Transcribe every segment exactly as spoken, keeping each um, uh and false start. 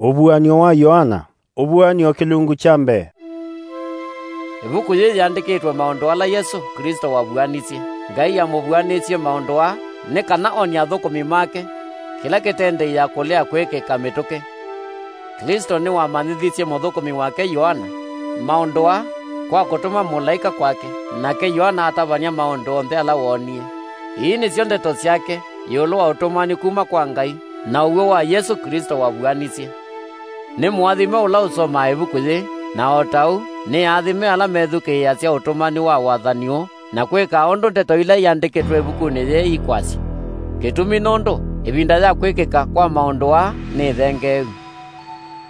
Ũvuan'yo wa Yoana. Ũvuan'yo kĩlungu kya mbee. Ĩvuku yĩĩ yĩandĩkĩtwe maũndũ ala Yesũ Klĩsto wavuanisye. Ngai amũvuanĩsye maũndũ aa nĩ kana onie athũkũmi make kĩla kĩtendeea kũlea kwĩkĩka mĩtũkĩ. Klĩsto nĩwamanyĩthisye mũthũkũmi wake Yoana maũndũ aa kwa kũtũma mũlaĩka kwake, nake Yoana atavany'a maũndũ onthe ala woonie. Ii nĩsyo ndeto syake ĩũlũ wa ũtũmani kuma kwa Ngai na ũw'o wa Yesũ Klĩsto wavuanisye. Nĩ mũathime ũla ũsomaa ĩvuku yĩĩ, na o ta ũu, nĩ aathime ala methukĩĩasya ũtũmani wa wathani ũũ, na kwĩkaa ũndũ ndeto ila iandĩkĩtwe ĩvukunĩ yĩĩ ikwasya. Kĩtumi nũndũ ĩvinda ya kwĩkĩka kwa maũndũ aa nĩthengeeu.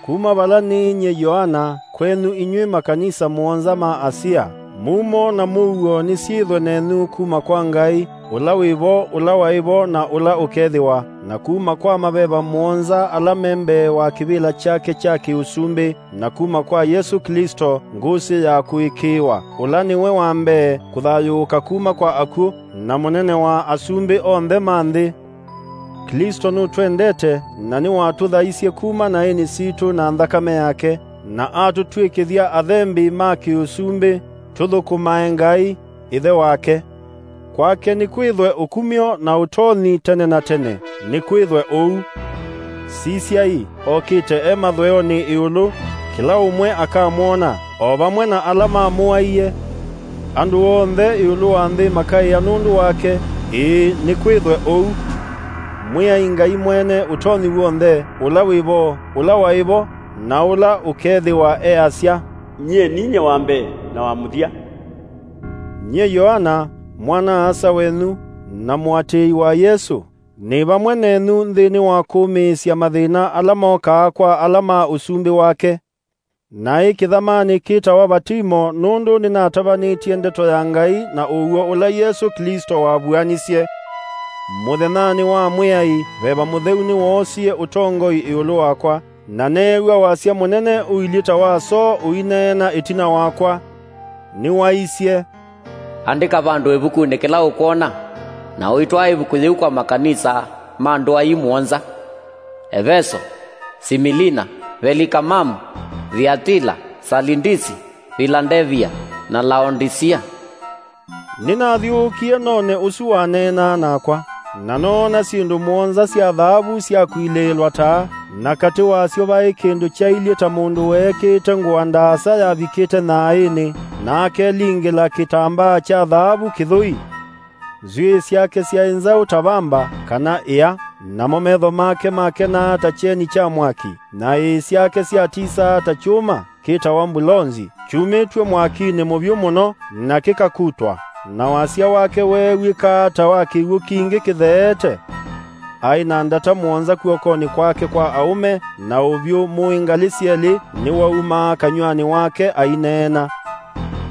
Kuma vala nĩ nyie Yoana kwenyu inyw'ĩ makanisa mũonza ma Asia, mumo na mũuo nĩsyĩthwe nenyu kuma kwa Ngai, ũla wĩ vo, ũla waĩ vo, na ũla ũkethĩwa, na kuma kwa maveva mũonza ala me mbee wa kĩvĩla kyake kya kĩ-ũsumbĩ, na kuma kwa Yesũ Klĩsto, Ngũsĩ ya kũĩkĩĩwa, ũla nĩwe wa mbee kũthayũũka kuma kwa akw'ũ, na mũnene wa asumbĩ onthe ma nthĩ. Klĩsto nũtwendete, na nĩwatũthaisye kuma naĩnĩ sitũ na nthakame yake, na atũtw'ĩkĩthya athembi ma kĩ-ũsumbĩ, tũthũkũmae Ngai, Ĩthe wake. Kwake nĩkwĩthwe ũkumyo na ũtonyi tene na tene. Nĩkwĩthwe ũu. Sisyai, okĩte e mathweonĩ ĩũlũ, kĩla ũmwe akamwona, o vamwe na ala mamũaie. Andũ onthe ĩũlũ wa nthĩ makaĩa nũndũ wake. Ĩĩ, nĩkwĩthwe ũu. Mwĩai Ngai Mwene Ũtonyi W'onthe, ũla wĩ vo, ũla waĩ vo, na ũla ũkethĩwa easya, "Nyie ninyie wa mbee na wa mũthya." Nyie Yoana, mwana-a-asa wenyu, na mũatĩĩi wa Yesũ, nĩ vamwe nenyu nthĩnĩ wa kũũmĩĩsya mathĩna ala mokaa kwa ala ma ũsumbĩ wake. Naĩ kĩthamanĩ kĩtawa Vatimo, nũndũ nĩnatavanĩtye ndeto ya Ngai na ũw'o ũla Yesũ Klĩsto wavuanisye. Mũthenyanĩ wa Mwĩai, Veva Mũtheu nĩwoosie ũtongoi ĩũlũ wakwa, na neew'a wasya mũnene ũilyĩ ta wa soo ũineena ĩtina wakwa. Nĩwaisye, "Andĩka vandũ ĩvukunĩ kĩla ũkwona, na ũitwaa ĩvuku yĩu kwa makanisa ma ndũa ii mũonza: Eveso, Similina, Velikamamu, Thiatila, Salindisi, Vilandevia, na Laondisia." Nĩnathyũũkie none ũsu waneenaa nakwa, na noona syĩndũ mũonza sya thaavu syakuilĩĩlwa taa, na katĩ wasyo vaĩ kĩndũ kyailyĩ ta mũndũ weekĩĩte ngũa ndaasa yavikĩte nyaaĩnĩ, na akelingĩla kĩtambaa kya thaavu kĩthũi. Nzw'ĩĩ syake syaĩ nzaũ ta vamba kana ĩa, namo metho make makenaa ta kyeni kya mwaki, na ĩĩ syake syatisaa ta kyũma kĩtawa mbulonzi, kyumĩtw'e mwakinĩ mũvyũ mũno, na kĩkakutwa, na wasya wake weew'ĩkaa ta wa kĩw'ũ kingĩ kĩtheete. Aĩ na ndata mũonza kw'okonĩ kwake kwa aũme, na ũvyũ mũĩ ngalĩ syelĩ nĩwaumaa kanyw'anĩ wake aineena.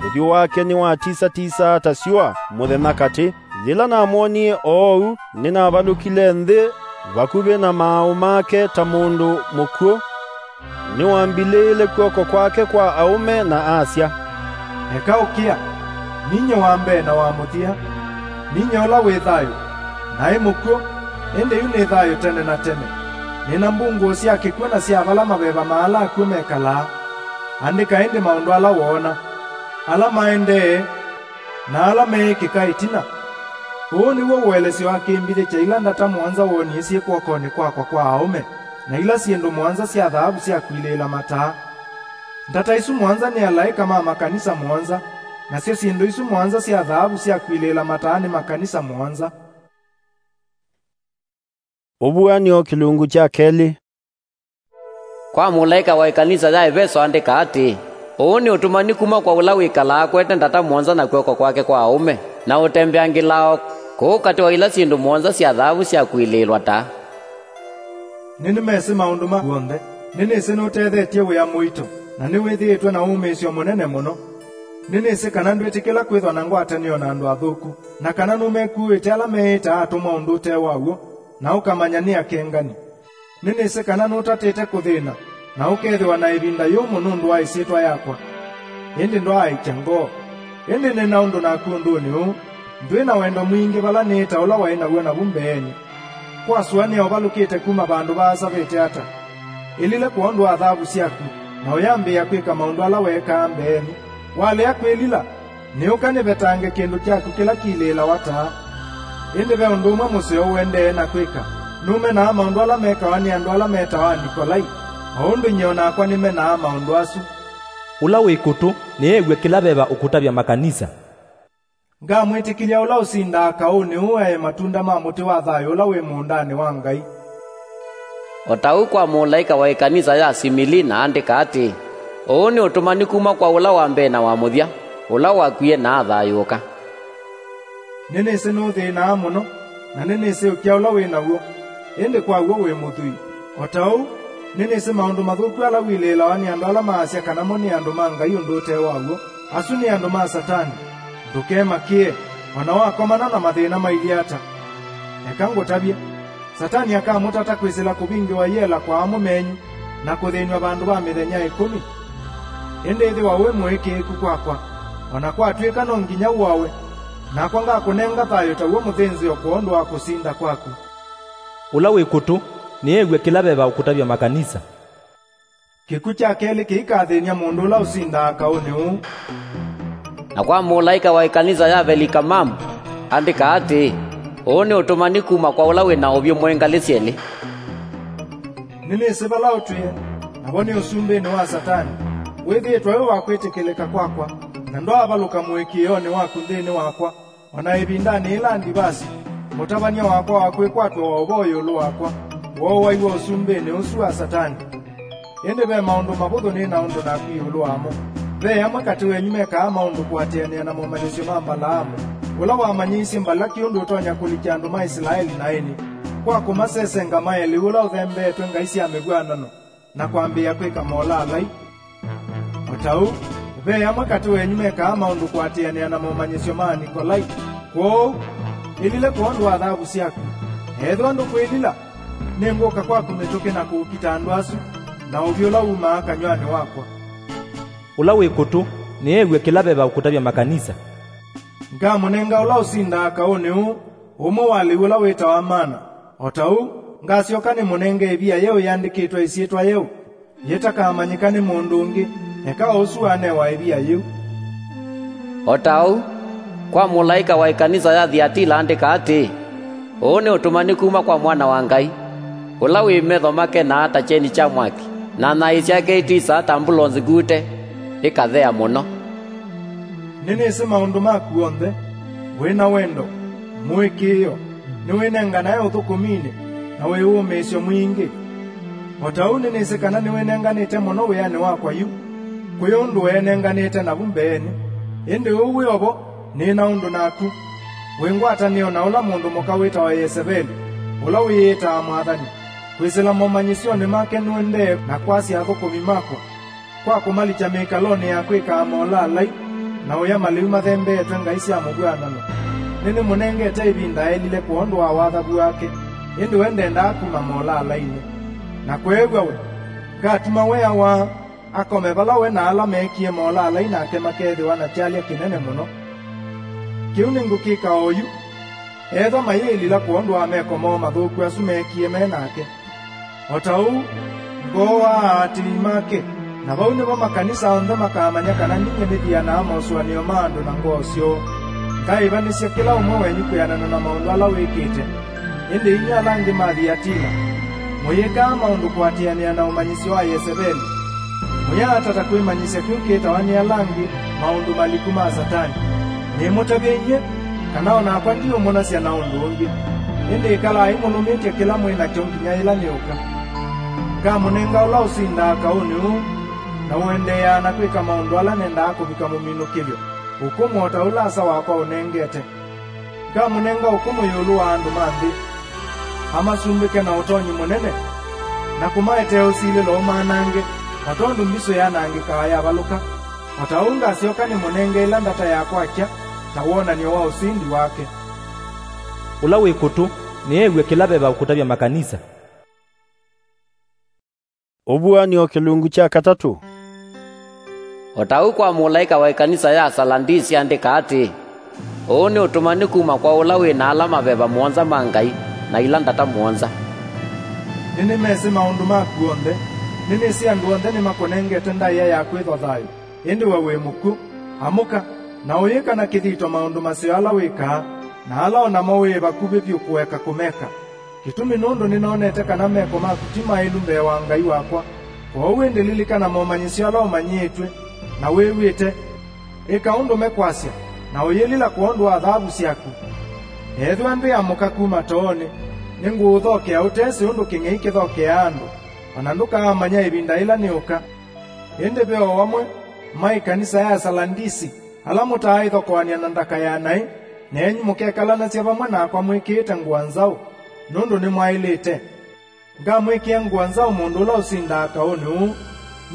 Ũthyũ wake nĩwatisa-tisaa ta syũa mũthenya katĩ. Yĩla namwonie oou, nĩnavalũkile nthĩ vakuvĩ na maaũ make ta mũndũ mũkw'ũ. Nĩwambilĩĩle kw'oko kwake kwa aũme na asya, "Eka ũkĩa, ninyie wa mbee na wa mũthya, ninyie ũla wĩ thayũ. Naĩ mũkw'ũ, ĩndĩ yu nĩ thayũ tene na tene. Nĩ na mbungũũ sya kĩkw'ũ na sya vala maveva ma ala akw'ũ mekalaa. Andĩka ĩndĩ maũndũ ala woona, ala maendee, na ala meĩkĩka ĩtina." Ũũ nĩw'o ũelesyo wa kĩmbithĩ kya ila ndata mũonza woonie syĩ kw'okonĩ kwakwa kwa aũme, na ila syĩndũ mũonza sya thaavu sya kuilĩĩla mataa. Ndata isu mũonza nĩ alaĩka ma makanisa mũonza, nasyo syĩndũ isu mũonza sya thaavu sya kuilĩĩla mataa nĩ makanisa mũonza. Ũvuan'yo kĩlungu kya kelĩ. Kwa mũlaĩka wa ĩkanisa ya Eveso andĩka atĩĩ, "Ũũ nĩ ũtũmani kuma kwa ũla wĩkalaa akwete ndata mũonza na kw'oko kwake kwa aũme, na ũtembeangĩlaa o kũu katĩ wa ila syĩndũ mũonza sya thaavu sya kuilĩĩlwa taa. Nĩnĩmesĩ maũndũ maku onthe, nĩnĩsĩ nũtethetye wĩa mũito, na nĩwĩthĩĩtwe na wũmĩĩsyo mũnene mũno. Nĩnĩsĩ kana ndwĩtĩkĩla kwĩthwa na ngwatanĩo na andũ athũku, na kana nũmekuuĩte ala meĩĩtaa atũmwa ũndũ ũte wa w'o, na ũkamanya nĩ akengani. Nĩnĩsĩ kana nũtatĩte kũthĩna, na ũkethĩwa na ĩvinda yũmũ nũndũ wa ĩsyĩtwa yakwa. Ĩndĩ ndwaaĩkya ngoo. Ĩndĩ nĩ na ũndũ naku ũndũnĩ ũũ, ndwĩ na wendo mwingĩ vala nĩĩ ta ũla waĩ naw'o navu mbeenĩ. Kwasũanĩa ũvalũkĩte kuma vandũ vaasa vĩte ata?" Ĩlile kwondũ wa thavu syaku, na ũyambĩĩa kwĩka maũndũ ala weekaa mbeenĩ. Walea kwĩlila, nĩũka nĩvetange kĩndũ kyaku kĩla kilĩĩlawa taa. Ĩndĩ ve ũndũ ũmwe mũseo ũendee na kwĩka. Nũmenaa maũndũ ala mekawa nĩ andũ ala metawa Anikolai, o ũndũ nyie o nakwa nĩmenaa maũndũ asu. Ũla wĩ kũtũ nĩew'e kĩla veva ũkũtavya makanisa. Ngamwĩtĩkĩlya ũla ũsindaa kaũnĩ ũũ aye matunda ma mũtĩ wa thayũ ũla wĩ mũũndanĩ wa Ngai. O ta ũu kwa mũlaĩka wa ĩkanisa ya Similina andĩka atĩĩ, "Ũũ nĩ ũtũmani kuma kwa ũla wa mbee na wa mũthya, ũla wakwie na athayũũka." Nĩnĩsĩ nũthĩĩnaa mũno, na nĩnĩsĩ ũkĩa ũla wĩ naw'o, ĩndĩ kwa w'o wĩ mũthwii. O ta ũu, nĩnĩsĩ maũndũ mathũku ala wilĩĩlawa nĩ andũ ala maasya kana mo nĩ andũ ma Ngai ũndũ ũte wa w'o. Asu nĩ andũ ma Satani. Ndũkemakĩe, o na wakomana na mathĩna mailyĩ ata. Eka ngũtavye. Satani akamũtata kwĩsĩla kũvingĩwa iela kwa amũ menyu na kũthĩnw'a vandũ va mĩthenya ĩkũmi. Ĩndĩ ĩthĩwa wĩ mũĩkĩĩku kwakwa, o na kwatw'ĩka no nginya ũawe, nakwa ngakũnenga thayũ taw'o mũthĩnzĩo kwondũ wa kũsinda kwaku. Ũla wĩ kũtũ nĩew'e kĩla veva ũkũtavya makanisa. Kĩkw'ũ kya kelĩ kĩikathĩny'a mũndũ ũla ũsindaa kaũnĩ ũũ. Na kwa mũlaĩka wa ĩkanisa ya Velikamamu, andĩka atĩĩ, "Ũũ nĩ ũtũmani kuma kwa ũla wĩ na ũvyũ mwĩ ngalĩ syelĩ." Nĩnĩsĩ vala ũtwĩe, navo nĩ ũsumbĩnĩ wa Satani. Wĩthĩĩtwe wĩ wa kwĩtĩkĩlĩka kwakwa, na ndwaavalũka mũĩkĩĩonĩ waku nthĩnĩ wakwa. O na ĩvindanĩ yĩla ndivasi, mũtavany'a wakwa wa kwĩkwatw'a wa ũvoo ĩũlũ wakwa wooaiwe ũsumbĩnĩ ũsu wa Satani. Ĩndĩ ve maũndũ mavũthũ nĩ na ũndũ naku ĩũlũ wamo. Ve amwe katĩ wenyu mekaa maũndũ kũatĩanĩa na momanyĩsyo ma Mbalaamu, ũla wamanyĩisye Mbalaki ũndũ ũtonya kũlikya andũ ma Isilaeli na aini, kwa kũmasesenga maye lĩu ũla ũthembeetwe ngai sya mĩvw'anano, na kwambĩĩa kwĩka molaalai. O ta ũu, ve amwe katĩ wenyu mekaa maũndũ kũatĩanĩa na momanyĩsyo ma Anikolai. Kwoou, ĩlile kwondũ wa thavu syaku. Ethĩwa ndũkwĩlila, nĩngũka kwaku mĩtũkĩ na kũũkita andũ asu, na ũvyũ ũla wumaa kanyw'anĩ wakwa. Ũla wĩ kũtũ nĩew'e kĩla veva ũkũtavya makanisa. Ngamũnenga ũla ũsindaa kaũnĩ ũũ, ũmwe wa lĩu ũla wĩtawa mana. O ta ũu, ngasyoka nĩmũnenge ĩvia yeũ yĩandĩkĩtwe ĩsyĩtwa yeũ, yĩtakamanyĩka nĩ mũndũ ũngĩ, eka o ũsu wanewa ĩvia yĩu. O ta ũu, kwa mũlaĩka wa ĩkanisa ya Thiatila andĩka atĩĩ, "Ũũ nĩ ũtũmani kuma kwa Mwana wa Ngai, ũla wĩ metho make naa ta kyeni kya mwaki, na naĩ syake itisaa ta mbulonzi ngute, ĩkathea mũno." Nĩnĩsĩ maũndũ maku onthe, wĩ na wendo, mũĩkĩĩo, nĩwĩnenganae ũthũkũminĩ, na wĩ wũmĩĩsyo mwingĩ. O ta ũu nĩnĩsĩ kana nĩwĩnenganĩte mũno wĩanĩ wakwa yu, kwĩ ũndũ weenenganĩte navu mbeenĩ. Ĩndĩ ũu wĩ o vo, nĩ na ũndũ naku. Wĩ ngwatanĩo na ũla mũndũ mũka wĩtawa Yeseveli, ũla wĩyĩtaa mwathani. Kwĩsĩla momanyĩsyonĩ make nũendee na kwasya athũkũmi makwa, kwa kũmalikya mĩkalonĩ ya kwĩkaa molaalai na ũya malĩu mathembeetwe ngai sya mũvw'anano. Nĩnĩmũnengete ĩvinda aĩlile kwondũ wa wathavu wake, ĩndĩ we ndendaa kuma molaalai-inĩ. Na kweew'a we, ngatuma we awaa, akome vala we na ala meekie molaalai nake makeethĩwa na kyalya kĩnene mũno. Kĩu nĩngũkĩka oyu, ethwa mayĩĩlila kwondũ wa meko moo mathũku asu meekie me nake. O ta ũu, ngooaa aatĩĩi make, na vau nĩvo makanisa onthe makaamanya kana ninyie nĩthianaa mosũanĩo ma andũ na ngoo syoo. Ngaĩvanĩsya kĩla ũmwe wenyu kwĩanana na maũndũ ala wĩkĩte. Ĩndĩ inyw'ĩ ala angĩ ma Thiatila, mũyĩkaa maũndũ kũatĩanĩa na ũmanyĩsyo wa Yeseveli, mũyaatata kwĩmanyĩsya kĩu kĩtawa nĩ ala angĩ maũndũ maliku ma Satani. Nĩmũtavye inyw'ĩ, kana o nakwa ndiũmũnasya na ũndũ ũngĩ. Ĩndĩ ĩkalai mũlũmĩtye kĩla mwĩ nakyo nginya yĩla nĩũka. Ngamũnenga ũla ũsindaa kaũnĩ ũũ, na ũendeeaa na kwĩka maũndũ ala nendaa kũvika mũminũkĩlyo, ũkũmũ o ta ũla Asa wakwa ũnengete. Ngamũnenga ũkũmũ ĩũlũ wa andũ ma nthĩ, amasumbĩke na ũtonyi mũnene, na kũmaetee ũsilĩlo ũmanange, o tondũ mbisũ yanangĩkaa yavalũka. O ta ũu ngasyoka nĩmũnenge ĩla ndata ya kwakya ta wonany'o wa ũsindi wake. Ũla wĩ kũtũ nĩew'e kĩla veva ũkũtavya makanisa. Ũvuan'yo kĩlungu kya katatũ. O ta ũu kwa mũlaĩka wa ĩkanisa ya Saladisi andĩka atĩĩ, "Ũũ nĩ ũtũmani kuma kwa ũla wĩ na ala maveva mũonza ma Ngai na ila ndata mũonza." Nĩnĩmesĩ maũndũ maku onthe, Nĩnĩsĩ andũ onthe nĩmakũnengete ndaĩa ya kwĩthwa thayũ, ĩndĩ we wĩ mũkw'ũ. Amũka, na ũyĩka na kĩthito maũndũ maseo ala wĩkaa, na ala o namo wĩ vakuvĩ vyũ kũeka kũmeka. Kĩtumi nũndũ nĩnonete kana meko maku ti maĩlu mbee wa Ngai wakwa. Kwoou ĩndĩ lilikana momanyĩsyo ala ũmanyĩĩtw'e, na wĩw'ĩte. Ĩka ũndũ mekwasya, na ũyĩlila kwondũ wa thaavu syaku. Ethĩwa ndwĩamũka kuma toonĩ, nĩngũũthokea ũtesĩ ũndũ kĩng'ei kĩthokeaa andũ, o na ndũkaamanya ĩvinda yĩla nĩũka. Ĩndĩ ve o amwe ma ĩkanisa ya Salandisi, ala mũtaaĩthokoany'a na ndaka ya naĩ, nenyu mũkekalanasya vamwe nakwa mwĩkĩĩte ngũa nzaũ, nũndũ nĩmwaĩlĩte. Ngamwĩkĩa ngũa nzaũ mũndũ ũla ũsindaa kaũnĩ ũũ,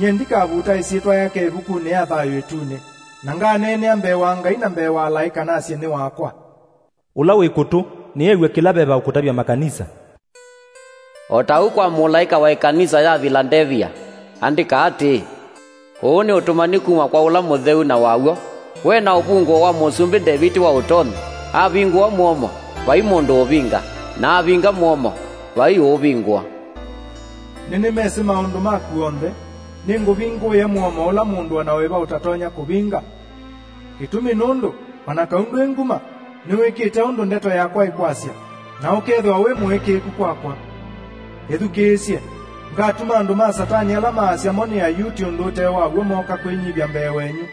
nyie ndikavuta ĩsyĩtwa yake ĩvukunĩ ya thayũ ĩtunĩ, na nganeenea mbee wa Ngai na mbee wa alaĩka nasye nĩ wakwa. Ũla wĩ kũtũ nĩew'e kĩla veva ũkũtavya makanisa. O ta ũu kwa mũlaĩka wa ĩkanisa ya Vilandevia, andĩka atĩĩ, "Ũũ nĩ ũtũmani kuma kwa Ũla Mũtheu na wa w'o, we na ũvungũo wa Mũsumbĩ Ndeviti wa ũtonyi, avingũa mũomo, vai mũndũ ũvinga, na avinga mũomo, vai ũũvingũa." Nĩnĩmesĩ maũndũ maku onthe, nĩngũvingũĩa mũomo ũla mũndũ o na wĩva ũtatonya kũvinga. Kĩtumi nũndũ, o na kau ndwĩ nguma, nĩwĩkĩte ũndũ ndeto yakwa ĩkwasya, na ũkethĩwa wĩ mũĩkĩĩku kwakwa. Ĩthukĩĩsye, ngatuma andũ ma Satani ala maasya mo nĩ Ayuti ũndũ ũte wa w'o mooka kwĩnyivya mbee wenyu.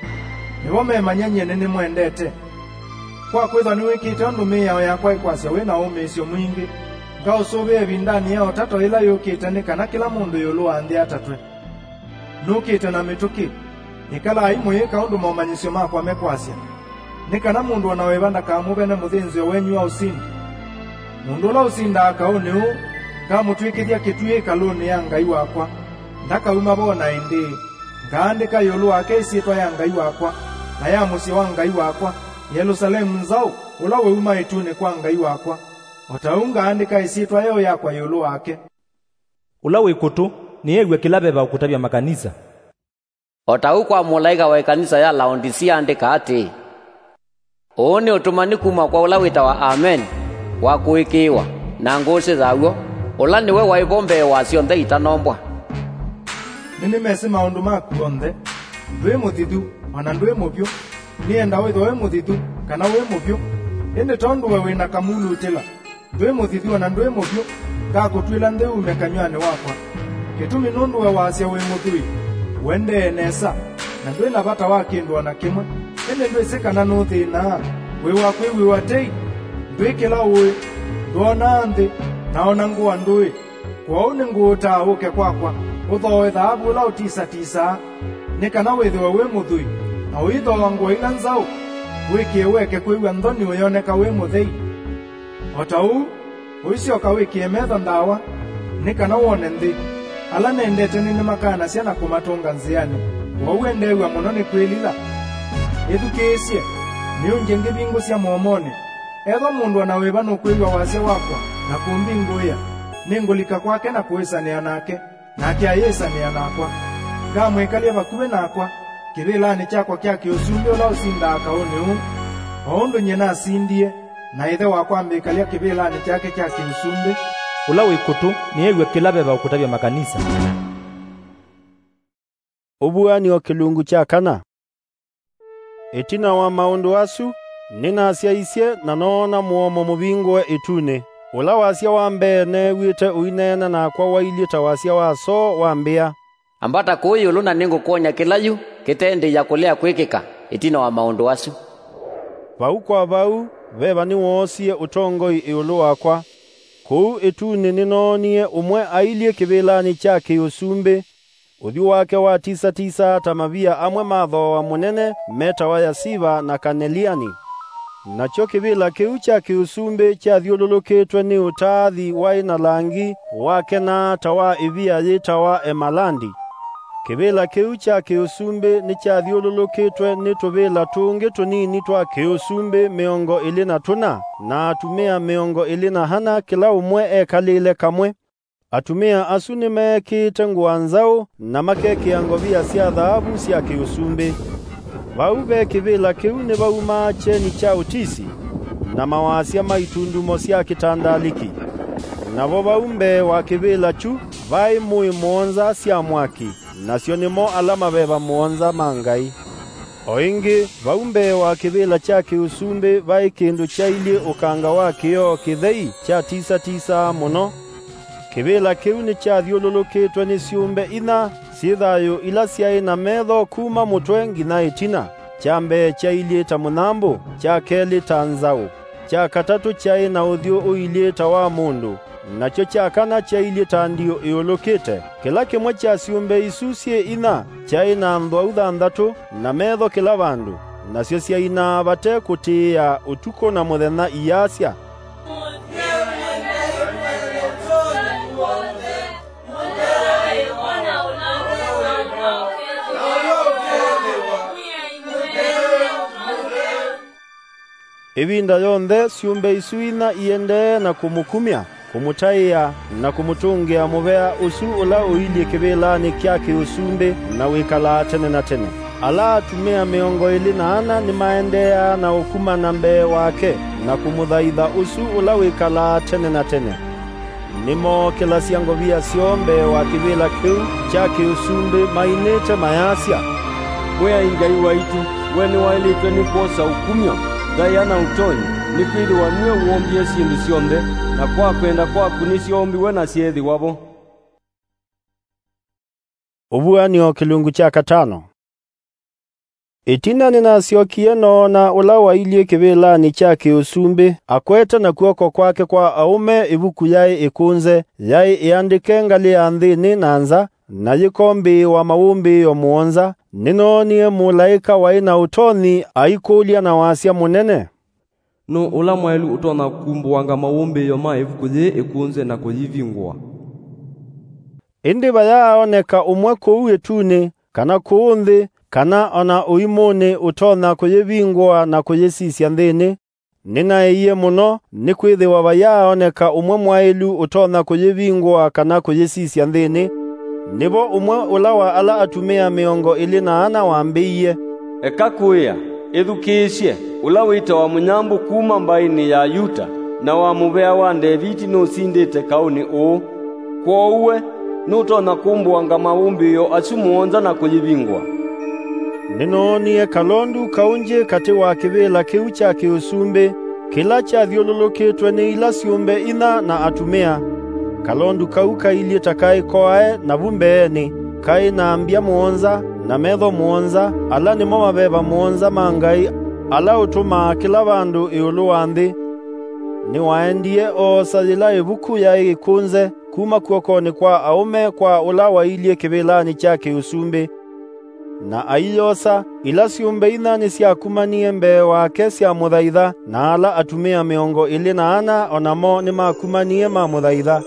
Nĩvo memanya nyie nĩnĩmwendete. Kwa kwĩthwa nĩwĩkĩte ũndũ mĩao yakwa ĩkwasya wĩ na ũmĩĩsyo mwingĩ, ngaũsũvĩa ĩvindanĩ ya ũtato ĩla yũkĩte nĩ kana kĩla mũndũ ĩũlũ wa nthĩ atatwe. Nũkĩte na mĩtũkĩ. Ĩkalai mũyĩka ũndũ momanyĩsyo makwa mekwasya, nĩ kana mũndũ o na wĩva ndakamũvene mũthĩnzĩo wenyu wa ũsindi. Mũndũ ũla ũsindaa kaũnĩ ũũ, ngamũtw'ĩkĩthya kĩtuĩ ĩkalũnĩ ya Ngai wakwa, ndakauma vo na ĩndĩĩ. Ngaandĩka ĩũlũ wake ĩsyĩtwa ya Ngai wakwa, na ya mũsyĩ wa Ngai wakwa, Yelusalemu nzaũ, ũla wauma ĩtunĩ kwa Ngai wakwa, o ta ũu ngaandĩka ĩsyĩtwa yeũ yakwa ĩũlũ wake. Ũla wĩ kũtũ nĩew'e kĩla veva ũkũtavya makanisa. O ta ũu kwa mũlaĩka wa ĩkanisa ya Laodisia andĩka atĩĩ, "Ũũ nĩ ũtũmani kuma kwa ũla wĩtawa Ameni, wa kũĩkĩĩwa, na ngũsĩ ya w'o, ũla nĩwe waĩ vo mbee wa syonthe itanombwa." Nĩnĩmesĩ maũndũ maku onthe. Ndwĩ mũthithu, o na ndwĩ mũvyũ. Nĩenda wĩthwe wĩ mũthithu, kana wĩ mũvyũ. Ĩndĩ tondũ we wĩ na kamulutĩla, ndwĩ mũthithu o na ndwĩ mũvyũ, ngakũtw'ĩla nthĩ ume kanyw'anĩ wakwa. Kĩtumi nũndũ we wasya wĩ mũthwii, ũendee nesa, na ndwĩ na vata wa kĩndũ o na kĩmwe. Ĩndĩ ndwĩsĩ kana nũthĩnaa, wĩ wa kwĩw'ĩwa tei, ndwĩ kĩla ũĩ, ndwonaa nthĩ, na o na ngũa ndũĩ. Kwoou nĩngũũtaa ũke kwakwa, ũthooe thaavu ũla ũtisatisaa, nĩ kana wĩthĩwe wĩ mũthwii, na ũithooa ngũa ila nzaũ, wĩkĩe weke kwĩw'a nthoni ũyoneka wĩ mũthei. O ta ũu, ũisyoka wĩkĩe metho ndawa, nĩ kana wone nthĩ. Ala nendete nĩnĩmakanasya na kũmatũnga nzĩanĩ, kwoou endeew'a mũno nĩ kwĩlila. Ĩthukĩĩsye, nĩũngye ngĩvingũsya mũomonĩ. Ethwa mũndũ o na wĩva nũkwĩw'a wasya wakwa na kũmbingũĩa, nĩngũlika kwake na kũĩsanĩa nake, nake ayĩsanĩa nakwa. Ngamwĩkalya vakuvĩ nakwa kĩvĩlanĩ kyakwa kya kĩũsumbĩ ũla ũsindaa kaũnĩ ũũ, o ũndũ nyie nasindie, na Ĩthe wakwa ambĩkalya kĩvĩlanĩ kyake kya kĩũsumbĩ. Ũla wĩ kũtũ nĩew'e kĩla veva ũkũtavya makanisa. Ũvuan'yo kĩlungu kya kana. Ĩtina wa maũndũ asu, nĩnasyaisye, na noona mũomo mũvingũe ĩtunĩ. Ũla wasya wa mbee neew'ĩte ũineena nakwa wailyĩ ta wasya wa soo wambĩa, "Ambata kũũ ĩũlũ, na nĩngũkwony'a kĩla yu kĩtendĩĩa kũlea kwĩkĩka ĩtina wa maũndũ asu." Vau kwa vau, veva nĩwoosie ũtongoi ĩũlũ wakwa. Kũu ĩtunĩ nĩnoonie ũmwe ailyĩ kĩvĩlanĩ kya kĩũsumbĩ, ũthyũ wake watisatisaa ta mavia amwe ma thooa mũnene metawa yasiva na kaneliani. Nakyo kĩvĩla kĩu kya kĩũsumbĩ kyathyũlũlũkĩtwe nĩ ũtaathi waĩ na langi wakenaa ta wa ĩvia yĩtawa emalandi. Kĩvĩla kĩu kya kĩũsumbĩ nĩkyathyũlũlũkĩtwe nĩ tũvĩla tũngĩ tũnini twa kĩũsumbĩ mĩongo ĩlĩ na tũna, na atumĩa mĩongo ĩlĩ na ana, kĩla ũmwe ekalĩle kamwe. Atumĩa asu nĩmeekĩĩte ngũa nzaũ, na makekĩa ngovia sya thaavu sya kĩũsumbĩ. Vau ve kĩvĩla kĩu nĩvaumaa kyeni kya ũtisi, na mawasya ma itundumo sya kĩtandalĩki. Navo vau mbee wa kĩvĩla kyu vaĩ mũĩ mũonza sya mwaki, nasyo nĩmo ala maveva mũonza ma Ngai. O ĩngĩ, vau mbee wa kĩvĩla kya kĩ-ũsumbĩ vaĩ kĩndũ kyailyĩ ũkanga wa kĩoo kĩthei kyatisatisaa mũno. Kĩvĩla kĩu nĩkyathyũlũlũkĩtwe nĩ syũmbe inya syĩ thayũ ila syaĩ na metho kuma mũtwe nginya ĩtina. Kya mbee kyailyĩ ta mũnyambũ, kya kelĩ ta nzaũ, kya katatũ kyaĩ na ũthyũ ũilyĩ ta wa mũndũ, nakyo kya kana kyailyĩ ta ndiũ ĩũlũkĩte. Kĩla kĩmwe kya syũmbe isu syĩ inya kyaĩ na nthwau thanthatũ na metho kĩla vandũ, nasyo syainaa vate kũtĩĩa ũtukũ na mũthenya iyasya, Ĩvinda yonthe syũmbe isu inya iendee na kũmũkumya, kũmũtaĩa, na kũmũtũngĩa mũvea ũsu ũla ũilyĩ kĩvĩlanĩ kya kĩ-ũsumbĩ na wĩkalaa tene na tene. Ala atumĩa mĩongo ĩlĩ na ana nĩmaendeeaa na ũkumana mbee wake na kũmũthaitha ũsu ũla wĩkalaa tene na tene. Nĩmookĩlasya ngovia syoo mbee wa kĩvĩla kĩu kya kĩ-ũsumbĩ mainĩte mayasya, Mwĩai Ngai waitũ, we nĩwaĩlĩtwe nĩ kwosa ũkumyo, ndaĩa na ũtonyi, nĩkwĩthĩwa nue woombie syĩndũ syonthe, na kwa kwenda kwaku nĩsyoombiwe na syeethĩwa vo. Ũvuan'yo kĩlungu kya katano. Ĩtina nĩnasyokie noona ũla wailyĩ kĩvĩlanĩ kya kĩ-ũsumbĩ, akwete na kw'oko kwake kwa aũme ĩvuku yaĩ ĩkũnze, yaĩ ĩandĩke ngalĩ ya nthĩnĩ na nza, na yĩkombĩĩwa mawũmbĩĩo mũonza. Nĩnoonie mũlaĩka waĩ na ũtonyi aikũlya na wasya mũnene, Nũũ ũla mwaĩlu ũtonya kumbũanga mawũmbĩĩo ma ĩvuku yĩĩ ĩkũnze na kũyĩvingũa? Ĩndĩ vayaaoneka ũmwe kũu ĩtunĩ, kana kũũ nthĩ, kana o na ũimũnĩ ũtonya kũyĩvingũa na kũyĩsisya nthĩnĩ. Nĩnaĩie mũno, nĩkwĩthĩwa vayaaoneka ũmwe mwaĩlu ũtonya kũyĩvingũa kana kũyĩsisya nthĩnĩ. Nĩvo ũmwe ũla wa ala atumĩa mĩongo ĩlĩ na ana wambĩie, Eka kũĩa, ĩthukĩĩsye, ũla wĩtawa mũnyambũ kuma mbaĩnĩ ya Yuta, na wa mũvea wa Ndeviti nũsindĩte kaũnĩ ũũ. Kwoou we, nũtonya kũmbũanga mawũmbĩĩo asu mũonza na kũyĩvingũa? Nĩnoonie kalondu kaũngĩ katĩ wa kĩvĩla kĩu kya kĩ-ũsumbĩ, kĩla kyathyũlũlũkĩtwe nĩ ila syũmbe inya na atumĩa. Kalondu kau kailyĩ ta kaĩ koae navu mbeenĩ, kaĩ na mbya mũonza na metho mũonza, ala nĩmo maveva mũonza ma Ngai, ala ũtũmaa kĩla vandũ ĩũlũ wa nthĩ. Nĩwaendie oosa yĩla ĩvuku yaĩ ĩkũnze kuma kw'okonĩ kwa aũme kwa ũla wailyĩ kĩvĩlanĩ kya kĩ-ũsumbĩ. Na aiyosa, ila syũmbe inya nĩsyakumanie mbee wake syamũthaitha, na ala atumĩa mĩongo ĩlĩ na ana o namo nĩmakumanie mamũthaitha.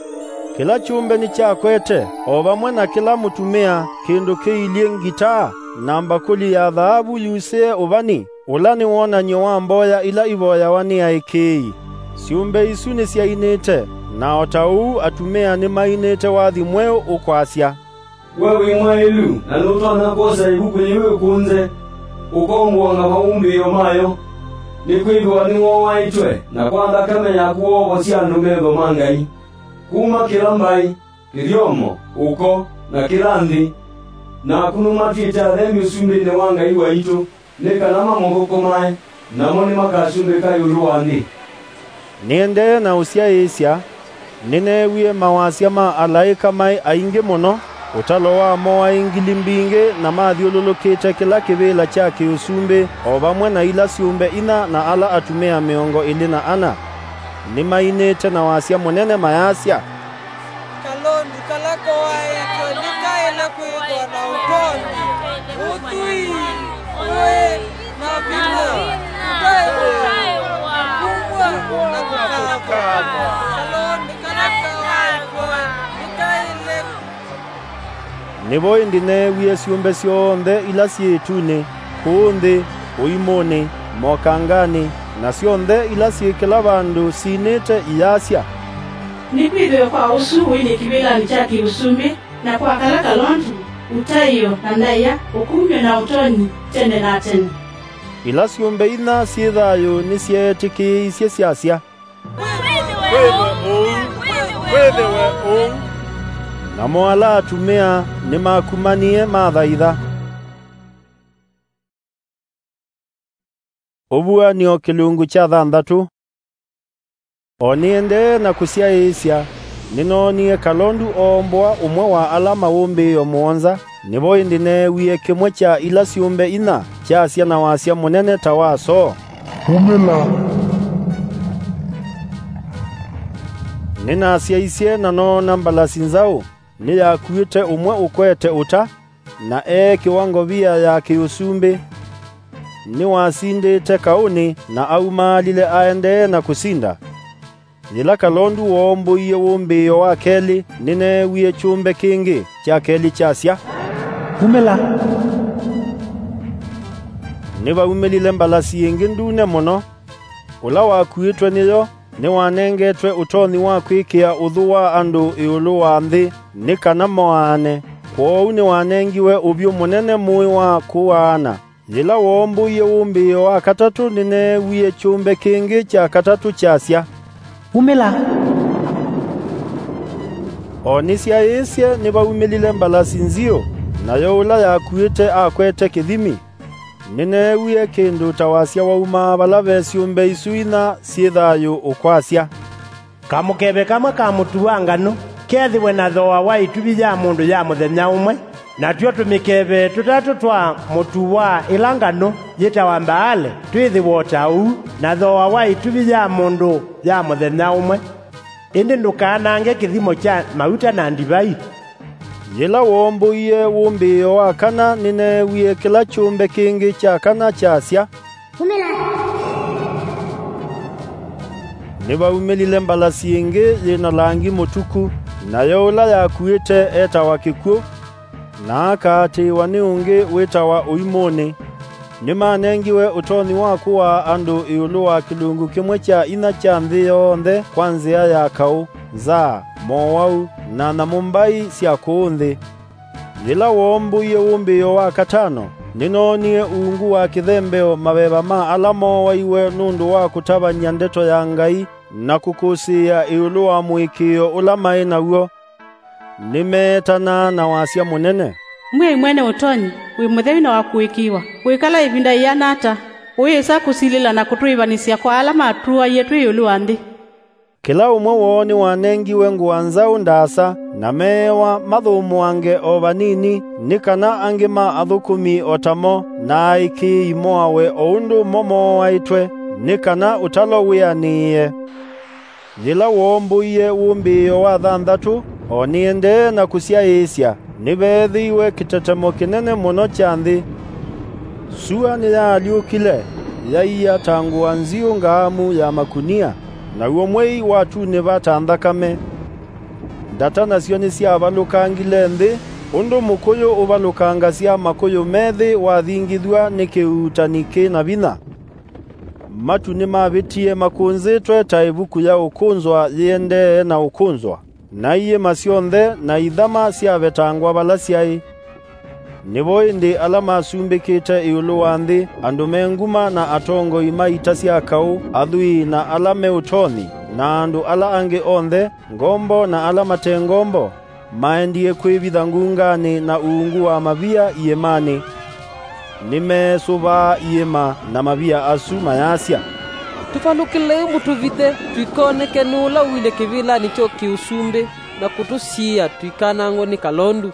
Kĩla kyũmbe nĩkyakwete, o vamwe na kĩla mũtumĩa, kĩndũ kĩilyĩ ngitaa, na mbakũli ya thaavu yusĩe ũvani, ũla nĩ wonany'o wa mboya ila ivoyawa nĩ aĩkĩĩi. Syũmbe isu nĩsyainĩte, na o ta ũu atumĩa nĩmainĩte wathi mweũ ũkwasya, We wĩ mwaĩlu, na nũtonya kwosa ĩvuku yĩu ĩkũnze, ũkombũanga mawũmbĩĩo mayo, nĩkwĩthĩwa nĩwooaĩtwe, na kwa nthakame yaku woovosya andũ metho ma Ngai, kuma kĩla mbaĩ, kĩthyomo, ũko, na kĩla nthĩ. Naku nũmatw'ĩte athembi ũsumbĩnĩ wa Ngai waitũ, nĩ kana mamũthũkũmae, namo nĩmakasumbĩka ĩũlũ wa nthĩ. Nĩendee na ũsyaĩĩsya, nĩneewie mawasya ma alaĩka maĩ aingĩ mũno, ũtalo wamo waĩ ngili mbingĩ, na mathyũlũlũkĩte kĩla kĩvĩla kya kĩ-ũsumbĩ, o vamwe na ila syũmbe inya na ala atumĩa mĩongo ĩlĩ na ana. Nĩmainĩte na wasya mũnene mayasya, Kalondu kala koaĩtwe nĩkaĩle kwĩthwa na ũtonyi, ũthwii, ũĩ, na vinya, ũtaĩwa, na kumw'a, na kũkaanwa. Kalondu kala koaĩtwe nĩkaĩle. Nĩvo ĩndĩ neewie syũmbe syonthe ila syĩ ĩtunĩ, kũũ nthĩ, ũimũnĩ, mokanganĩ, na syonthe ila syĩ kĩla vandũ sinĩte iyasya, Nĩkwĩthĩwe kwa ũsu ũilyĩ kĩvĩlanĩ kya kĩ-ũsumbĩ, na kwa kala kalondu, ũtaĩo, na ndaĩa, ũkumyo na ũtonyi, tene na tene. Ila syũmbe inya syĩ thayũ nĩsyeetĩkĩĩisye syasya, Wĩthĩwe ũu, wĩthĩwe ũu. Namo ala atumĩa nĩmakumanie mathaitha. Ũvuan'yo kĩlungu kya thanthatũ. O nĩendee na kũsyaĩĩsya, nĩnoonie kalondu oomboa ũmwe wa ala mawũmbĩĩo mũonza, nĩvo ĩndĩ neewie kĩmwe kya ila syũmbe inya kyasya na wasya mũnene ta wa soo, "Umĩla!" Nĩnasyaisye na noona mbalasi nzaũ, nĩyakuĩte ũmwe ũkwete ũta, na eekĩwa ngovia ya kĩ-ũsumbĩ. Nĩwasindĩte kaũnĩ na aumaalile aendee na kũsinda. Yĩla kalondu woombũie wũmbĩĩo wa kelĩ, nĩneewie kyũmbe kĩngĩ kya kelĩ kyasya, "Umĩla!" Nĩvaumĩlile mbalasi ĩngĩ ndune mũno. Ũla wakuĩtwe nĩyo nĩwanengetwe ũtonyi wa kwĩkĩa ũthũ wa andũ ĩũlũ wa nthĩ nĩ kana moaane, kwoou nĩwanengiwe ũvyũ mũnene mũĩ wa kũaana. Yĩla woombũie wũmbĩĩo wa katatũ, nĩneewie kyũmbe kĩngĩ kya katatũ kyasya, "Umĩla!" O nĩsyaĩĩsye, nĩvaumĩlile mbalasi nziũ, nayo ũla yakuĩte akwete kĩthimi. Nĩneewie kĩndũ ta wasya waumaa vala ve syũmbe isu inya syĩ thayũ ũkwasya, "Kamũkeve kamwe ka mũtu wa nganũ kethĩwe na thooa wa ĩtuvi ya mũndũ ya mũthenya ũmwe, natw'o tũmĩkeve tũtatũ twa mũtu wa ĩla nganũ yĩtawa mbaale twĩthĩwe o ta ũu na thooa wa ĩtuvi ya mũndũ ya mũthenya ũmwe. Ĩndĩ ndũkanange kĩthimo kya mauta na ndivai." Yĩla woombũie wũmbĩĩo wa kana, nĩneewie kĩla kyũmbe kĩngĩ kya kana kyasya, "Umĩla!" Nĩvaumĩlile mbalasi ĩngĩ yĩ na langi mũtuku, nayo ũla yakuĩte etawa Kĩkw'ũ, na akaatĩĩwa nĩ ũngĩ wĩtawa Ũimũnĩ. Nĩmanengiwe ũtonyi wa kũaa andũ ĩũlũ wa kĩlungu kĩmwe kya inya kya nthĩ yonthe kwa nzĩa ya kaũ, nzaa, mowau, na nyamũ mbai sya kũũ nthĩ. Yĩla woombũie wũmbĩĩo wa katano, nĩnoonie ungu wa kĩthembeo maveva ma ala mooaiwe nũndũ wa kũtavany'a ndeto ya Ngai na kũkũsĩĩa ĩũlũ wa mũĩkĩĩo ũla maĩ naw'o. Nĩmeetanaa na wasya mũnene, "Mwĩai Mwene Ũtonyi, wĩ mũtheu na wa kũĩkĩĩwa, ũikala ĩvinda yĩana ata ũyĩsa kũsilĩla na kũtwĩĩvanĩsya kwa ala matũaie twĩ ĩũlũ wa nthĩ?" Kĩla ũmwe woo nĩwanengiwe ngũa nzaũ ndaasa, na meewa mathũmũange o vanini, nĩ kana angĩ ma athũkũmi o tamo na aĩkĩĩi moawe o ũndũ mo mooaĩtwe, nĩ kana ũtalo wĩanĩĩe. Yĩla woombũie wũmbĩĩo wa thanthatũ, o nĩendee na kũsyaĩĩsya, nĩveethĩiwe kĩtetemo kĩnene mũno kya nthĩ. Sua nĩyaalyũkile, yaiya ta ngũa nziũ ngaamu ya makunia, naw'o mwei watunĩva ta nthakame. Ndata nasyo nĩsyavalũkangile nthĩ, ũndũ mũkũyũ ũvalũkangasya makũyũ methĩ wathingithw'a nĩ kĩuutani kĩ na vinya. Matu nĩmavĩtie makũnzĩtwe ta ĩvuku ya ũkũnzwa yĩendee na ũkũnzwa, na iĩma syonthe na ithama syavetangwa vala syaĩ. Nĩvo ĩndĩ ala masumbĩkĩte ĩũlũ wa nthĩ, andũ me nguma na atongoi ma ita sya kaũ, athwii na ala me ũtonyi, na andũ ala angĩ onthe, ngombo na ala mate ngombo, maendie kwĩvitha ngunganĩ na uungu wa mavia iĩmanĩ. Nĩmeesũvaa iĩma na mavia asu mayasya, "Tũvalũkĩlei mũtũvithe, tũikoneke nũũ ũla ũilye kĩvĩlanĩ kya kĩ-ũsumbĩ na kũtũsiĩĩa tũikanangwe nĩ kalondu.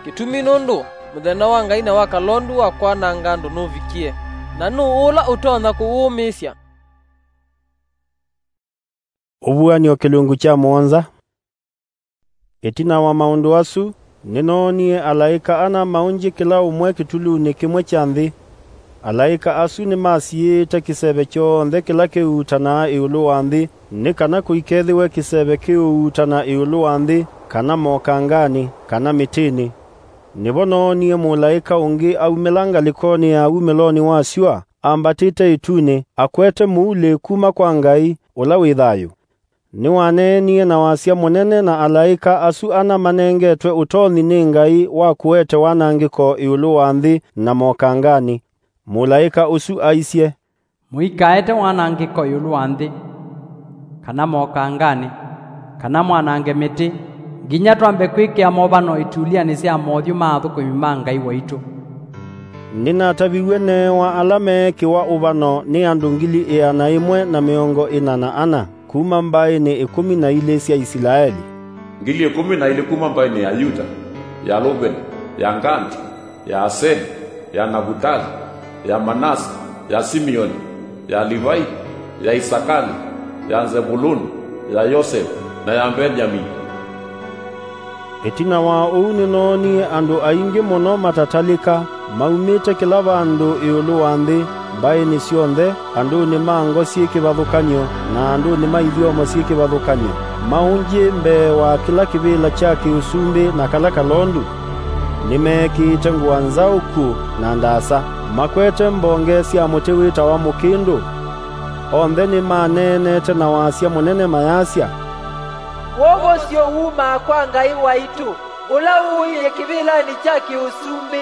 Kĩtumi nũndũ mũthenya wa Ngai na wa kalondu wa kwananga andũ nũvikie, na nũũ ũla ũtonya kũwũmĩĩsya?" Ũvuan'yo kĩlungu kya mũonza. Ĩtina wa maũndũ asu, nĩnoonie alaĩka ana maũngyĩ kĩla ũmwe kĩtulunĩ kĩmwe kya nthĩ. Alaĩka asu nĩmasiĩĩte kĩseve kyonthe kĩla kĩuutanaa ĩũlũ wa nthĩ, nĩ kana kũikethĩwe kĩseve kĩũuutana ĩũlũ wa nthĩ, kana mokanganĩ, kana mĩtĩnĩ. Nĩvo noonie mũlaĩka ũngĩ aumĩla ngalĩkonĩ ya wumĩlonĩ wa syũa, ambatĩte ĩtunĩ, akwete mũulĩ kuma kwa Ngai, ũla wĩ thayũ. Nĩwaneenie na wasya mũnene na alaĩka asu ana manengetwe ũtonyi nĩ Ngai wa kũete wanangĩko ĩũlũ wa nthĩ na mokanganĩ. Mũlaĩka ũsu aisye, "Mũikaete wanangĩko ĩũlũ wa nthĩ, kana mokanganĩ, kana mwanange mĩtĩ, nginya twambe kwĩkĩa movano itulyanĩ sya mothyũ ma athũkũmi ma Ngai waitũ. Nĩnataviw'e neewa ala meekĩwa ũvano nĩ andũ ngili ĩana ĩmwe na mĩongo ĩna na ana kuma mbaĩnĩ ĩkũmi na ilĩ sya Isilaeli, ngili ĩkũmi na ilĩ kuma mbaĩnĩ ya Yuta, ya Luveni, ya Ngati, ya Aseli, ya Navutali, ya Manase, ya Simeoni, ya Livai, ya Isakali, ya Nzevuluni, ya Yosevu, na ya Mbengyamini. Ĩtina wa ũu nĩnoonie andũ aingĩ mũno matatalĩka, maumĩte kĩla vandũ ĩũlũ wa nthĩ, mbaĩnĩ syonthe, andũnĩ ma ngo syĩ kĩvathũkany'o, na andũnĩ ma ithyomo syĩ kĩvathũkany'o, maũngyĩ mbee wa kĩla kĩvĩla kya kĩ-ũsumbĩ na kala kalondu. Nĩmeekĩĩte ngũa nzaũku na ndaasa, makwete mbonge sya mũtĩ wĩtawa mũkĩndũ. Onthe nĩmaneenete na wasya mũnene mayasya, "Wovosyo wumaa kwa Ngai waitũ, ũla ũilyĩ kĩvĩlanĩ kya kĩ-ũsumbĩ,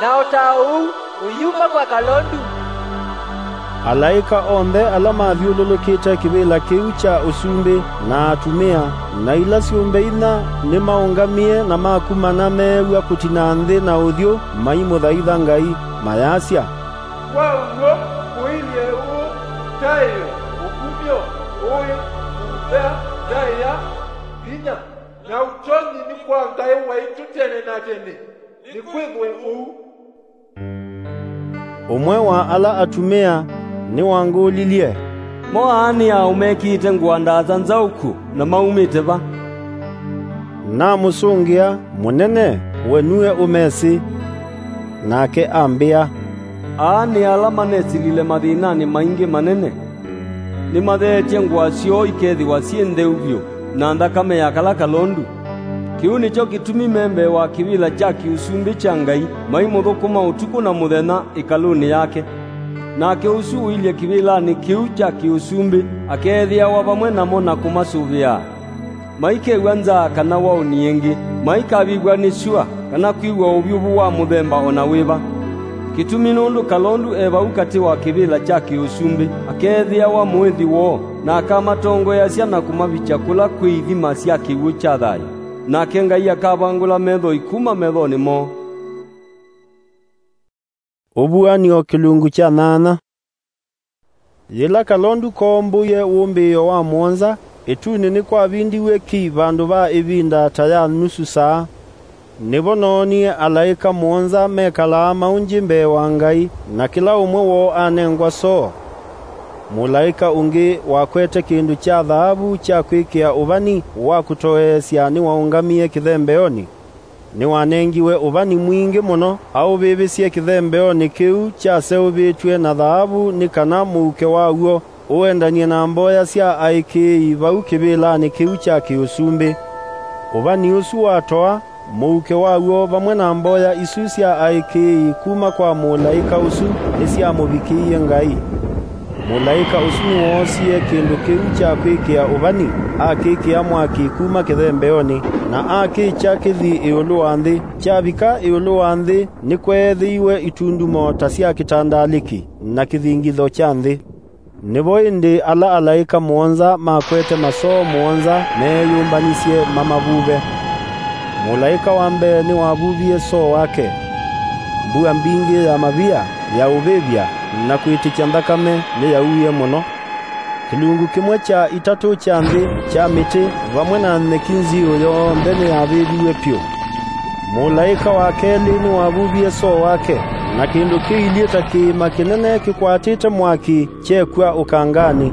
na o ta ũu ũyuma kwa kalondu." Alaĩka onthe ala mathyũlũlũkĩte kĩvĩla kĩu kya ũsumbĩ, na atumĩa, na ila syũmbe inya, nĩmaũngamie na makumana meew'a kũtina nthĩ na ũthyũ maimũthaitha Ngai, mayasya, "Kwa w'o ũilyĩ ũũ, taĩo, ũkumyo, ũĩ, ũvea, ndaĩa, vinya, na ũtonyi nĩ kwa Ngai waitũ tene na tene. Nĩkwĩthwe ũu." Ũmwe wa ala atumĩa nĩwangũlilye, "Mo aa nĩ aũ mekĩĩte ngũa ndaasa nzaũku, na maumĩte va?" Namũsũngĩa, "Mũnene, we nue ũmesĩ." Nake ambĩa, "Aa nĩ ala manesilile mathĩnanĩ maingĩ manene. Nĩmatheetye ngũa syoo ikethĩwa syĩ ntheu vyũ, na nthakame ya kala kalondu. Kĩu nĩkyo kĩtumi me mbee wa kĩvĩla kya kĩ-ũsumbĩ kya Ngai, maimũthũkũma ũtukũ na mũthenya ĩkalũnĩ yake. Nake ũsu ũilyĩ kĩvĩlanĩ kĩu kya kĩ-ũsumbĩ akeethĩawa vamwe namo na kũmasũvĩaa. Maikew'a nzaa kana waũni ĩngĩ, maikavĩvw'a nĩ syũa, kana kwĩw'a ũvyũvu wa mũthemba o na wĩva. Kĩtumi nũndũ kalondu e vau katĩ wa kĩvĩla kya kĩ-ũsumbĩ, akeethĩawa mũĩthi woo, na akamatongoeasya na kũmavikya kũla kwĩ ithima sya kĩw'ũ kya thayũ. Nake Ngai akavangũla methoi kuma methonĩ moo." Ũvuan'yo kĩlungu kya nyanya. Yĩla kalondu koombũie wũmbĩĩo wa mũonza, ĩtunĩ nĩkwavindiw'e ki vandũ va ĩvinda ta ya nusu saa. Nĩvo noonie alaĩka mũonza mekalaa maũngyĩ mbee wa Ngai, na kĩla ũmwe woo anengwa soo. Mũlaĩka ũngĩ wakwete kĩndũ kya thaavu kya kwĩkĩa ũvani wa kũtoeesya nĩwaũngamie kĩthembeonĩ. Nĩwanengiwe ũvani mwingĩ mũno aũvĩvĩsye kĩthembeonĩ kĩu kyaseũvĩtw'e na thaavu, nĩ kana mũuke waw'o ũendany'e na mboya sya aĩkĩĩi vau kĩvĩlanĩ kĩu kya kĩ-ũsumbĩ. Ũvani ũsu watoa, mũuke waw'o vamwe na mboya isu sya aĩkĩĩi kuma kwa mũlaĩka ũsu nĩsyamũvikĩie Ngai. Mũlaĩka ũsu nĩwoosie kĩndũ kĩu kya kwĩkĩa ũvani, akĩkĩa mwaki kuma kĩthembeonĩ, na akĩkya kĩthi ĩũlũ wa nthĩ. Kyavika ĩũlũ wa nthĩ, nĩkweethĩiwe itundumo ta sya kĩtandalĩki na kĩthingitho kya nthĩ. Nĩvo ĩndĩ ala alaĩka mũonza makwete masoo mũonza meeyũmbanisye mamavuve. Mũlaĩka wa mbee nĩwavuvie soo wake. Mbua mbingĩ ya mavia, ya ũvĩvya, na kwĩtĩkya nthakame nĩyauie mũno. Kĩlungu kĩmwe kya itatũ kya nthĩ, kya mĩtĩ, vamwe na nyeki nziũ yonthe nĩyavĩviw'e pyũ. Mũlaĩka wa kelĩ nĩwavuvie soo wake, na kĩndũ kĩilyĩ ta kĩĩma kĩnene kĩkwatĩte mwaki kyekw'a ũkanganĩ.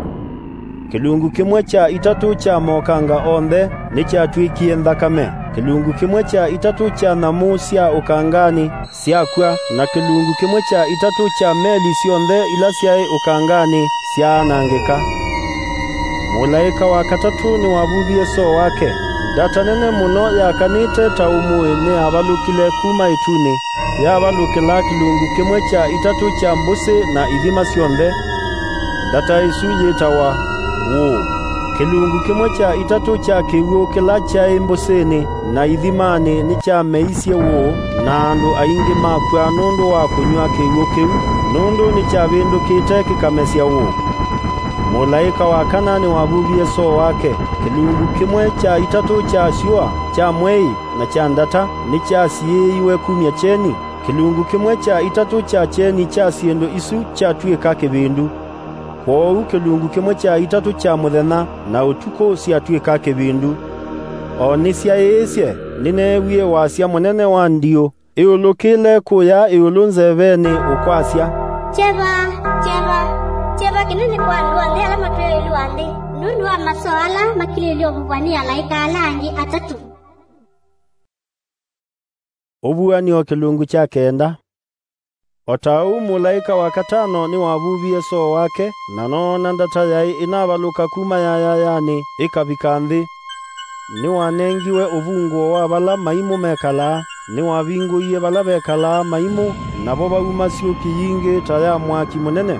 Kĩlungu kĩmwe kya itatũ kya mokanga onthe nĩkyatw'ĩkie nthakame. Kĩlungu kĩmwe kya itatũ kya nyamũ sya ũkanganĩ syakw'a, na kĩlungu kĩmwe kya itatũ kya meli syonthe ila syaĩ ũkanganĩ syaanangĩka. Mũlaĩka wa katatũ nĩwavuvie soo wake. Ndata nene mũno yakanĩte ta ũmũĩ nĩyavalũkile kuma ĩtunĩ, yavalũkĩla kĩlungu kĩmwe kya itatũ kya mbũsĩ na ithima syonthe. Ndata ĩsu yĩtawa Wũũ. Kĩlungu kĩmwe kya itatũ kya kĩw'ũ kĩla kyaĩ mbũsĩnĩ na ithimanĩ nĩkyameisye wũũ, na andũ aingĩ makw'a nũndũ wa kũnyw'a kĩw'ũ kĩu, nũndũ nĩkyavĩndũkĩte kĩkamesya wũũ. Mũlaĩka wa kana nĩwavuvie soo wake. Kĩlungu kĩmwe kya itatũ kya syũa, kya mwei, na kya ndata nĩkyasiĩĩiwe kumya kyeni. Kĩlungu kĩmwe kya itatũ kya kyeni kya syĩndũ isu kyatw'ĩka kĩvindu. Kwoou kĩlungu kĩmwe kya itatũ kya mũthenya na ũtukũ syatw'ĩka kĩvindu. O nĩsyaĩĩsye, nĩneewie wasya mũnene wa ndiũ. Ĩũlũkĩle kũya ĩũlũ nzevenĩ ũkwasya, "Kyeva, kyeva, kyeva kĩnene kwa andũ onthe ala matũĩe ĩũlũ wa nthĩ, nũndũ wa masoo ala makilĩĩlye ũvuvwa nĩ alaĩka ala angĩ atatũ." Ũvuan'yo kĩlungu kya kenda. O ta ũu mũlaĩka wa katano nĩwavuvie soo wake, na noona ndata yaĩ ĩnavalũka kuma yayayanĩ ĩkavika nthĩ. Nĩwanengiwe ũvungũo wa vala maimũ mekalaa, nĩwavingũie vala vekalaa maimũ, navo vauma syũki yingĩ ta ya mwaki mũnene.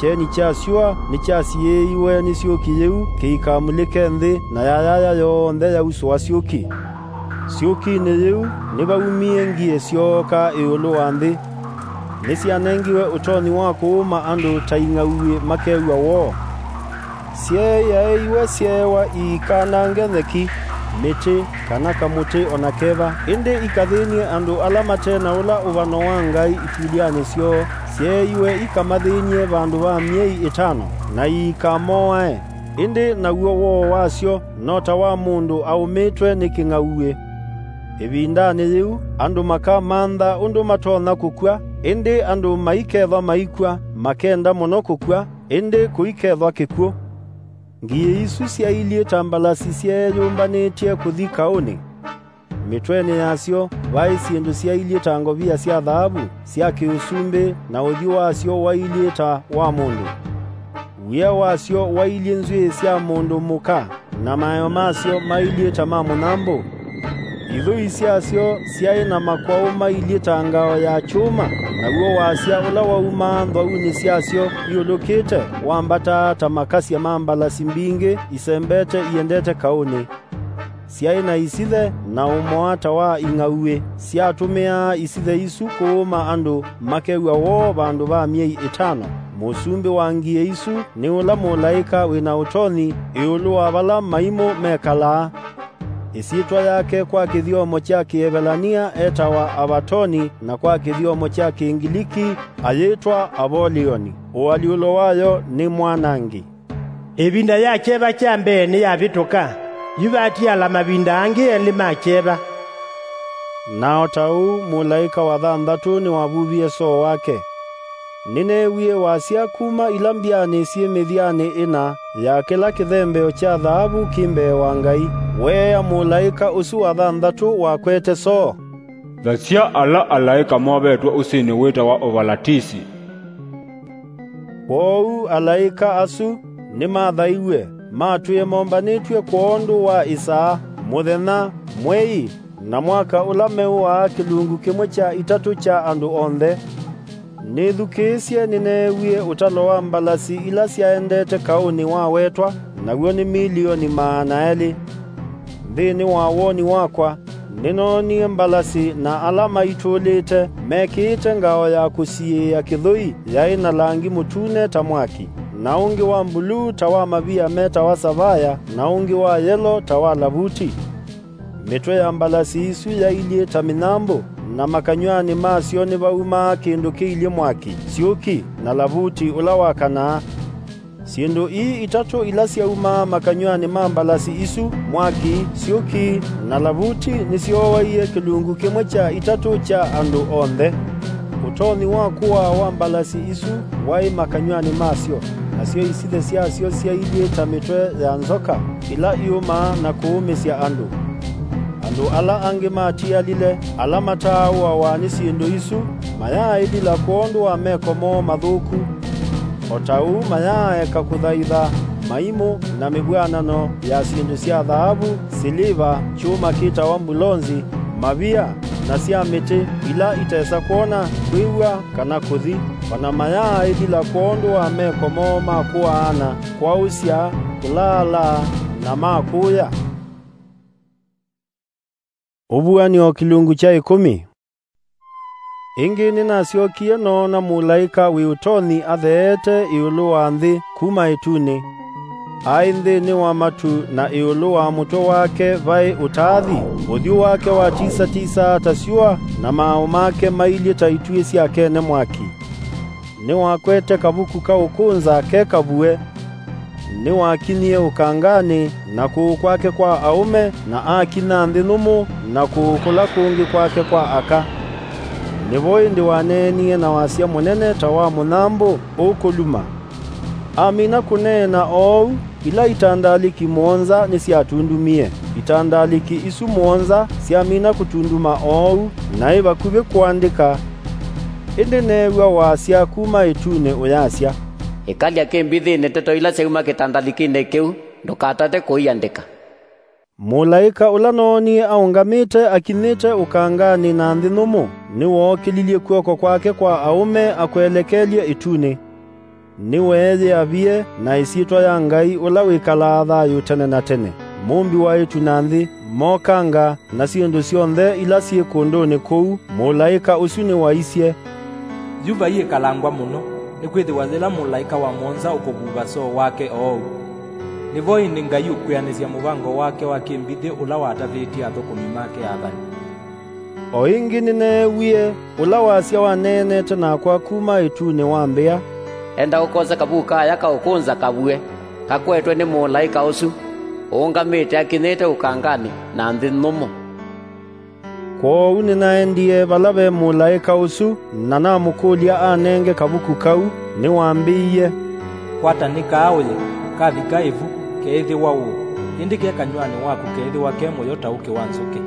Kyeni kya syũa nĩkyasiĩĩiwe nĩ syũki yĩu kĩikamulĩke nthĩ, na yayaya yonthe yausũa syũki. Syũkinĩ yĩu nĩvaumie ngie syooka ĩũlũ wa nthĩ. Nĩsyanengiwe ũtonyi wa kũũma andũ ta ing'auĩ makew'a woo. Syeeaĩiwe syeewa iikanange nyeki, mĩtĩ, kana kamũtĩ o na keva, ĩndĩ ikathĩny'e andũ ala mate na ũla ũvano wa Ngai itulyanĩ syoo. Syeeiwe ikamathĩny'e vandũ va myei ĩtano, na iikamoae. Ĩndĩ naw'o woo wasyo no ta wa mũndũ aũmĩtwe nĩ kĩng'auĩ. Ĩvindanĩ yĩu, andũ makamantha ũndũ matonya kũkw'a, ĩndĩ andũ maikethwa maikw'a, makenda mũno kũkw'a, ĩndĩ kũikethwa kĩkw'ũ. Ngie isu syailyĩ ta mbalasi syeeyũmbanĩtye kũthi kaũnĩ. Mĩtwenĩ yasyo vaĩ syĩndũ syailyĩ ta ngovia sya thaavu sya kĩũsumbĩ, na ũthyũ wasyo wailyĩ ta wa mũndũ. Wia wasyo wailyĩ nzw'ĩĩ sya mũndũ mũka, na maeo masyo mailyĩ ta ma mũnyambũ. Ithũi syasyo syaĩ na makwaũ mailyĩ ta ngao ya kyũma, naw'o wasya ũla waumaa nthwaunĩ syasyo iũlũkĩte wambataa ta makasya ma mbalasi mbingĩ isembete iendete kaũnĩ. Syaĩ na isithe na ũmoa ta wa ing'auĩ. Syatũmĩaa isithe isu kũũma andũ makew'a woo vandũ va myei ĩtano. Mũsumbĩ wa ngie isu nĩ ũla mũlaĩka wĩ na ũtonyi ĩũlũ wa vala maimũ mekalaa. Ĩsyĩtwa yake kwa kĩthyomo kya Kĩevelania etawa Avatoni, na kwa kĩthyomo kya Kĩngiliki ayĩtwa Apolioni. Ũalyũlo wayo nĩ Mwanangi. Ĩvinda ya kyeva kya mbee nĩyavĩtũka, yu vatiala mavinda angĩ elĩ ma kyeva. Na o ta ũu mũlaĩka wa thanthatũ nĩwavuvie soo wake. Nĩneewie wasya kuma ila mbyanĩ syĩ mĩthyanĩ ĩna ya kĩla kĩthembeo kya thaavu kĩ mbee wa Ngai, weea mũlaĩka ũsu wa thanthatũ wakwete soo, "Thasya ala alaĩka movetwe ũsĩnĩ wĩtawa Ũvalatisi." Kwoou alaĩka asu nĩmathaiw'e, matwĩe mombanĩtw'e kwondũ wa ĩsaa, mũthenya, mwei, na mwaka ũla meũaa kĩlungu kĩmwe kya itatũ kya andũ onthe. Nĩthukĩĩsye, nĩneewie ũtalo wa mbalasi ila syaendete kaũnĩ wawetwa, naw'o nĩ milioni maana elĩ. Nthĩnĩ wa woni wakwa, nĩnoonie mbalasi na ala maitũlĩte mekĩĩte ngao ya kũsiĩĩa kĩthũi yaĩ na langi mũtune ta mwaki, na ũngĩ wa mbuluu ta wa mavia metawa savaya, na ũngĩ wa yelo ta wa lavuti. Mĩtwe ya mbalasi isu yailyĩ ta mĩnyambũ, na makanyw'anĩ masyo nĩvaumaa kĩndũ kĩilyĩ mwaki, syũki, na lavuti ũla wakanaa. Syĩndũ ii itatũ ila syaumaa makanyw'anĩ ma mbalasi isu, mwaki, syũki, na lavuti, nĩsyooaie kĩlungu kĩmwe kya itatũ kya andũ onthe. Ũtonyi wa kũaa wa mbalasi isu waĩ makanyw'anĩ masyo, nasyo isithe syasyo syailyĩ ta mĩtwe ya nzoka ila iũmaa na kũũmĩsya andũ. Andũ ala angĩ matialile, ala mataaũawa nĩ syĩndũ isu, mayaaĩlila kwondũ wa meko moo mathũku. O ta ũu mayaaeka kũthaitha maimũ na mĩvw'anano ya syĩndũ sya thaavu, siliva, kyũma kĩtawa mbulonzi, mavia, na sya mĩtĩ ila itesa kwona, kwĩw'a, kana kũthi. O na mayaaĩlila kwondũ wa meko moo ma kũaana, kwaũsya, kũlaalaa, na ma kũũya. Ũvuan'yo kĩlungu kya ĩkũmi. Ĩngĩ nĩnasyokie noona mũlaĩka wĩ ũtonyi atheete ĩũlũ wa nthĩ kuma ĩtunĩ. Aĩ nthĩnĩ wa matu, na ĩũlũ wa mũtwe wake vaĩ ũtaathi. Ũthyũ wake watisatisaa ta syũa, na maaũ make mailyĩ ta ituĩ syakene mwaki. Nĩwakwete kavuku ka ũkũnza ke kavue. Nĩwakinyie ũkanganĩ, na kũũ kwake kwa aũme, na akinya nthĩ nũmũ, na kũũ kũla kũngĩ kwake kwa aka. Nĩvo ĩndĩ waneenie na wasya mũnene ta wa mũnyambũ ũkũluma. Amina kũneena oou, ila itandalĩki mũonza nĩsyatundumie. Itandalĩki isu mũonza syamina kũtunduma oou, naĩ vakuvĩ kũandĩka, ĩndĩ neew'a wasya kuma ĩtunĩ ũyasya, "Ĩkalya kĩmbithĩnĩ ndeto ila syauma kĩtandalĩkĩnĩ kĩu, ndũkatate kũiandĩka." Mũlaĩka ũla noonie aũngamĩte akinyĩte ũkanganĩ na nthĩ nũmũ, nĩwookĩlilye kw'oko kwake kwa aũme akwelekelye ĩtunĩ. Nĩweeyĩavie na ĩsyĩtwa ya Ngai ũla wĩkalaa thayũ tene na tene, Mũmbi wa ĩtu na nthĩ, mokanga, na syĩndũ syonthe ila syĩ kũndũnĩ kũu. Mũlaĩka ũsu nĩwaisye, "Yu vaiĩkalangwa mũno, nĩkwĩthĩwa yĩla mũlaĩka wa mũonza ũkũvuva soo wake oou. Nĩvo ĩndĩ Ngai ũkwĩanĩsya mũvango wake wa kĩmbithĩ ũla watavĩtye athũkũmi make athani." O ĩngĩ nĩneewie ũla wasya waneenete nakwa kuma ĩtunĩ wambĩa, "Enda ũkose kavuku kaaya ka ũkũnza kavue, kakwetwe nĩ mũlaĩka ũsu ũũngamĩte akinyĩte ũkanganĩ na nthĩ nũmũ." Kwoou nĩnaendie vala ve mũlaĩka ũsu, na namũkũlya anenge kavuku kau. Nĩwambĩie, "Kwata nĩ kaa ũye, kavika ĩvu, keĩthĩwa ũũ, ĩndĩ ke kanyw'anĩ waku keĩthĩwa ke mũyo ta ũkĩ wa nzũkĩ."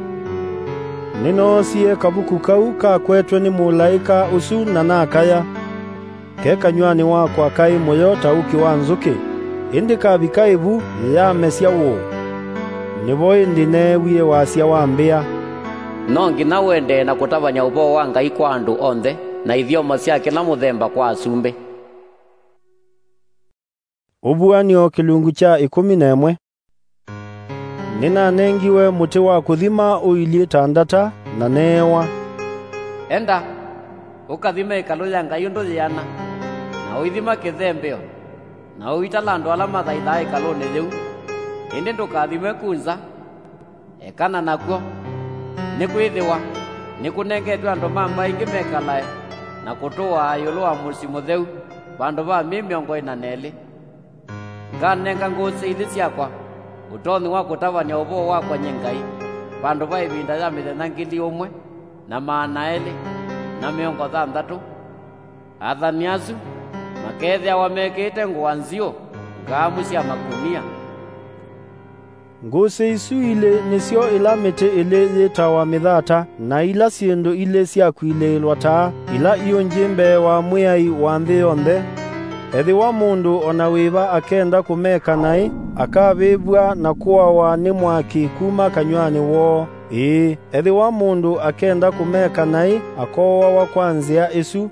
Nĩnoosie kavuku kau kakwetwe nĩ mũlaĩka ũsu na nakaya. Ke kanyw'anĩ wakwa kaĩ mũyo ta ũkĩ wa nzũkĩ, ĩndĩ kavika ĩvu, yamesya ũũ. Nĩvo ĩndĩ neewie wasya wambĩa, "No nginya ũendee na kũtavany'a ũvoo wa Ngai kwa andũ onthe, na ithyomo sya kĩla mũthemba kwa asumbĩ." Ũvuan'yo kĩlungu kya ĩkũmi na ĩmwe. Nĩnanengiwe mũtĩ wa kũthima ũilyĩ ta ndata, na neewa, "Enda, ũkathime ĩkalũ ya Ngai ũndũ yĩana, na ũithima kĩthembeo, na ũitala andũ ala mathaithaa ĩkalũnĩ yĩu, ĩndĩ ndũkathime ku nza, ekana nakw'o, nĩkwĩthĩwa nĩkũnengetwe andũ ma mbaĩ ingĩ mekalae na kũtũaa ĩũlũ wa mũsyĩ mũtheu vandũ va myei mĩongo ĩna na ĩlĩ. Nganenga ngũsĩ ilĩ syakwa ũtonyi wa kũtavany'a ũvoo wakwa nyie Ngai, vandũ va ĩvinda ya mĩthenya ngili ũmwe na maana elĩ na mĩongo thanthatũ. Athani asu makeethĩawa mekĩĩte ngũa nziũ ngaamu sya makunia." Ngũsĩ isu ilĩ nĩsyo ĩla mĩtĩ ĩlĩ yĩtawa mĩthata, na ila syĩndũ ilĩ syakwilĩĩlwa taa, ila iũngyĩ mbee wa Mwĩai wa nthĩ yonthe. Ethĩwa mũndũ o na wĩva akenda kũmeka naĩ, akavĩvw'a na kũawa nĩ mwaki kuma kanyw'anĩ woo. Ĩĩ, ethĩwa mũndũ akenda kũmeka naĩ, akooawa kwa nzĩa ĩsu.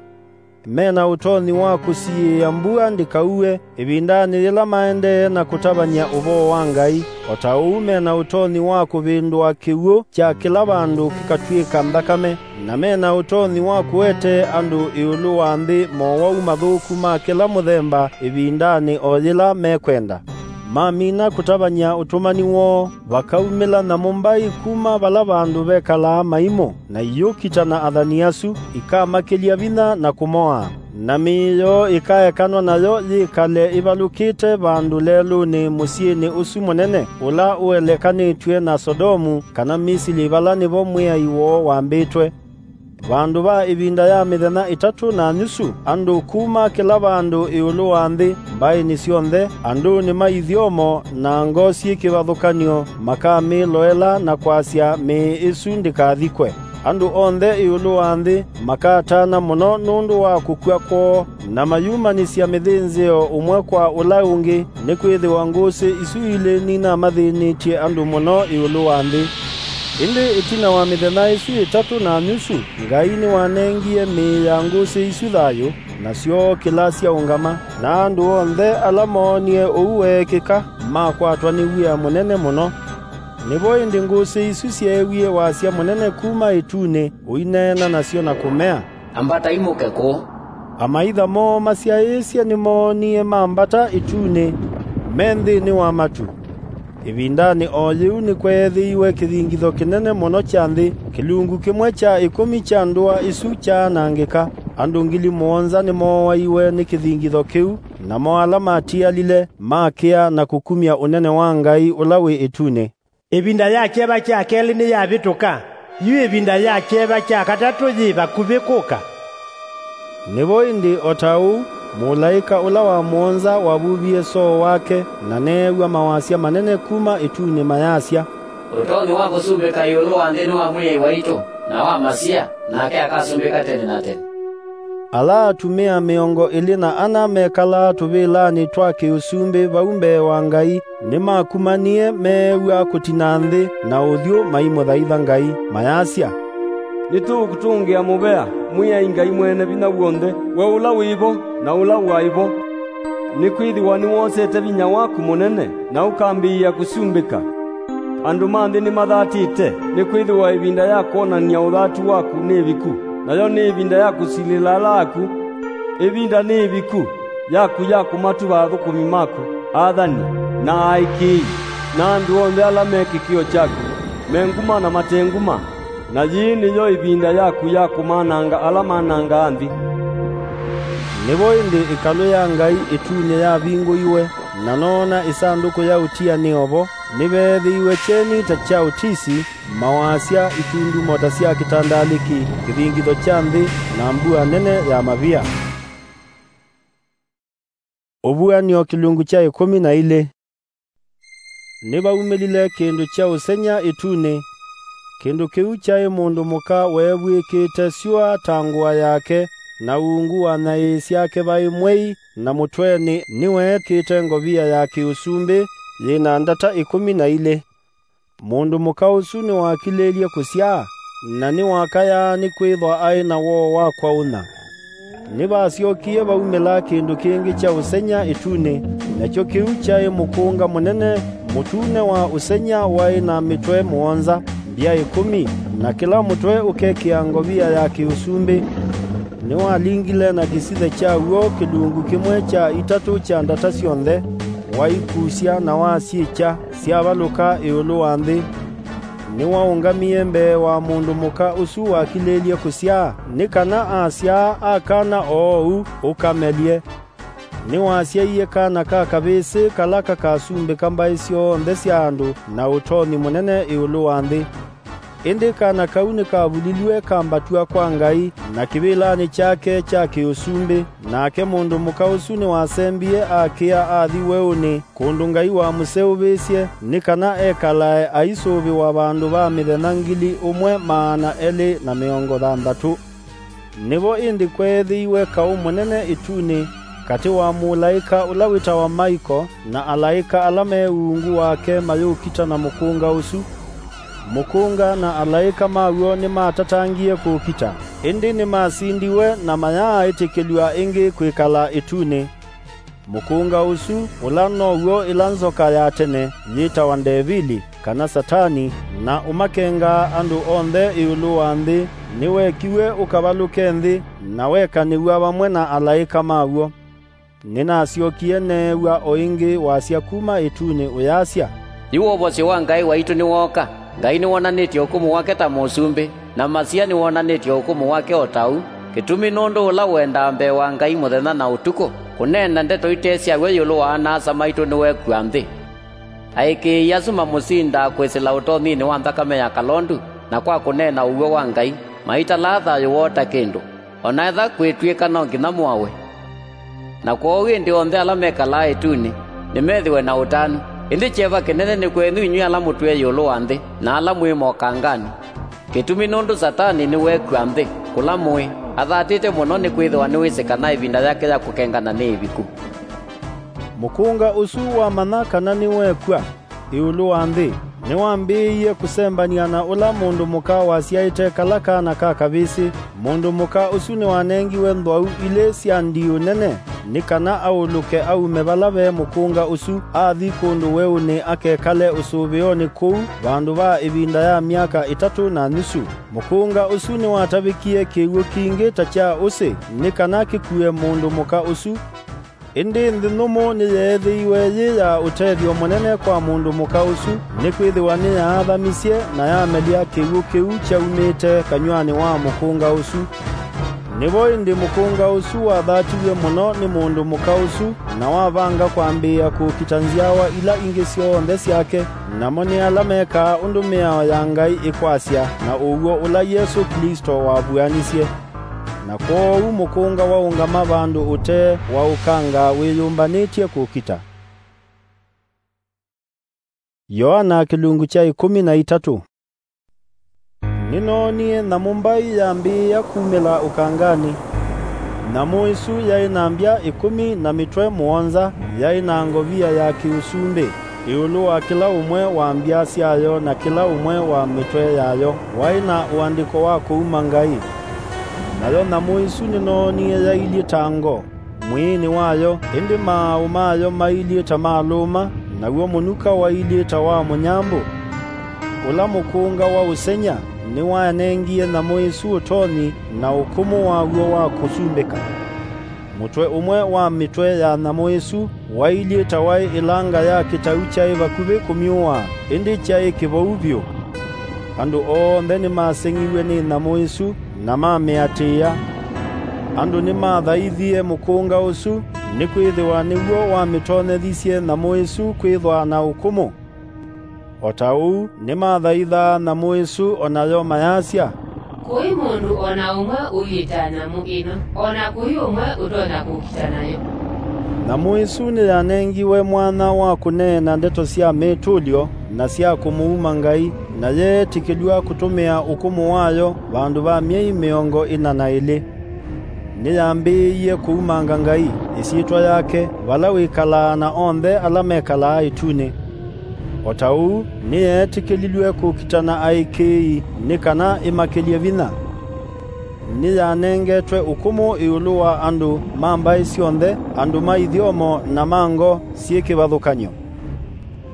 Me na ũtonyi wa kũsiĩĩa mbua ndĩkaue ĩvindanĩ yĩla maendee na kũtavany'a ũvoo wa Ngai, o ta ũu me na ũtonyi wa kũvĩndũa kĩw'ũ kya kĩla vandũ kĩkatw'ĩka nthakame, na me na ũtonyi wa kũetee andũ ĩũlũ wa nthĩ mowau mathũku ma kĩla mũthemba ĩvindanĩ o yĩla mekwenda. Mamina kũtavany'a ũtũmani woo, vakaumĩla nyamũ mbai kuma vala vandũ vekalaa maimũ, na iyũkita na athani asu, ikamakĩlya vinya na kũmoaa. Na mĩĩ yoo ĩkaekanwa nayo yĩkale ĩvalũkĩte vandũ lelũnĩ mũsyĩnĩ ũsu mũnene, ũla ũelekanĩtw'e na Sodomu kana Misili, vala nĩvo Mwĩai woo wambĩtwe. Vandũ va ĩvinda ya mĩthenya ĩtatũ na nyusu, andũ kuma kĩla vandũ ĩũlũ wa nthĩ, mbaĩnĩ syonthe, andũnĩ ma ithyomo, na ngoo syĩ kĩvathũkany'o, makamĩloela na kwasya mĩĩ ĩsu ndĩkathikwe. Andũ onthe ĩũlũ wa nthĩ makatana mũno nũndũ wa kũkw'a kwoo, na mayumanĩsya mĩthĩnzĩo ũmwe kwa ũla ũngĩ, nĩkwĩthĩwa ngũsĩ isu ilĩ ninamathĩnĩtye andũ mũno ĩũlũ wa nthĩ. Ĩndĩ ĩtina wa mĩthenya ĩsu ĩtatũ na nyusu, Ngai nĩwanengie mĩĩ ya ngũsĩ isu thayũ, na syookĩla syaũngama, na andũ onthe ala moonie ũu weekĩka makwatwa nĩ wia mũnene mũno. Nĩvo ĩndĩ ngũsĩ isu syeewie wasya mũnene kuma ĩtunĩ ũineena nasyo na kũmea, Ambatai mũke kũũ. Amaitha moo masyaĩĩsye nĩmoonie mambata ĩtunĩ, me nthĩnĩ wa matu. Ĩvindanĩ o yĩu nĩkweethĩiwe kĩthingitho kĩnene mũno kya nthĩ, kĩlungu kĩmwe kya ĩkũmi kya ndũa ĩsu kyaanangĩka. Andũ ngili mũonza nĩmooaiwe nĩ kĩthingitho kĩu, namo ala matialile makĩa na kũkumya ũnene wa Ngai ũla wĩ ĩtunĩ. Ĩvinda ya kyeva kya kelĩ nĩyavĩtũka, yu ĩvinda ya kyeva kya katatũ yĩ vakuvĩ kũka. Nĩvo ĩndĩ o ta ũu, mũlaĩka ũla wa mũonza wavuvie soo wake, na neew'a mawasya manene kuma ĩtunĩ mayasya, "Ũtonyi wa kũsumbĩka ĩũlũ wa nthĩ nĩ wa Mwĩai waitũ, na wa Masia, nake akasumbĩka tene na tene." Ala atumĩa mĩongo ĩlĩ na ana mekalaa tũvĩlanĩ twa kĩ-ũsumbĩ vau mbee wa Ngai nĩmakumanie meew'a kũtina nthĩ na ũthyũ maimũthaitha Ngai, mayasya, "Nĩtũũkũtũngĩa mũvea, Mwĩai Ngai Mwene Vinya W'onthe, we ũla wĩ vo na ũla waĩ vo, nĩkwĩthĩwa nĩwosete vinya waku mũnene na ũkambĩĩa kũsumbĩka. Andũ ma nthĩ nĩmathatĩte, nĩkwĩthĩwa ĩvinda ya kwonany'a ũthatu waku nĩ ĩviku, nayo nĩ ĩvinda ya kũsilĩla ala aku. Ĩvinda nĩ ĩviku yaku ya kũmatuva athũkũmi maku, athani, na aĩkĩĩi, na andũ onthe ala me kĩkĩo kyaku, me nguma na mate nguma. Na yĩĩ nĩyo ĩvinda yaku ya kũmananga ala manangaa nthĩ." Nĩvo ĩndĩ ĩkalũ ya Ngai ĩtunĩ yavingũiwe, na noona ĩsandũkũ ya ũtianĩo vo, nĩveethĩiwe kyeni ta kya ũtisi, mawasya, itundumo ta sya kĩtandalĩki, kĩthingitho kya nthĩ, na mbua nene ya mavia. Ũvuan'yo kĩlungu kya ĩkũmi na ilĩ. Nĩvaumĩlile kĩndũ kya ũseng'ya ĩtunĩ. Kĩndũ kĩu kyaĩ mũndũ mũka weevw'ĩkĩte syũa ta ngũa yake, na ungu wa nyaĩĩ syake vaĩ mwei, na mũtwenĩ nĩweekĩte ngovia ya kĩ-ũsumbĩ yĩ na ndata ĩkũmi na ilĩ. Mũndũ mũka ũsu nĩwakilĩĩlye kũsyaa, na nĩwakayaa nĩkwĩthwa aĩ na woo wa kwaũnya. Nĩvasyokie vaumĩla kĩndũ kĩngĩ kya ũseng'ya ĩtunĩ, nakyo kĩu kyaĩ mũkũnga mũnene mũtune wa ũseng'ya waĩ na mĩtwe mũonza, mbya ĩkũmi, na kĩla mũtwe ũkekĩa ngovia ya kĩ-ũsumbĩ. Nĩwalingile na kĩsithe kyaw'o kĩlungu kĩmwe kya itatũ kya ndata syonthe, waikusya na wasyĩkya, syavalũka ĩũlũ wa nthĩ. Nĩwaũngamie mbee wa mũndũ mũka ũsu wakilĩĩlye kũsyaa, nĩ kana asyaa a kana oou ũkamelye. Nĩwasyaie kana ka kavĩsĩ kala kakasumbĩka mbaĩ syonthe sya andũ na ũtonyi mũnene ĩũlũ wa nthĩ. Ĩndĩ kana kau nĩkavulilw'e kambatw'a kwa Ngai, na kĩvĩlanĩ kyake kya kĩ-ũsumbĩ, nake mũndũ mũka ũsu nĩwasembie akĩa athi weũnĩ, kũndũ Ngai wamũseũvĩsye, nĩ kana ekalae aisũvĩwa vandũ va mĩthenya ngili ũmwe maana elĩ na mĩongo thanthatũ. Nĩvo ĩndĩ kweethĩiwe kaũ mũnene ĩtunĩ katĩ wa mũlaĩka ũla wĩtawa Maiko na alaĩka ala me ungu wake mayũkita na mũkũnga ũsu. Mũkũnga na alaĩka maw'o nĩmatatangie kũũkita, ĩndĩ nĩmasindiwe na mayaaĩtĩkĩlw'a ĩngĩ kwĩkala ĩtunĩ. Mũkũnga ũsu, ũla now'o ĩla nzoka ya tene yĩtawa Ndevili, kana Satani, na ũmakengaa andũ onthe ĩũlũ wa nthĩ, nĩwekiw'e ũkavalũke nthĩ, na wekanĩw'a vamwe na alaĩka maw'o. Nĩnasyokie neew'a o ĩngĩ wasya kuma ĩtunĩ ũyasya, "Yu wovosyo wa Ngai waitũ nĩwooka. Ngai nĩwonanĩtye ũkũmũ wake ta mũsumbĩ, na Masia nĩwonanĩtye ũkũmũ wake o ta ũu. Kĩtumi nũndũ ũla ũendaa mbee wa Ngai mũthenya na ũtukũ, kũneena ndeto ite syaw'o ĩũlũ wa ana-a-asa maitũ nĩwekw'a nthĩ." Aĩkĩĩi asu mamũsindaa kwĩsĩla ũtonyinĩ wa nthakame ya kalondu, na kwa kũneena ũw'o wa Ngai, maitalaa thayũ woo ta kĩndũ, o na etha kwĩtw'ĩka no nginya moawe. Na kwoou ĩndĩ onthe ala mekalaa ĩtunĩ nĩmethĩwe na ũtanu. Ĩndĩ kyeva kĩnene nĩ kwenyu inyw'ĩ ala mũtwĩe ĩũlũ wa nthĩ, na ala mwĩ mokanganĩ. Kĩtumi nũndũ Satani nĩwekw'a nthĩ, kũla mũĩ, athatĩte mũno, nĩkwĩthĩwa nĩwĩsĩ kana ĩvinda yake ya kũkengana nĩ ĩviku. Mũkũnga ũsu wamanya kana nĩwekw'a ĩũlũ wa nthĩ, nĩwambĩĩie kũsembany'a na ũla mũndũ mũka wasyaĩte kala kana ka kavĩsĩ. Mũndũ mũka ũsu nĩwanengiwe nthwau ilĩ sya ndiũ nene, nĩ kana aũlũke aume vala ve mũkũnga ũsu, athi kũndũ weũnĩ akekale ũsũvĩonĩ kũu vandũ va ĩvinda ya myaka ĩtatũ na nusu. Mũkũnga ũsu nĩwatavĩkie kĩw'ũ kingĩ ta kya ũsĩ, nĩ kana kĩkue mũndũ mũka ũsu. Ĩndĩ nthĩ nyũmũ nĩyeethĩiwe yĩ ya ũtethyo mũnene kwa mũndũ mũka ũsu, nĩkwĩthĩwa nĩyaathamisye na yamelya kĩw'ũ kĩu kyaumĩte kanyw'anĩ wa mũkũnga ũsu. Nĩvo ĩndĩ mũkũnga ũsu wathatiw'e mũno nĩ mũndũ mũka ũsu, na wavanga kwambĩĩa kũkita nzyawa ila ingĩ syonthe syake, namo nĩ ala mekaa ũndũ mĩao ya Ngai ĩkwasya, na ũw'o ũla Yesũ Klĩsto wavuanisye. Na kwoou mũkũnga waũngama vandũ ũtee waũkanga wĩyũmbanĩtye kũkita. Yoana kĩlungu kya ĩkũmi na itatũ. Nĩnoonie nyamũ mbai yambĩĩa kumĩla ũkanganĩ. Nyamũ ĩsu yaĩ na mbya ĩkũmi na mĩtwe mũonza, yaĩ na ngovia ya kĩũsumbĩ. Ĩũlũ wa kĩla ũmwe wa mbya syayo na kĩla ũmwe wa mĩtwe yayo waĩ na ũandĩko wa kũuma Ngai. Nayo nyamũ ĩsu nĩnoonie yailyĩ ta ngo mwĩĩnĩ wayo, ĩndĩ maaũ mayo mailyĩ ta ma lũma, naw'o mũnuka wailyĩ ta wa mũnyambũ. Ũla mũkũnga wa ũseng'ya nĩwanengie nyamũ ĩsu ũtonyi na ũkũmũ waw'o wa kũsumbĩka. Mũtwe ũmwe wa mĩtwe ya nyamũ ĩsu wailyĩ ta waĩ ĩlanga ya kĩtau kyaĩ vakuvĩ kũmyũaa, ĩndĩ kyaĩ kĩvou vyũ. Andũ onthe nĩmaseng'iw'e nĩ nyamũ ĩsu, na mamĩatĩĩa. Andũ nĩmathaithie mũkũnga ũsu, nĩkwĩthĩwa nĩw'o wamĩtonyethisye nyamũ ĩsu kwĩthwa na ũkũmũ. O ta ũu, nĩmathaithaa nyamũ ĩsu, o nayo mayasya, "Kũi mũndũ o na ũmwe ũilyĩ ta nyamũ ĩno, o na kũi ũmwe ũtonya kũkita nayo." Nyamũ ĩsu nĩyanengiwe mwanya wa kũneena ndeto sya mĩtũlyo na sya kũmũuma Ngai, na yeetĩkĩlw'a kũtũmĩa ũkũmũ wayo vandũ va myei mĩongo ĩna na ĩlĩ. Nĩyambĩĩie kũumanga Ngai, ĩsyĩtwa yake, vala wĩkalaa na onthe ala mekalaa ĩtunĩ. O ta ũu, nĩyeetĩkĩlilw'e kũkita na aĩkĩĩi nĩ kana ĩmakĩlye vinya. Nĩyanengetwe ũkũmũ ĩũlũ wa andũ ma mbaĩ syonthe, andũ ma ithyomo na ma ngo syĩ kĩvathũkany'o.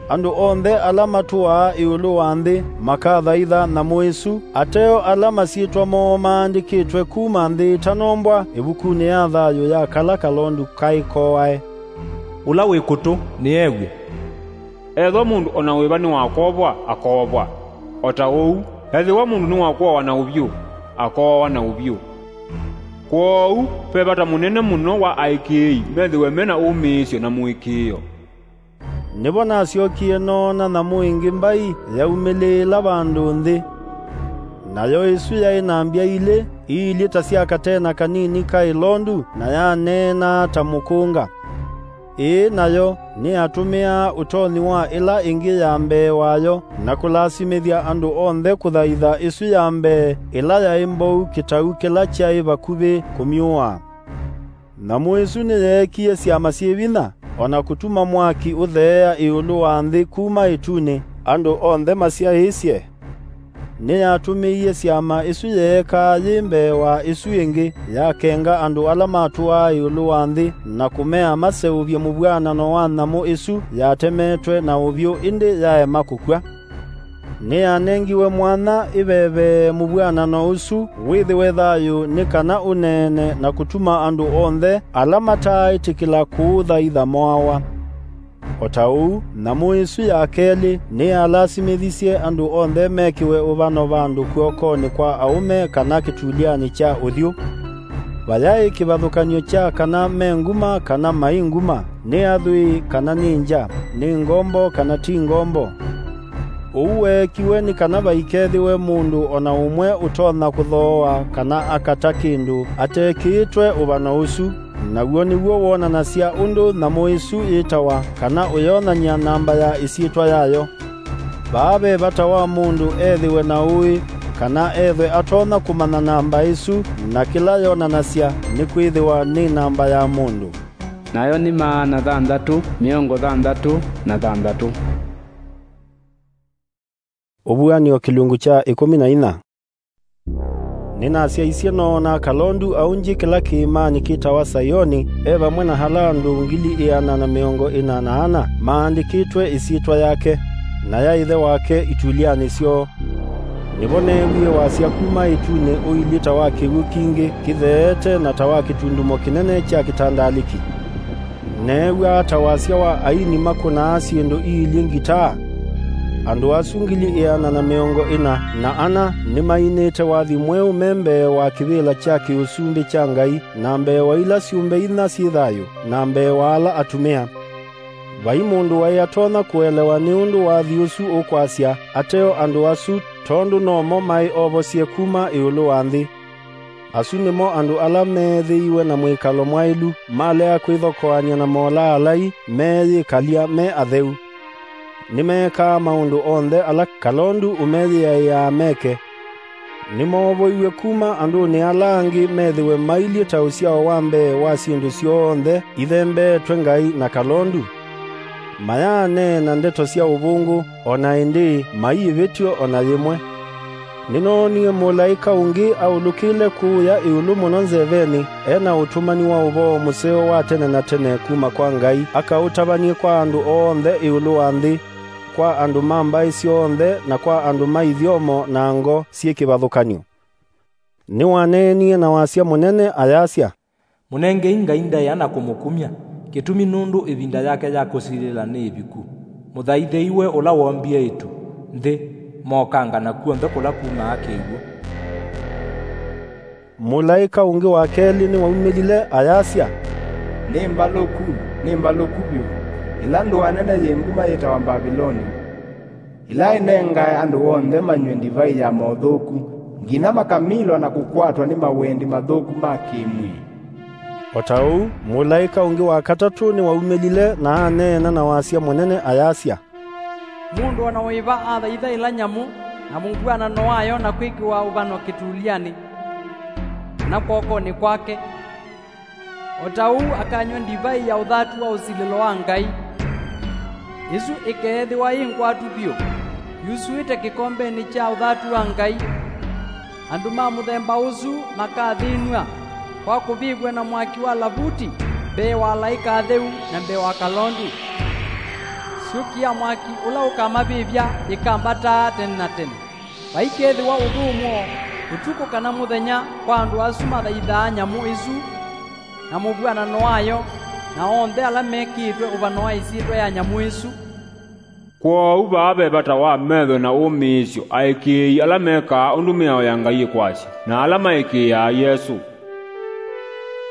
Andũ onthe ala matũaa ĩũlũ wa nthĩ makathaitha nyamũ ĩsu, ateo ala masyĩtwa moo maandĩkĩtwe kuma nthĩ ĩtanombwa ĩvukunĩ ya thayũ ya kala kalondu kaĩ kooae. Ũla wĩ kũtũ nĩew'e. Ethĩwa mũndũ o na wĩva nĩwakovwa, akoovwa, o ta ũu, ethĩwa mũndũ nĩwakũawa na ũvyũ, akooawa na ũvyũ. Kwoou ve vata mũnene mũno wa aĩkĩĩi methĩwe me na ũmĩĩsyo na mũĩkĩĩo. Nĩvo nasyokie noona nyamũ ĩngĩ mbai yaumĩlĩĩla vandũ nthĩ. Nayo ĩsu yaĩ na mbya ilĩ iilyĩ ta sya katena kanini ka ĩlondu, na yaneenaa ta mũkũnga. Ĩĩ nayo nĩyatũmĩaa ũtonyi wa ĩla ĩngĩ ya mbee wayo, na kũlasimĩthya andũ onthe kũthaitha ĩsu ya mbee, ĩla yaĩ mbou kĩtau kĩla kyaĩ vakuvĩ kũmyũaa. Nyamũ ĩsu nĩyeekie syama syĩ vinya, o na kũtuma mwaki ũtheea ĩũlũ wa nthĩ kuma ĩtunĩ, andũ onthe masyaĩĩsye. Nĩyatũmĩie syama ĩsu yeekaa yĩ mbee wa ĩsu ĩngĩ, yakenga andũ ala matũaa ĩũlũ wa nthĩ, na kũmea maseũvye mũvw'anano wa nyamũ ĩsu yatemetwe na ũvyũ ĩndĩ yaema kũkw'a. Nĩyanengiwe mwanya ĩvevee mũvw'anano ũsu wĩthĩwe thayũ, nĩ kana ũneene na kũtuma andũ onthe ala mataaĩtĩkĩla kũũthaitha moawa. O ta ũu, nyamũ ĩsu ya kelĩ nĩyalasimĩthisye andũ onthe mekĩwe ũvano vandũ kw'okonĩ kwa aũme kana kĩtulyanĩ kya ũthyũ. Vayaĩ kĩvathũkany'o kya kana me nguma kana mai nguma, nĩ athwii kana nĩ ngya, nĩ ngombo kana ti ngombo. Ũu weekiwe nĩ kana vaikethĩwe mũndũ o na ũmwe ũtonya kũthooa kana akata kĩndũ atekĩĩtwe ũvano ũsu. Naw'o nĩw'o wonanasya ũndũ nyamũ ĩsu yĩtawa, kana ũyonany'a namba ya ĩsyĩtwa yayo. Vaa ve vata wa mũndũ ethĩwe na ũĩ, kana ethwe atonya kũmanya namba ĩsu, na kĩla yonanasya, nĩkwĩthĩwa nĩ namba ya mũndũ. Nayo nĩ maana thanthatũ, mĩongo thanthatũ na thanthatũ. Ũvuanĩo kĩlungu kya ĩkũmi na inya. Nĩnasyaisye noona kalondu aũngĩ kĩla kĩĩmanĩ kĩtawa Saioni, e vamwe na ala andũ ngili ĩana na mĩongo ĩna na ana maandĩkĩtwe ĩsyĩtwa yake, na ya ĩthe wake itulyanĩ syoo. Nĩvo neewie wasya kuma ĩtunĩ ũilyĩ ta wa kĩw'ũ kingĩ kĩtheete na ta wa kĩtundumo kĩnene kya kĩtandalĩki. Neew'aa ta wasya wa aini makũnaa syĩndũ iilyĩ ngitaa. Andũ asu ngili ĩana na mĩongo ĩna na ana nĩmainĩte wathi mweũ me mbee wa kĩvĩla kya kĩũsumbĩ kya Ngai, na mbee wa ila syũmbe inya syĩ thayũ, na mbee wa ala atumĩa. Vai mũndũ waĩ atonya kũelewa nĩ ũndũ wathi ũsu ũkwasya ateo andũ asu, tondũ nomo maĩ ovosye kuma ĩũlũ wa nthĩ. Asu nĩmo andũ ala meethĩiwe na mwĩkalo mwaĩlu, malea kwĩthokoany'a na molaalai, meeyĩkalya me atheu. Nĩmeekaa maũndũ onthe ala kalondu ũmeyĩaĩaa meke. Nĩmoovoiw'e kuma andũnĩ ala angĩ methĩwe mailyĩ ta ũsyao wa mbee wa syĩndũ syonthe ithembeetwe Ngai na kalondu. Mayaaneena ndeto sya ũvũngũ, o na ĩndĩĩ maiĩvĩtyo o na yĩmwe. Nĩnoonie mũlaĩka ũngĩ aũlũkĩle kũũya ĩũlũ mũno nzevenĩ, e na ũtũmani wa ũvoo mũseo wa tene na tene kuma kwa Ngai, akaũtavany'e kwa andũ onthe ĩũlũ wa nthĩ, kwa andũ ma mbaĩ syonthe, na kwa andũ ma ithyomo na ngo syĩ kĩvathũkany'o. Nĩwaneenie na wasya mũnene, ayasya, Mũnengei Ngai ndaĩa na kũmũkumya, kĩtumi nũndũ ĩvinda yake ya kũsilĩla nĩ ĩviku. Mũthaithei we ũla woombie ĩtu, nthĩ, mokanga na kw'onthe kũla kumaa kĩw'ũ. Mũlaĩka ũngĩ wa kelĩ nĩwaumĩlile, ayasya, Nĩ mbalũku, nĩ mbalũku vyũ, ĩla ndũa nene yĩ nguma yĩtawa Mbaviloni, ĩla ĩnengae andũ onthe manyw'e ndivai ya mothũku, nginya makamilwa na kũkwatwa nĩ mawendi mathũku ma kĩ-mwĩĩ. O ta ũu, mũlaĩka ũngĩ wa katatũ nĩwaumĩlile na aneena na wasya mũnene, ayasya, Mũndũ o na wĩva athaitha ĩla nyamũ na mũvw'anano wayo na kwĩkĩwa ũvano kĩtulyanĩ, kana kwokonĩ kwake, o ta ũu akanywa ndivai ya ũthatu wa ũsilĩlo wa Ngai, ĩsu ĩkeethĩwa yĩ ngwatu vyũ, yusuĩte kĩkombenĩ kya ũthatu wa Ngai. Andũ ma mũthemba ũsu makathĩnw'a kwa kũvĩvw'a na mwaki wa lavuti mbee wa alaĩka atheu na mbee wa kalondu. Syũki ya mwaki ũla ũkamavĩvya yĩkambataa tene na tene. Vaikethĩwa ũthũmũo ũtukũ kana mũthenya kwa andũ asu mathaithaa nyamũ ĩsu na mũvw'anano wayo, na onthe ala mekĩĩtwe ũvano wa ĩsyĩtwa ya nyamũ ĩsu. Kwoou vaa ve vata wa metho na ũmĩĩsyo aĩkĩĩi ala mekaa ũndũ mĩao ya Ngai ĩkwasya, na ala maĩkĩĩaa Yesũ.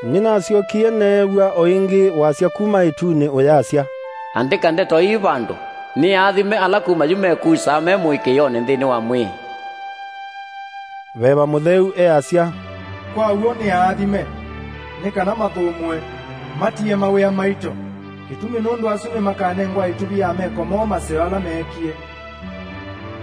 Nĩnasyokie neew'a o ĩngĩ wasya kuma ĩtunĩ ũyasya, Andĩka ndeto ii vandũ, nĩ aathime ala kuma yu mekusaa me mũĩkĩĩonĩ nthĩnĩ wa mwĩĩ. Veva Mũtheu easya, Kwa w'o nĩ aathime, nĩ kana mathũmũe, matie mawĩa maito, kĩtumi nũndũ asu nĩmakanengwa ĩtuvi ya meko moo maseo ala meekie.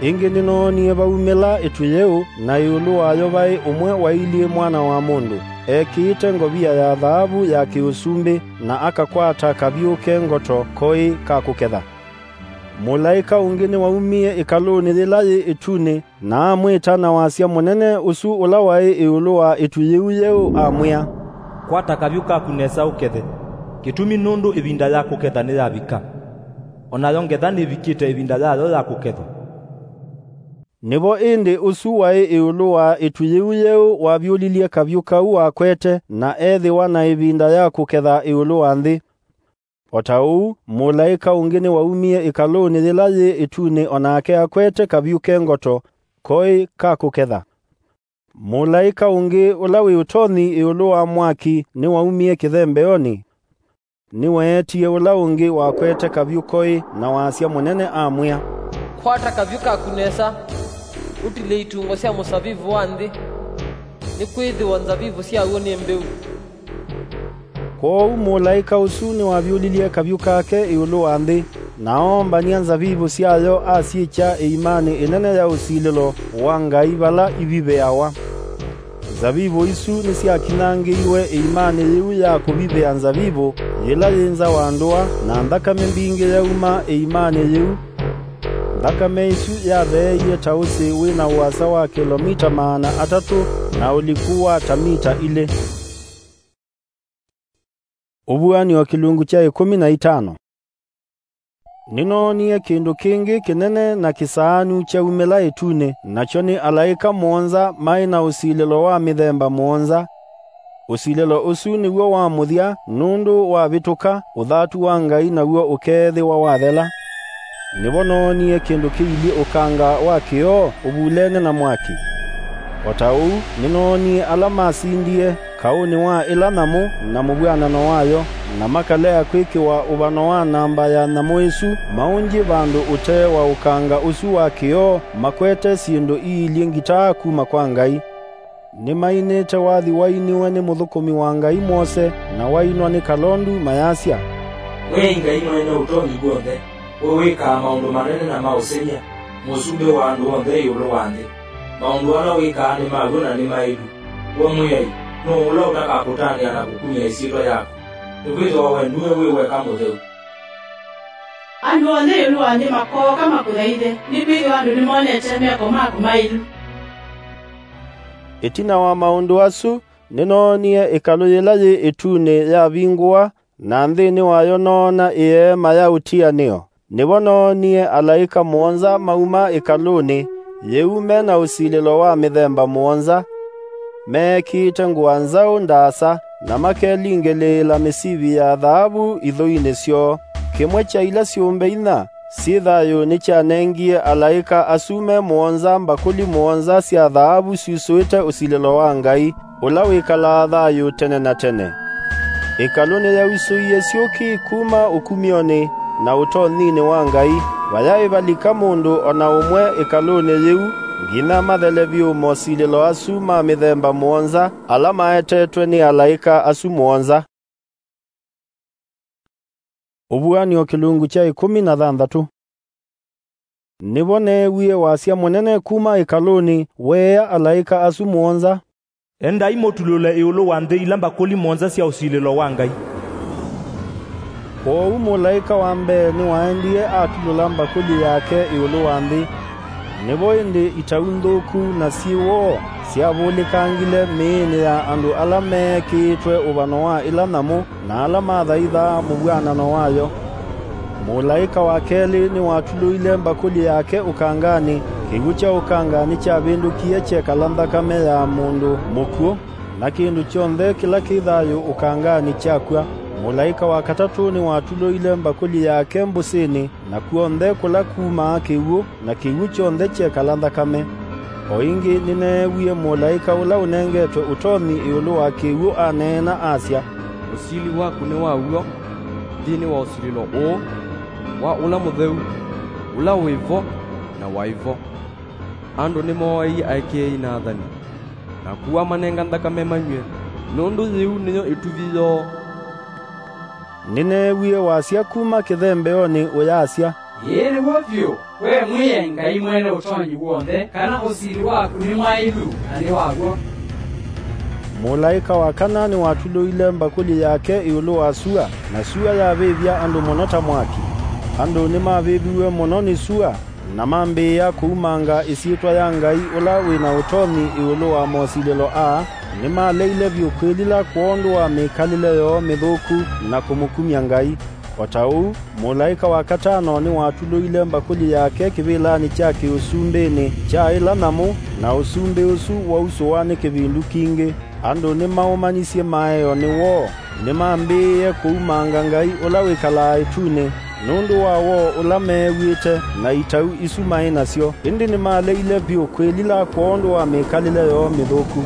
Ĩngĩ nĩnoonie vaumĩla ĩtu yĩu, na ĩũlũ wayo vaĩ ũmwe wailyĩ mwana wa mũndũ, ekĩĩte ngovia ya thaavu ya kĩũsumbĩ, na akakwata kavyũ ke ngoto koĩ ka kũketha. Mũlaĩka ũngĩ nĩwaumie ĩkalũnĩ yĩla yĩ ĩtunĩ, na amwĩta na wasya mũnene ũsu ũla waĩ ĩũlũ wa ĩtu yĩu yĩu, amwĩa, Kwata kavyũ kaku nesa ũkethe, kĩtumi nũndũ ĩvinda ya kũketha nĩyavika, o nayo ngetha nĩvikĩte ĩvinda yayo ya kũkethwa. Nĩvo ĩndĩ ũsu waĩ ĩũlũ wa ĩtu yĩu yĩu wavyũlilye kavyũ kau wakwete, na ethĩwa na ĩvinda ya kũketha ĩũlũ wa nthĩ. O ta ũu, mũlaĩka ũngĩ nĩwaumie ĩkalũnĩ yĩla yĩ ĩtunĩ, o nake akwete kavyũ ke ngoto, koĩ ka kũketha. Mũlaĩka ũngĩ ũla wĩ ũtonyi ĩũlũ wa mwaki nĩwaumie kĩthembeonĩ. Nĩweetie ũla ũngĩ wakwete kavyũ koĩ na wasya mũnene, amwĩa, Kwata kavyũ kaku nesa, ũtilye itungwa sya mũsavivũ wa nthĩ, nĩkwĩthĩwa nzavivũ syaw'o nĩ mbĩu. Kwoou mũlaĩka ũsu nĩwavyũlilye kavyũ kake ĩũlũ wa nthĩ, na oombany'a nzavivũ syayo asyĩkya ĩimanĩ ĩnene ya ũsilĩlo wa Ngai vala ivivĩawa. Nzavivũ isu nĩsyakinyangĩiwe ĩimanĩ yĩu ya kũvivĩa nzavivũ, yĩla yĩ nza wa ndũa, na nthakame mbingĩ yauma ĩimanĩ yĩu. Nthakame ĩsu yatheeie ta ũsĩ wĩ na ũasa wa kĩlomita maana atatũ na ũliku wa ta mita ilĩ. Ũvuan'yo kĩlungu kya ĩkũmi na itano. Nĩnoonie kĩndũ kĩngĩ kĩnene na kĩsaanu kyaumĩla ĩtunĩ, nakyo nĩ alaĩka mũonza maĩ na ũsilĩlo wa mĩthemba mũonza. Ũsilĩlo ũsu nĩw'o wa mũthya nũndũ wavĩtũka, ũthatu wa Ngai naw'o ũkeethĩwa wathela. Nĩvo noonie kĩndũ kĩilyĩ ũkanga wa kĩoo ũvulene na mwaki. O ta ũu, nĩnoonie ala masindie kaũnĩ wa ĩla nyamũ na mũvw'anano wayo, na makalea kwĩkĩwa ũvano wa namba ya nyamũ ĩsu maũngye vandũ ũtee wa ũkanga ũsu wa kĩoo, makwete syĩndũ iilyĩ ngitaa kuma kwa Ngai. Nĩmainĩte wathi wainiwe nĩ mũthũkũmi wa Ngai mwose, na wainwa nĩ kalondu, mayasya, Mwĩai Ngai Mwene Ũtonyi W'onthe, we wĩkaa maũndũ manene na ma ũsengy'a, Mũsumbĩ wa andũ onthe ĩũlũ wa nthĩ. Maũndũ ala wĩkaa nĩ ma w'o na nĩ maĩlu. We Mwĩai, nũũ ũla ũtakakũtanĩa na kũkumya ĩsyĩtwa yaku? Nĩkwĩthĩwa we nue wĩ weka mũtheu. Andũ onthe ĩũlũ wa nthĩ makooka makũthaithe, nĩkwĩthĩwa andũ nĩmonete meko maku maĩlu. Ĩtina wa maũndũ asu, nĩnoonie ĩkalũ yĩla yĩ ĩtunĩ yavingũwa, na nthĩnĩ wayo noona ĩeema ya ũtianĩo. Nĩvo noonie alaĩka mũonza mauma ĩkalũnĩ yĩu me na ũsilĩlo wa mĩthemba mũonza, meekĩĩte ngũa nzaũ ndaasa, na makelingĩlĩĩla mĩsivi ya thaavu ithũinĩ syoo. Kĩmwe kya ila syũmbe inya syĩ thayũ nĩkyanengie alaĩka asu me mũonza mbakũli mũonza sya thaavu syusũĩte ũsilĩlo wa Ngai, ũla wĩkalaa thayũ tene na tene. Ĩkalũ nĩyausũie syũki kuma ũkumyonĩ na ũtonyinĩ wa Ngai, vayaĩ valika mũndũ o na ũmwe ĩkalũnĩ yĩu, nginya mathele vyũ mosilĩlo asu ma mĩthemba mũonza ala maetetwe nĩ alaĩka asu mũonza. Ũvuan'yo kĩlungu kya ĩkũmi na thanthatũ. Nĩvo neewie wasya mũnene kuma ĩkalũnĩ weea alaĩka asu mũonza, Endai mũtulũle ĩũlũ wa nthĩ ila mbakũli mũonza sya ũsilĩlo wa Ngai. Kwoou mũlaĩka wa mbee nĩwaendie atulũla mbakũli yake ĩũlũ wa nthĩ. Nĩvo ĩndĩ itau nthũku na syĩ woo syavũlĩkangile mĩĩnĩ ya andũ ala meekĩĩtwe ũvano wa ĩla nyamũ na ala mathaithaa mũvw'anano wayo. Mũlaĩka wa kelĩ nĩwatulũile mbakũli yake ũkanganĩ, kĩw'ũ kya ũkanga nĩkyavĩndũkie kyekala nthakame ya mũndũ mũkw'ũ, na kĩndũ kyonthe kĩla kĩ thayũ ũkanganĩ kyakw'a. Mũlaĩka wa katatũ nĩwatulũile mbakũli yake mbũsĩnĩ, na kw'onthe kũla kumaa kĩw'ũ, na kĩw'ũ kyonthe kyekala nthakame. O ĩngĩ nĩneewie mũlaĩka ũla ũnengetwe ũtonyi ĩũlũ wa kĩw'ũ aneena asya, Ũsili waku nĩ wa w'o nthĩnĩ wa ũsilĩlo ũũ wa Ũla Mũtheu, ũla wĩ vo na waĩ vo. Andũ nĩmooaie aĩkĩĩi na athani, na kũa manenga nthakame manyw'e, nũndũ yĩu nĩyo ĩtuvi yoo. Nĩneewie wasya kuma kĩthembeonĩ ũyasya, Ĩĩ nĩw'o vyũ, we Mwĩai Ngai Mwene Ũtonyi W'onthe, kana ũsili waku nĩ mwaĩlu na nĩ wa w'o. Mũlaĩka wa kana nĩwatulũile mbakũli yake ĩũlũ wa sua, na sua yavĩvya andũ mũno ta mwaki. Andũ nĩmavĩviw'e mũno nĩ sua, na mambĩĩa kũumanga ĩsyĩtwa ya Ngai ũla wĩ na ũtonyi ĩũlũ wa mosilĩlo aa. Nĩmaleile vyũ kwĩlila kwondũ wa mĩkalĩle yoo mĩthũku na kũmũkumya Ngai. O ta ũu, mũlaĩka wa katano nĩwatulũile mbakũli yake kĩvĩlanĩ kya kĩũsumbĩnĩ kya ĩla nyamũ, na ũsumbĩ ũsu wausũwa nĩ kĩvindu kingĩ. Andũ nĩmaũmanisye maeo nĩ woo, nĩmambĩĩe kũumanga Ngai ũla wĩkalaa ĩtunĩ, nũndũ wa woo ũla meew'ĩte na itau isu maĩ nasyo, ĩndĩ nĩmaleile vyũ kwĩlila kwondũ wa mĩkalĩle yoo mĩthũku.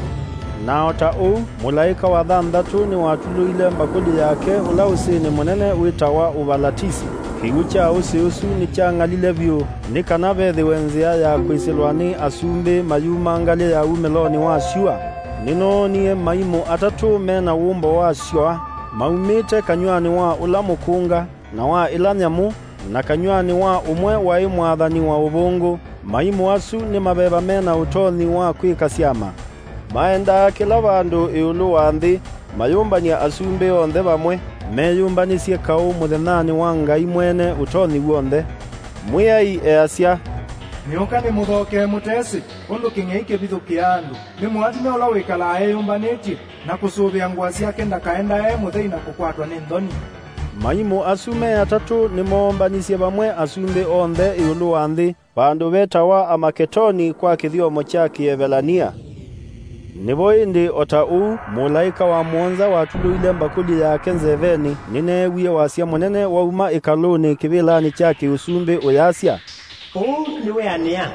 Na o ta ũu, mũlaĩka wa thanthatũ nĩwatulũile mbakũli yake ũla ũsĩnĩ mũnene wĩtawa Ũvalatisi. Kĩw'ũ kya ũsĩ ũsu nĩkyang'alile vyũ, nĩ kana vethĩwe nzĩa ya kwĩsĩlwa nĩ asumbĩ mayuma ngalĩ ya wumĩlonĩ wa syũa. Nĩnoonie maimũ atatũ me na wũmbo wa syũa, maumĩte kanyw'anĩ wa ũla mũkũnga, na wa ĩla nyamũ, na kanyw'anĩ wa ũmwe waĩ mwathani wa ũvũngũ. Maimũ asu nĩ maveva me na ũtonyi wa kwĩka syama. Maendaa kĩla vandũ ĩũlũ wa nthĩ, mayũmbany'a asumbĩ onthe vamwe, meyũmbanĩsye kaũ mũthenyanĩ wa Ngai Mwene Ũtonyi W'onthe. Mwĩai easya, Nĩũka nĩmũthokee mũtesĩ, ũndũ kĩng'ei kĩvithũkĩaa andũ. Nĩ mũatĩme ũla wĩkalaa eyũmbanĩtye, na kũsũvĩa ngũa syake ndakaendae mũthei na kũkwatwa nĩ nthoni. Maimũ asu me atatũ nĩmoombanisye vamwe asumbĩ onthe ĩũlũ wa nthĩ, vandũ vetawa Amaketoni kwa kĩthyomo kya Kĩevelania. Nĩvo ĩndĩ, o ta ũu mũlaĩka wa mũonza watulũile mbakũli yake nzevenĩ, nĩneewie wasya mũnene wauma ĩkalũnĩ kĩvĩlanĩ kya kĩũsumbĩ ũyasya, "Ũũ nĩ wĩanĩa."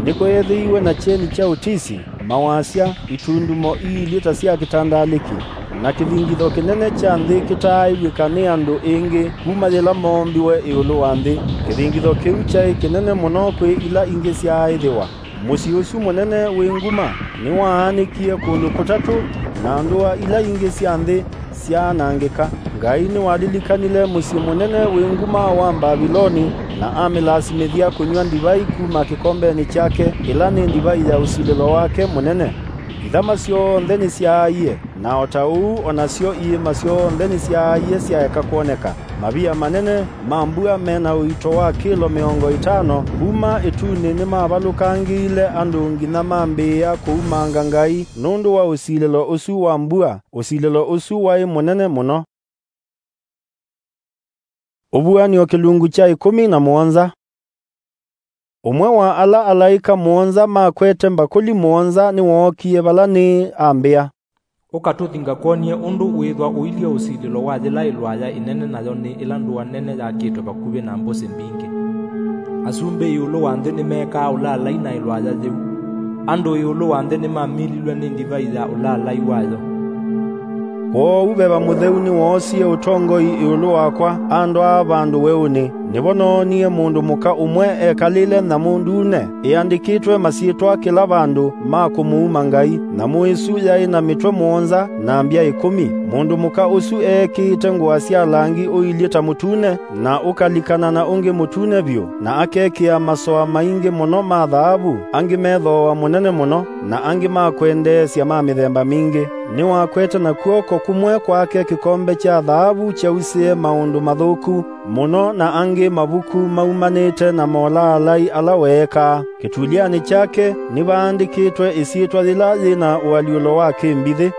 Nĩkweethĩiwe na kyeni kya ũtisi, mawasya, itundumo iilye ta sya kĩtandalĩkĩ, na kĩthingitho kĩnene kya nthĩ kĩtaaĩw'ĩka nĩ andũ ĩngĩ kuma yĩla moombiwe ĩũlũ wa nthĩ. Kĩthingitho kĩu kyaĩ kĩnene mũno kwĩ ila ingĩ syaaĩthĩwa. Mũsyĩ ũsu mũnene wĩ nguma nĩwaanĩkie kũndũ kũtatũ, na ndũa ila ingĩ sya nthĩ syaanangĩka. Ngai nĩwalilikanile mũsyĩ mũnene wĩ nguma wa Mbaviloni, na amĩlasimĩthya kũnyw'a ndivai kuma kĩkombenĩ kyake, ĩla nĩ ndivai ya ũsilĩlo wake mũnene. Ithama syonthe nĩsyaaie, na o ta ũu o nasyo iĩma syonthe nĩsyaaie syaeka kwoneka. Mavia manene ma mbua me na ũito wa kĩlo mĩongo ĩtano kuma ĩtunĩ nĩmavalũkangĩile andũ nginya mambĩĩa kũumanga Ngai nũndũ wa ũsilĩlo ũsu wa mbua. Ũsilĩlo ũsu waĩ mũnene mũno. Ũvuan'yo kĩlungu kya ĩkũmi na mũonza. Ũmwe wa ala alaĩka mũonza makwete mbakũli mũonza nĩwookie vala nĩĩ ambĩa, "Ũka tũthi ngakwony'e ũndũ wĩĩthwa ũilye ũsilĩlo wa yĩla ĩlwaya ĩnene, nayo nĩ ĩla ndũa nene yakĩtwe vakuvĩ na mbũsĩ mbingĩ. Asumbĩ ĩũlũ wa nthĩ nĩmeekaa ũlaalai na ĩlwaya yĩu. Andũ ĩũlũ wa nthĩ nĩmamililw'e nĩ ndivai ya ũlaalai wayo." Kwoou Veva Mũtheu nĩwoosie ũtongoi ĩũlũ wakwa, andwaa vandũ weũnĩ. Nĩvo noonie mũndũ mũka ũmwe ekalĩle nyamũ ndune, ĩandĩkĩtwe masyĩtwa kĩla vandũ ma kũmũuma Ngai. Nyamũ ĩsu yaĩ na mĩtwe mũonza na mbya ĩkũmi. Mũndũ mũka ũsu eekĩĩte ngũa sya langi ũilyĩ ta mũtune, na ũkalikana na ũngĩ mũtune vyũ, na akekĩa masoa maingĩ mũno ma thaavu, angĩ me thooa mũnene mũno, na angĩ ma kwendeesya ma mĩthemba mingĩ. Nĩwakwete na kw'oko kũmwe kwake kĩkombe kya thaavu kyausĩe maũndũ mathũku mũno, na angĩ mavuku maumanĩte na molaalai ala weekaa. Kĩtulyanĩ kyake nĩvaandĩkĩtwe ĩsyĩtwa yĩla yĩ na ũalyũlo wa kĩmbithĩ,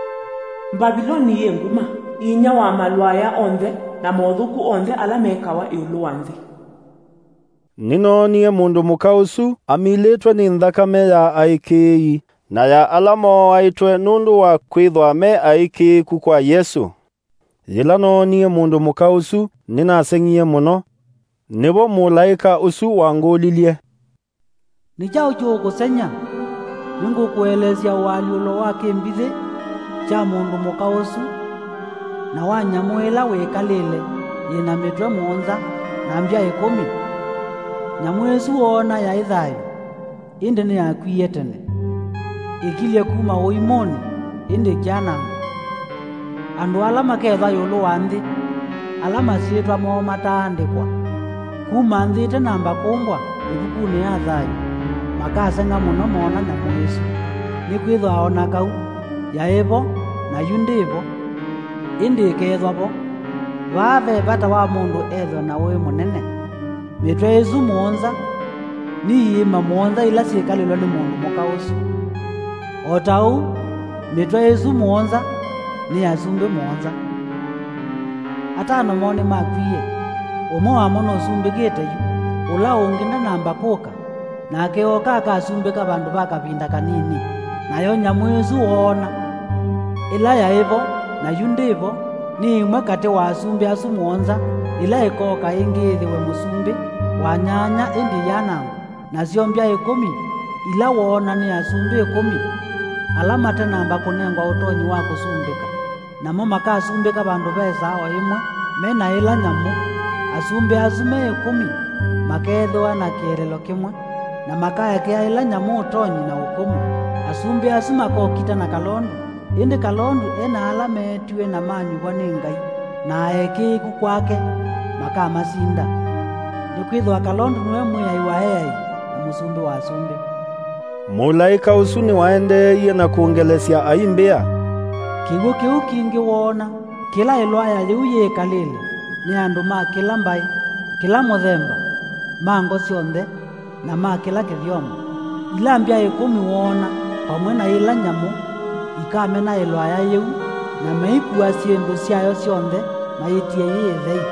"Mbaviloni yĩ nguma, inyia wa malwaya onthe na mothũku onthe ala mekawa ĩũlũ wa nthĩ." Nĩnoonie mũndũ mũka ũsu amilĩtwe nĩ nthakame ya aĩkĩĩi, na ya ala mooaĩtwe nũndũ wa kwĩthwa me aĩkĩĩku kwa Yesũ. Yĩla noonie mũndũ mũka ũsu, nĩnaseng'ie mũno. Nĩvo mũlaĩka ũsu wangũlilye, "Nĩ kyaũ kĩũkũseng'ya? Nĩngũkũelesya ũalyũlo wa kĩmbithĩ kya mũndũ mũka ũsu, na wa nyamũ ĩla wĩkalĩle yĩ na mĩtwe mũonza na mbya ĩkũmi. Nyamũ ĩsu woona yaĩ thayũ, ĩndĩ nĩyakwie tene. Ĩkilye kuma ũimũnĩ, ĩndĩ ĩkyanangwa. Andũ ala makethwa ĩũlũ wa nthĩ, ala masyĩtwa moo mataandĩkwa kuma nthĩ ĩtanamba kũmbwa ĩvukunĩ ya thayũ, makaseng'a mũno moona nyamũ ĩsu. Nĩkwĩthwa o na kau yaĩ vo, na yu ndĩ vo, ĩndĩ ĩkeethwa vo. Vaa ve vata wa mũndũ ethwe na ũĩ mũnene." Mĩtwe ĩsu mũonza nĩ iĩma mũonza ila syĩkalĩlwe nĩ mũndũ mũka ũsu. O ta ũu, mĩtwe ĩsu mũonza nĩ asumbĩ mũonza. Atano moo nĩmakwie, ũmwe wamo nũsumbĩkĩte yu, ũla ũngĩ ndanamba kũka, nake ooka akasumbĩka vandũ va kavinda kanini. Nayo nyamũ ĩsu woona, ĩla yaĩ vo na yu ndĩ vo, nĩ ĩmwe katĩ wa asumbĩ asu mũonza, ĩla ĩkooka ĩngĩ yĩthĩwe mũsumbĩ wa nyanya ĩndĩ ĩyanangwa. Nasyo mbya ĩkũmi ila woona nĩ asumbĩ ĩkũmi ala matanamba kũnengwa ũtonyi wa kũsumbĩka, namo makasumbĩka vandũ ve saa o ĩmwe me na ĩla nyamũ. Asumbĩ asu me ĩkũmi makeethĩwa na kĩeleelo kĩmwe, na makaekea ĩla nyamũ ũtonyi na ũkũmũ. Asumbĩ asu makokita na kalondu, ĩndĩ kalondu e na ala meetiwe na manyuvwa nĩ Ngai na aĩkĩĩku kwake makamasinda, nĩkwĩthĩwa kalondu nĩwe Mwĩai wa eai na Mũsumbĩ wa asumbĩ. Mũlaĩka ũsu nĩwaendeeie na kũngelesya aimbĩa, "Kĩw'ũ kĩu kĩngĩ woona, kĩla ĩlwaya yĩu yĩkalĩle, nĩ andũ ma kĩla mbaĩ, kĩla mũthemba, ma ngo syonthe, na ma kĩla kĩthyomo. Ila mbya ĩkũmi woona, vamwe na ĩla nyamũ, ikamenaĩlwa aya yĩu, na meikua syĩndũ syayo syonthe mayĩtie yĩ ĩthei.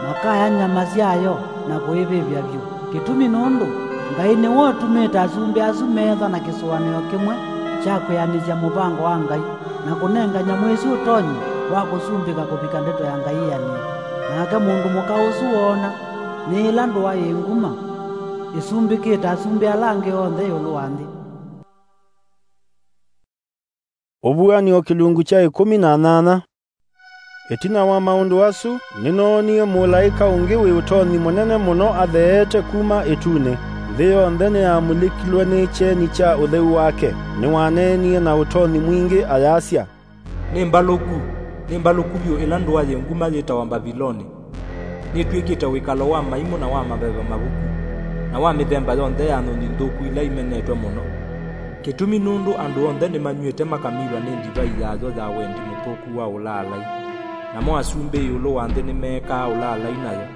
Makaya nyama syayo na kũĩvĩvya vyũ. Kĩtumi nũndũ Ngai nĩwe ũtumĩte asumbĩ asu meethwa na kĩsũanĩo kĩmwe kya kwĩanĩsya mũvango wa Ngai, na kũnenga nyamũ ĩsu ũtonyi wa kũsumbĩka kũvika ndeto ya Ngai ĩanĩe. Nake mũndũ mũka ũsu woona nĩ ĩla ndũa yĩ nguma, ĩsumbĩkĩte asumbĩ ala angĩ onthe ĩũlũ wa nthĩ. Ũvuan'yo kĩlungu kya ĩkũmi na nyanya. Ĩtina wa maũndũ asu, nĩnoonie mũlaĩka ũngĩ wĩ ũtonyi mũnene mũno atheete kuma ĩtunĩ. Nthĩ yonthe nĩyamulĩkilwe nĩ kyeni kya ũtheu wake. Nĩwaneenie na ũtonyi mwingĩ ayasya, "Nĩ mbalũku, nĩ mbalũku vyũ ĩla ndũa yĩ nguma yĩtawa Mbaviloni. Nĩtw'ĩkĩte wĩkalo wa maimũ na wa maveva mavuku, na wa mĩthemba yonthe ya nyũnyi nthũku ila imenetwe mũno. Kĩtumi nũndũ andũ onthe nĩmanyw'ĩte makamilwa nĩ ndivai yayo ya wendi mũthũku wa ũlaalai, namo asumbĩ ĩũlũ wa nthĩ nĩmeekaa ũlaalai nayo.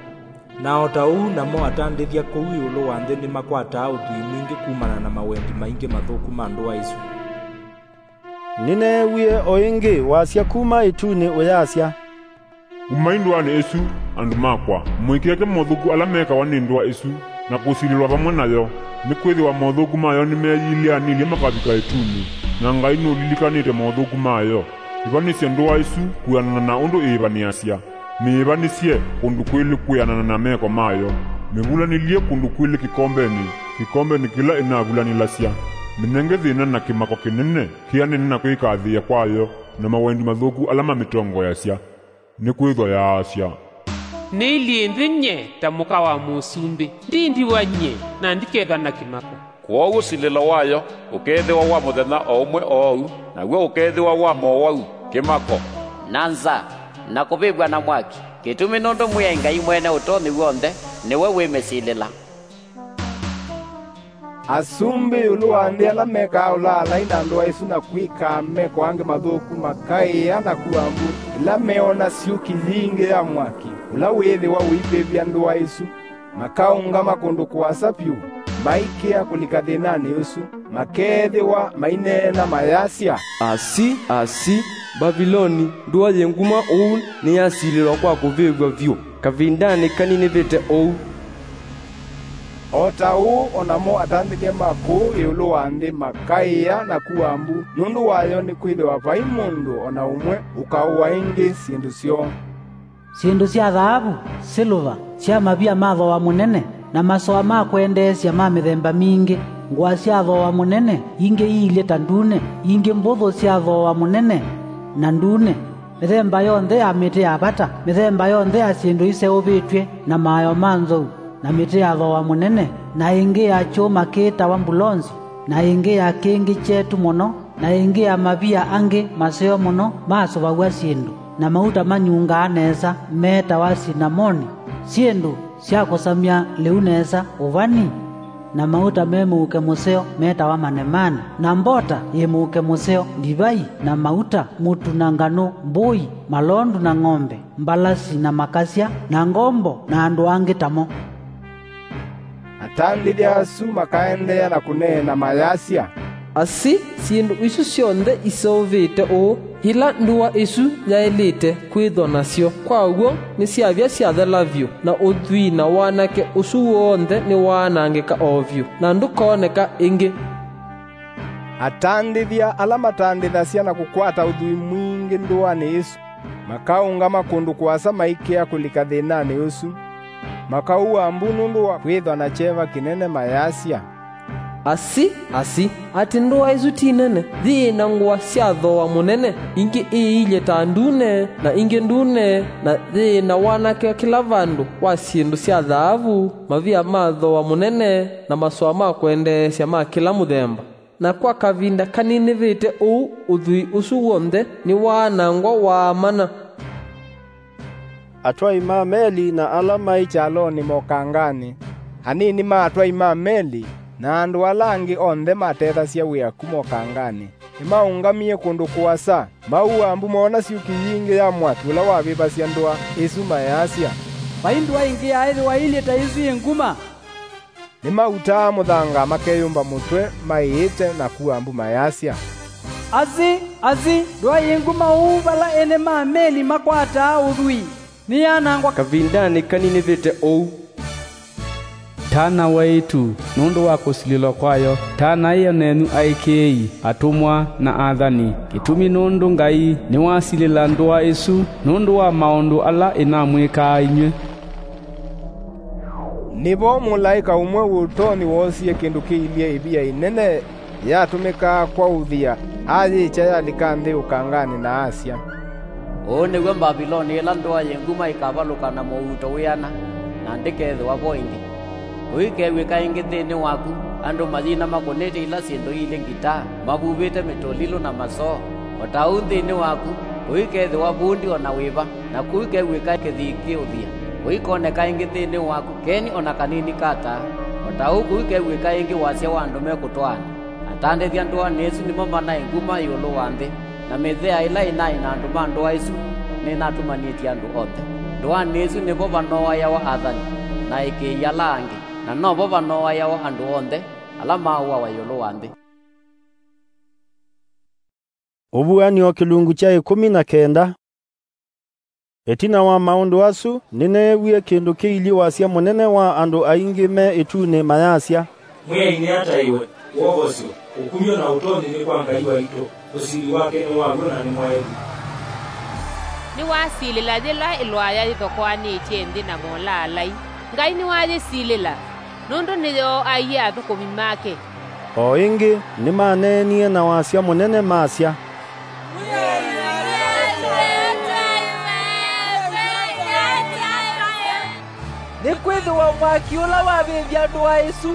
Na o ta ũu namo atandĩthya kũu ĩũlũ wa nthĩ nĩmakwataa ũthwii mwingĩ kumana na mawendi maingĩ mathũku ma ndũa ĩsu." Nĩneewie o ĩngĩ wasya kuma ĩtunĩ ũyasya, "Umai ndũanĩ ĩsu, andũ makwa, mũikeke mothũku ala mekawa nĩ ndũa ĩsu, na kũsilĩlwa vamwe nayo, nĩkwĩthĩwa mothũku mayo nĩmeyĩlĩanĩlye makavika ĩtunĩ, na Ngai nũlilikanĩte mothũku mayo. Ĩvanĩsye ndũa ĩsu kwĩanana na ũndũ ĩĩvanĩasya. Mĩĩvanĩsye kũndũ kwĩlĩ kwĩanana na meko mayo. Mĩvulanĩlye kũndũ kwĩlĩ kĩkombenĩ, kĩkombenĩ kĩla ĩnavulanĩlasya. Mĩnenge thĩna na kĩmako kĩnene kĩanene na kwĩkathĩĩa kwayo, na mawendi mathũku ala mamĩtongoeasya. Nĩkwĩthwa yaasya, 'Nĩilyĩ nthĩ nyie ta mũka wa mũsumbĩ, ndi ndiwa nyie, na ndikethwa na kĩmako.' Kwoou ũsilĩlo wayo ũkeethĩwa wa mũthenya o ũmwe oou, naw'o ũkeethĩwa wa mowau, kĩmako, na nza, na kũvĩvw'a na mwaki, kĩtumi nũndũ Mwĩai Ngai Mwene Ũtonyi W'onthe nĩwe wĩmĩsilĩla." Asumbĩ ĩũlũ wa nthĩ ala mekaa ũlaalai na ndũa ĩsu na kwĩkaa meko angĩ mathũku makaĩa na kua mbu ĩla meona syũki yingĩ ya mwaki ũla wĩĩthĩwa ũivĩvya ndũa ĩsu. Makaũngama kũndũ kũasa vyũ, maikĩa kũlika thĩnanĩ ũsu, makeethĩwa maineena mayasya, "Asi, asi, Mbaviloni, ndũa yĩ nguma ũu nĩyasilĩlwa kwa kũvĩvw'a vyũ kavindanĩ kaninĩvĩte ũu." O ta ũu o namo atandĩthya ma kũu ĩũlũ wa nthĩ makaĩa na kua mbu nũndũ wayo, nĩkwĩthĩwa vai mũndũ o na ũmwe ũkaũa ĩngĩ syĩndũ syoo. Syĩndũ sya thaavu, silũva, sya mavia ma thooa mũnene, na masoa ma kwendeesya ma mĩthemba mingĩ, ngũa sya thooa mũnene, ingĩ iilye ta ndune, ingĩ mbũthũ sya thooa mũnene na ndune, mĩthemba yonthe ya mĩtĩ ya vata, mĩthemba yonthe ya syĩndũ iseũvĩtw'e na maayo ma nzou, na mĩtĩ ya thooa mũnene, na ĩngĩ ya kyũma kĩĩtawa mbulonzi, na ĩngĩ ya kĩngĩ kyetu mũno, na ĩngĩ ya mavia angĩ maseo mũno masũvaw'a syĩndũ, na mauta manyungaa nesa meetawa sinamoni, syĩndũ sya kũsamya lĩu nesa ũvani, na mauta me mũuke mũseo meetawa manemane, na mbota yĩ mũuke mũseo, ndivai, na mauta, mũtu na nganũ, mbũi, malondu na ng'ombe, mbalasi na makasya, na ngombo, na andũ angĩ tamo. Atandĩthya asu makaendeea na kũneena mayasya, "Asi, syĩndũ isu syonthe iseũvĩte ũũ, ila ndũa ĩsu yaĩlĩte kwĩthwa nasyo, kwa w'o nĩsyavya syathela vyũ, na ũthwii na wanake ũsu w'onthe nĩwaanangĩka o vyũ, na ndũkooneka ĩngĩ." Atandĩthya ala matandĩthasya na kũkwata ũthwii mwingĩ ndũanĩ ĩsu makaũngama kũndũ kũasa maikĩa kũlika thĩnanĩ ũsu. Makaua mbu nũndũ wa kwĩthwa na kyeva kĩnene mayasya, "Asi, asi, atĩ ndũa ĩsu ti nene, yĩĩ na ngũa sya thooa mũnene, ingĩ iilye ta ndune, na ingĩ ndune, na yĩĩ na wanake kĩla vandũ wa syĩndũ sya thaavu, mavia ma thooa mũnene, na masoa ma kwendeesya ma kĩla mũthemba." Na kwa kavinda kaninĩvĩte ũu ũthwii ũsu w'onthe nĩwaanangwa waamana. Atwai ma meli na ala maĩ kyalonĩ mokanganĩ, anini ma atwai ma meli, na andũ ala angĩ onthe matethasya wĩa kuma ũkanganĩ, nĩmaũngamie kũndũ kũasa, maua mbu moona syũki yingĩ ya mwaki ũla wavĩvasya ndũa ĩsu mayasya, "Vai ndũa ĩngĩ yaaĩthĩwa ĩilye ta ĩsu yĩ nguma." Nĩmautaa mũthanga makeyũmba mũtwe maĩĩte na kua mbu mayasya, "Asi, asi, ndũa yĩ nguma ũu vala ene ma meli makwataa ũthwii! Nĩyanangwa kavindanĩ kaninĩvĩte ũu!" Tana wa ĩtu nũndũ wa kũsilĩlwa kwayo, tana ĩyo nenyu aĩkĩĩi, atũmwa, na athani, kĩtumi nũndũ Ngai nĩwasilĩla ndũa ĩsu nũndũ wa maũndũ ala ĩnamwĩkaa inyw'ĩ. Nĩvo mũlaĩka ũmwe wĩ ũtonyi woosie kĩndũ kĩilyĩ ĩvia ĩnene yatũmĩkaa kwaũthĩa, ayĩkya yalika nthĩ ũkanganĩ na asya, "Ũũ nĩw'o Mbaviloni ĩla ndũa yĩ nguma ĩkavalũka na mũuto wĩana, na ndĩkethĩwa vo ĩngĩ. Kũikew'ĩka ĩngĩ nthĩnĩ waku andũ mayina makũnĩte ila syĩndũ ilĩ ngitaa, mavuvĩte mĩtũlilũ na masoo. O ta ũu nthĩnĩ waku kũikethĩwa vundi o na wĩva, na kũikew'ĩka kĩthii kĩũthĩa. Kũikoneka ĩngĩ nthĩnĩ waku keni o na kanini ka taa. O ta ũu kũikew'ĩka ĩngĩ wasya wa andũ mekũtwaana. Atandĩthya ndũanĩ ĩsu nĩmo manaĩ nguma ĩũlũ wa nthĩ, na mĩthea ĩla ĩnaĩ na andũ ma ndũa ĩsu nĩnatũmanĩtye andũ onthe. Ndũanĩ ĩsu nĩvo vanooaĩawa athani, na aĩkĩĩi ala angĩ, na novo vanooaĩawa andũ onthe ala maũawa ĩũlũ wa nthĩ." Ũvuan'yo kĩlungu kya ĩkũmi na kenda. Ĩtina wa maũndũ asu, nĩneewie kĩndũ kĩilyĩ wasya mũnene wa andũ aingĩ me ĩtunĩ mayasya, "Mwĩai nĩataĩwe, wovosyo, ũkumyo na ũtonyi nĩ kwa Ngai waitũ, ũsili wake nĩ wa w'o na nĩ mwaĩlu." Nĩwasilĩla yĩla ĩlwaya yĩthokoanĩtye nthĩ na molaalai. Ngai nĩwayĩsilĩla, nũndũ nĩyooaie athũkũmi make. O ĩngĩ, nĩmaneenie na wasya mũnene masya, "Nĩkwĩthĩwa mwaki ũla wavĩvya ndũa ĩsu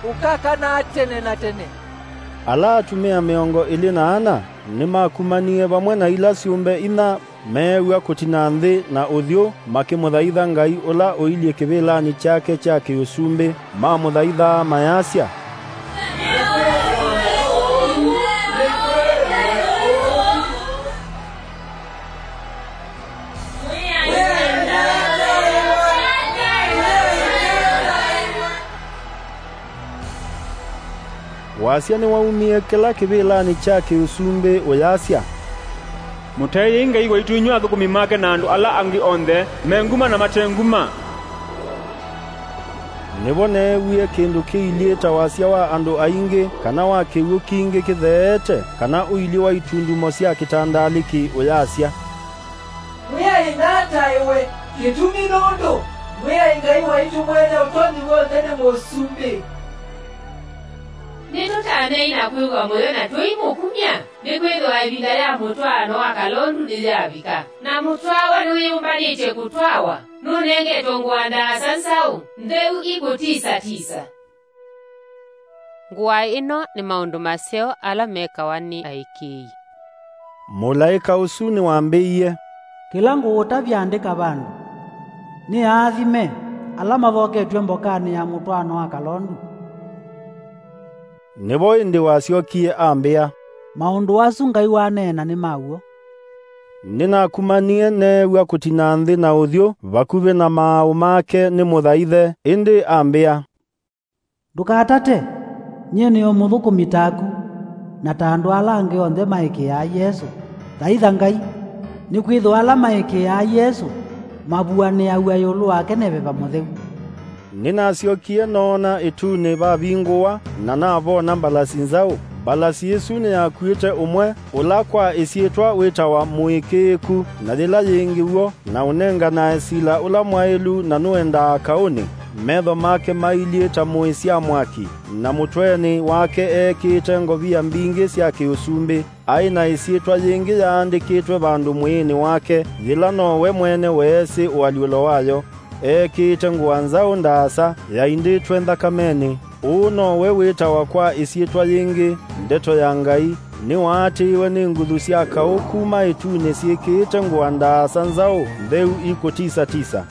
ũkakanaa tene na tene." Ala atumĩa mĩongo ĩlĩ na ana nĩmakumanie vamwe na ila syũmbe inya meew'a kũtina nthĩ na ũthyũ, makĩmũthaitha Ngai ũla ũilyĩ kĩvĩlanĩ kyake kya kĩũsumbĩ. Mamũthaithaa mayasya, Wasya nĩwaumie kĩla kĩvĩlanĩ kya kĩũsumbĩ ũyasya, "Mũtaĩei Ngai waitũ inyw'ĩ athũkũmi make na andũ ala angĩ onthe, me nguma na mate nguma." Nĩvo neewie kĩndũ kĩilyĩ ta wasya wa andũ aingĩ, kana wa kĩw'ũ kingĩ kĩtheete, kana ũilyĩ wa itundumo sya kĩtandalĩkĩ ũyasya, "Mwĩai nataĩwe, kĩtumi nũndũ Mwĩai Ngai waitũ Mwene Ũtonyi W'onthe nĩ Mũsumbĩ." Nĩtũtanei na kwĩw'a mũyo na tũimũkumya, nĩkwĩthĩwa ĩvinda ya mũtwaano wa kalondu nĩyavika, na mũtwaawa nĩwĩyũmbanĩtye kũtwawa, nũnengetwe ngũa ndaasa nzaũ, ntheu ikũtisa tisa. Ngũa ĩno nĩ maũndũ maseo ala mekawa nĩ aĩkĩĩi. Mũlaĩka ũsu nĩwambĩie, "Kĩla ngũũtavya andĩka vandũ, nĩ aathime ala mathoketw'e mbokanĩ ya mũtwaano wa kalondu." Nĩvo ĩndĩ wasyokie ambĩa, "Maũndũ asu Ngai waneena nĩ ma w'o." Nĩnakumanie neew'a kũtina nthĩ na ũthyũ vakuvĩ na maaũ make nĩmũthaithe, ĩndĩ ambĩa, "Ndũkatate, nyie nĩ o mũthũkũmi taku, na ta andũ ala angĩ onthe maĩkĩĩaa Yesũ. Thaitha Ngai, nĩkwĩthĩwa ala maĩkĩĩaa Yesũ mavuanĩaw'a ĩũlũ wake nĩ Veva Mũtheu." Nĩnasyokie noona ĩtunĩ vavingũwa, na navona mbalasi nzaũ. Mbalasi ĩsu nĩyakuĩte ũmwe, ũla kwa ĩsyĩtwa wĩtawa Mũĩkĩĩku, na yĩla yĩngĩ w'o, na ũnenganae sila ũla mwaĩlu na nũendaa kaũnĩ. Metho make mailyĩ ta mũĩ sya mwaki, na mũtwenĩ wake eekĩĩte ngovia mbingĩ sya kĩũsumbĩ. Aĩ na ĩsyĩtwa yĩngĩ yaandĩkĩtwe vandũ mwĩĩnĩ wake, yĩla nowe mwene weesĩ ũalyũlo wayo. Eekĩĩte ngũa nzaũ ndaasa yaindĩtwe nthakamenĩ. Ũũ nowe wĩtawa kwa ĩsyĩtwa yĩngĩ, Ndeto ya Ngai. Nĩwaatĩĩwe nĩ nguthu sya kaũ kuma ĩtunĩ syĩkĩĩte ngũa ndaasa nzaũ ntheu ikũtisa-tisa,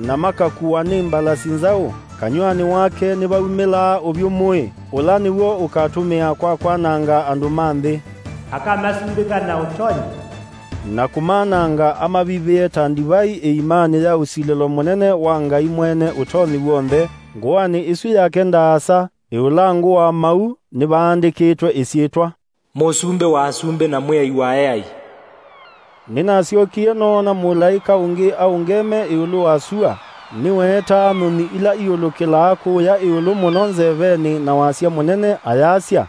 na makakuwa nĩ mbalasi nzaũ. Kanyw'anĩ wake nĩvaumĩlaa ũvyũ mũĩ, ũla nĩw'o ũkatũmĩa kwa kwananga andũ ma nthĩ. Akamasumbĩka na ũtonyi, na kũmananga amavithĩe ta ndivai ĩimanĩ ya ũsilĩlo mũnene wa Ngai Mwene Ũtonyi W'onthe, Ngũanĩ ĩsu yake ndaasa, ĩũlangũ wa mau nĩvaandĩkĩtwe ĩsyĩtwa, Mũsumbĩ wa asumbĩ na Mwĩai wa eai. Nĩnasyokie noona mũlaĩka ũngĩ aũngeme ĩũlũ wa sua, nĩweetaa nyũnyi ila iũlũkĩlaa kũũya ĩũlũ mũno nzevenĩ na wasya mũnene, ayasya,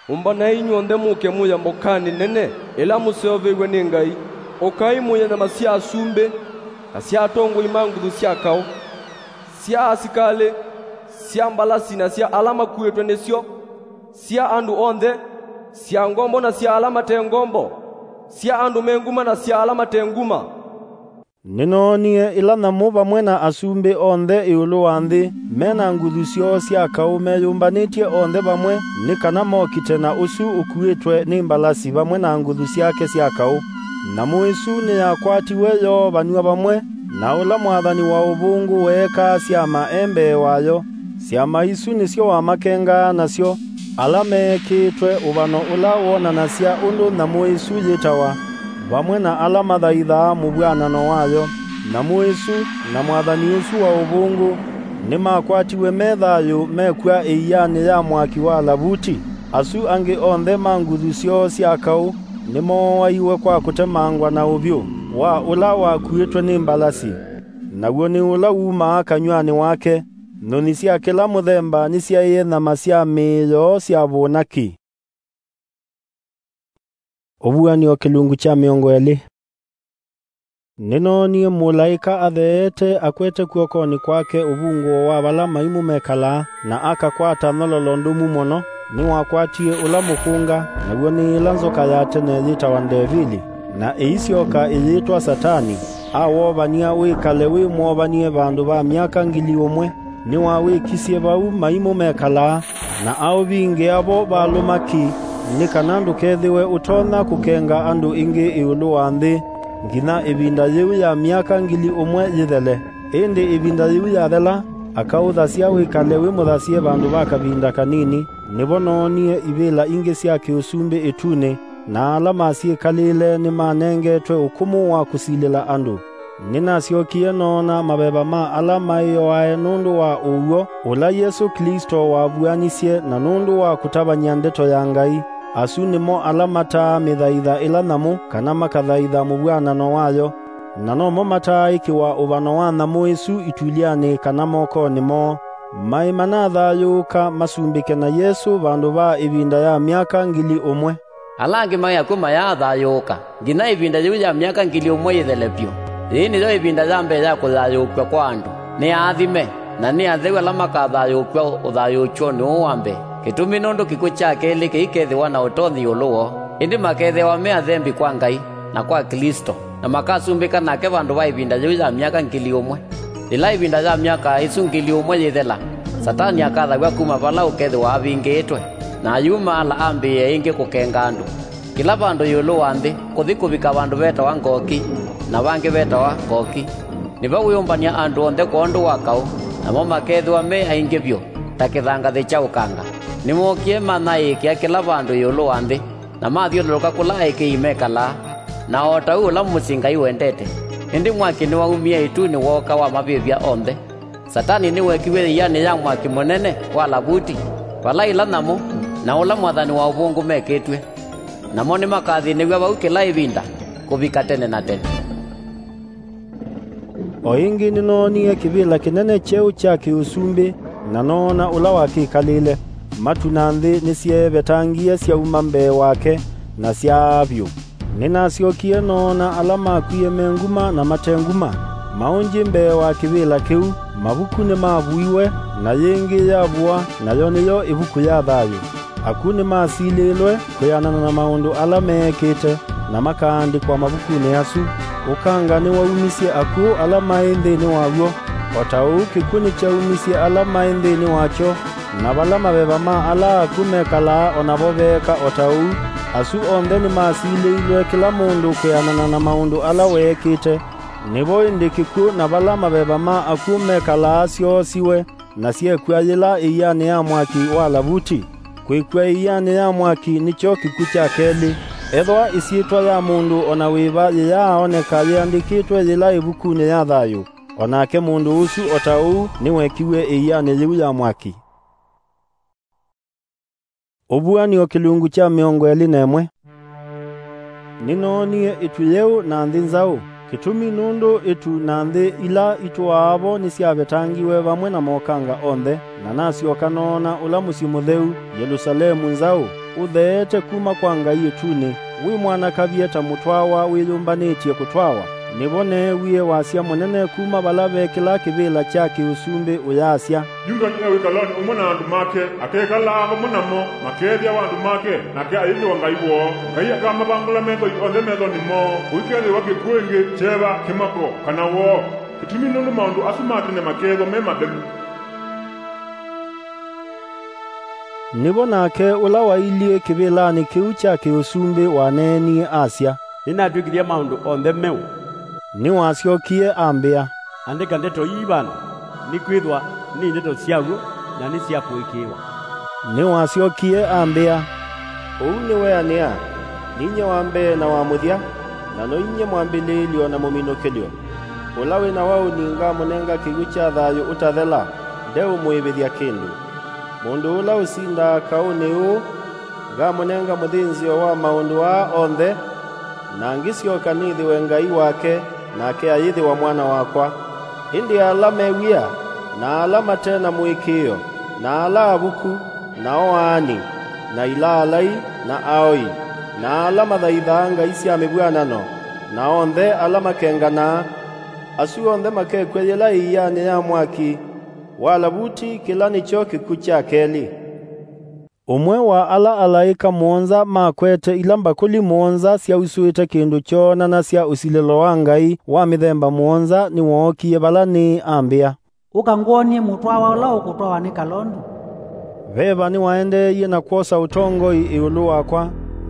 Ũmbanai inyw'onthe mũke mũye mbokanĩ nene ĩla mũseũvĩw'e nĩ Ngai. Ũkai mũye nyama sya asumbĩ, na sya atongoi ma nguthu sya kaũ, sya asikalĩ, sya mbalasi na sya ala makuĩtwe nĩsyo, sya andũ onthe, sya ngombo na sya ala mate ngombo, sya andũ me nguma na sya ala mate nguma. Nĩnoonie ĩla nyamũ vamwe na asumbĩ onthe ĩũlũ wa nthĩ, me na nguthu syoo sya kaũ meyũmbanĩtye onthe vamwe, nĩ kana mokite na ũsu ũkuĩtwe nĩ mbalasi vamwe na nguthu syake sya kaũ. Nyamũ ĩsu nĩyakwatiwe yoovanw'a vamwe na ũla mwathani wa ũvũngũ weekaa syama e mbee wayo. Syama isu nĩsyo wamakengaa nasyo, ala meekĩĩtwe ũvano ũla wonanasya ũndũ nyamũ ĩsu yĩtawa, vamwe na ala mathaithaa mũvw'anano wayo. Nyamũ ĩsu na mwathani ũsu wa ũvũngũ nĩmakwatiwe me thayũ mekw'a ĩianĩ ya mwaki wa lavuti. Asu angĩ onthe ma nguthu syoo sya kaũ nĩmooaiwe kwa kũtemangwa na ũvyũ wa ũla wakuĩtwe nĩ mbalasi, naw'o nĩ ũla wumaa kanyw'anĩ wake. Nyũnyi sya kĩla mũthemba nĩsyaĩe nyama sya mĩĩ yoo syavũna ki. Ũvuan'yo kĩlungu kya mĩongo ĩlĩ. Nĩnoonie mũlaĩka atheete akwete kw'okonĩ kwake ũvungũo wa vala maimũ mekalaa, na akakwata nyololo ndũmu mũno. Nĩwakwatie ũla mũkũnga, naw'o nĩ ĩla nzoka ya tene yĩtawa Ndevili, na ĩisyoka ĩyĩtwa Satani, awovany'a wĩkale wĩ mwovany'e vandũ va myaka ngili ũmwe. Nĩwawĩkisye vau maimũ mekalaa, na aũvingĩa vo valũma ki, nĩ kana ndũkethĩwe ũtonya kũkenga andũ ĩngĩ ĩũlũ wa nthĩ, nginya ĩvinda yĩu ya myaka ngili ũmwe yĩthele. Ĩndĩ ĩvinda yĩu yathela, akaũthasya wĩkale wĩ mũthasye vandũ va kavinda kanini. Nĩvo noonie ivĩla ingĩ sya kĩũsumbĩ ĩtunĩ, na ala masyĩkalĩle nĩmanengetwe ũkũmũ wa kũsilĩla andũ. Nĩnasyokie noona maveva ma ala maĩoae nũndũ wa ũw'o ũla Yesũ Klĩsto wavuanisye na nũndũ wa kũtavany'a ndeto ya Ngai. Asu nĩmo ala mataa mĩthaitha ĩla nyamũ kana makathaitha mũvw'anano wayo, na nomo mataaĩkĩwa ũvano wa nyamũ ĩsu itulyanĩ kana mokonĩ moo. Maĩ manathayũũka masumbĩke na Yesũ vandũ va ĩvinda ya myaka ngili ũmwe. Ala angĩ maĩ akw'ũ mayaathayũũka nginya ĩvinda yĩu ya myaka ngili ũmwe yĩthele vyũ. Yĩĩ nĩyo ĩvinda ya mbee ya kũthayũũkw'a kwa andũ. Nĩ aathime, na nĩ atheu ala makathayũũkw'a ũthayũũkyonĩ ũũ wa mbee. Kĩtumi nũndũ kĩkw'ũ kya kelĩ kĩikethĩwa na ũtonyi ĩũlũ woo, ĩndĩ makethĩawa me athembi kwa Ngai na kwa Klĩsto, na makasumbĩka nake vandũ va ĩvinda yĩu ya myaka ngili ũmwe. Yĩla ĩvinda ya myaka ĩsu ngili ũmwe yĩthela, Satani akathaw'a kuma vala ũkethĩwa avingĩĩtwe, na ayumaala ambĩĩe ĩngĩ kũkenga andũ. Kĩla vandũ ĩũlũ wa nthĩ, kũthi kũvika vandũ vetawa Ngoki, na vangĩ vetawa Ngoki. Nĩvo wĩũmbany'a andũ onthe kwondũ wa kaũ, namo makethĩwa me aingĩ vyũ ta kĩthangathĩ kya ũkanga. Nĩmookie manyaĩĩkĩa kĩla vandũ ĩũlũ wa nthĩ, na mathyũlũlũka kũla aĩkĩĩi mekalaa, na o ta ũu ũla mũsyĩ Ngai wendete. Ĩndĩ mwaki nĩwaumie ĩtunĩ wooka wamavĩvya onthe. Satani nĩwekiw'e ĩianĩ ya mwaki mũnene wa lavuti, vala ila nyamũ na ũla mwathani wa ũvũngũ mekĩtw'e. Namo nĩmakathĩnĩw'a vau kĩla ĩvinda kũvika tene na tene. O ĩngĩ nĩnoonie kĩvĩla kĩnene kyeũ kya kĩũsumbĩ, na noona ũla wakĩkalĩle. Matu na nthĩ nĩsyeevetangie syauma mbee wake, na syaaa vyũ. Nĩnasyokie noona ala makwie me nguma na mate nguma, maũngyĩ mbee wa kĩvĩla kĩu. Mavuku nĩmavuiwe, na yĩngĩ yavua, nayo nĩyo ĩvuku ya thayũ. Akw'ũ nĩmasilĩlwe kwĩanana na maũndũ ala meekĩte, na makaandĩkwa mavukunĩ asu. Ũkanga nĩwaumisye akw'ũ ala maĩ nthĩnĩ waw'o, o ta ũu kĩkw'ũ nĩkyaumisye ala maĩ nthĩnĩ wakyo, na vala maveva ma ala akw'ũ mekalaa o navo veeka o ta ũu. Asu onthe nĩmasilĩilwe kĩla mũndũ kwĩanana na maũndũ ala weekĩte. Nĩvo ĩndĩ kĩkw'ũ na vala maveva ma akw'ũ mekalaa syoosiwe, na syekw'a yĩla ĩianĩ ya mwaki wa lavuti. Kwĩkw'a ĩianĩ ya mwaki nĩkyo kĩkw'ũ kya kelĩ. Ethĩwa ĩsyĩtwa ya mũndũ o na wĩva yĩyaaoneka yĩandĩkĩtwe yĩla ĩvukunĩ ya thayũ, O nake mũndũ ũsu o ta ũu nĩwekiw'e ĩianĩ yĩu ya mwaki. Ũvuanĩo kĩlungu kya mĩongo ĩlĩ na ĩmwe. Nĩnoonie ĩtu yeũ na nthĩ nzaũ. Kĩtumi nũndũ ĩtu na nthĩ ila itũaa vo nĩsyavetangiwe vamwe na mokanga onthe, na nasyoka noona ũla mũsyĩ mũtheu, Yelũsalemu nzaũ, ũtheete kuma kwa Ngai ĩtunĩ, wĩ mwanakavye ta mũtwawa wĩyũmbanĩtye kũtwawa. Nĩvo neewie wasya mũnene kuma vala ve kĩla kĩvĩla kya kĩ-ũsumbĩ ũyasya, Yuda nĩewĩkalonĩ ũmwe na andũ make, akekalaa vamwe namo, makeethĩawa andũ make, nake ayĩthĩwa Ngai woo. Ngai akamavangũla methoi onthe methonĩ moo, kũikethĩwa kĩkw'ũ ĩngĩ, kyeva, kĩmako, kana woo. Kĩtumi nũndũ maũndũ asu ma tene makeethwa me mathelu. Nĩvo nake ũla wailyĩ kĩvĩlanĩ kĩu kya kĩ-ũsumbĩ waneenie asya, Nĩnatw'ĩkĩthya maũndũ onthe meũ. Nĩwasyokie ambĩa, Andĩka ndeto ii vandũ, nĩkwĩthwa nĩ ndeto sya w'o na nĩ sya kũĩkĩĩwa. Nĩwasyokie ambĩa, Ũu nĩweanĩa, ninyie wa mbee na wa mũthya, na noinyie mwambĩlĩĩlyo na mũminũkĩlyo. Ũla wĩ na waũni ngamũnenga kĩw'ũ kya thayũ ũtathela, ndeũmũĩvĩthya kĩndũ. Mũndũ ũla ũsindaa kaũnĩ ũũ, ngamũnenga mũthĩnzĩo wa maũndũ aa onthe, na ngĩsyoka nĩthĩwe Ngai wake, nake ayĩthĩwa mwana wakwa. Ĩndĩ ala me wia, na ala mate na mũĩkĩĩo, na ala avuku, na oaani, na ilaalai, na aoi, na ala mathaithaa ngai sya mĩvw'anano, na onthe ala makenganaa, asu onthe makekw'a yĩla ĩianĩ ya mwaki wa lavuti, kĩla nĩkyo kĩkw'ũ kya kelĩ. Ũmwe wa ala alaĩka mũonza makwete ila mbakũli mũonza syausũĩte kĩndũ kyoonanasya ũsilĩlo wa Ngai wa mĩthemba mũonza nĩwookie vala nĩĩ ambĩa, Ũka ngwony'e mũtwawa ũla ũkũtwawa nĩ kalondu. Veva nĩwaendeeie na kwosa ũtongoi ĩũlũ wakwa,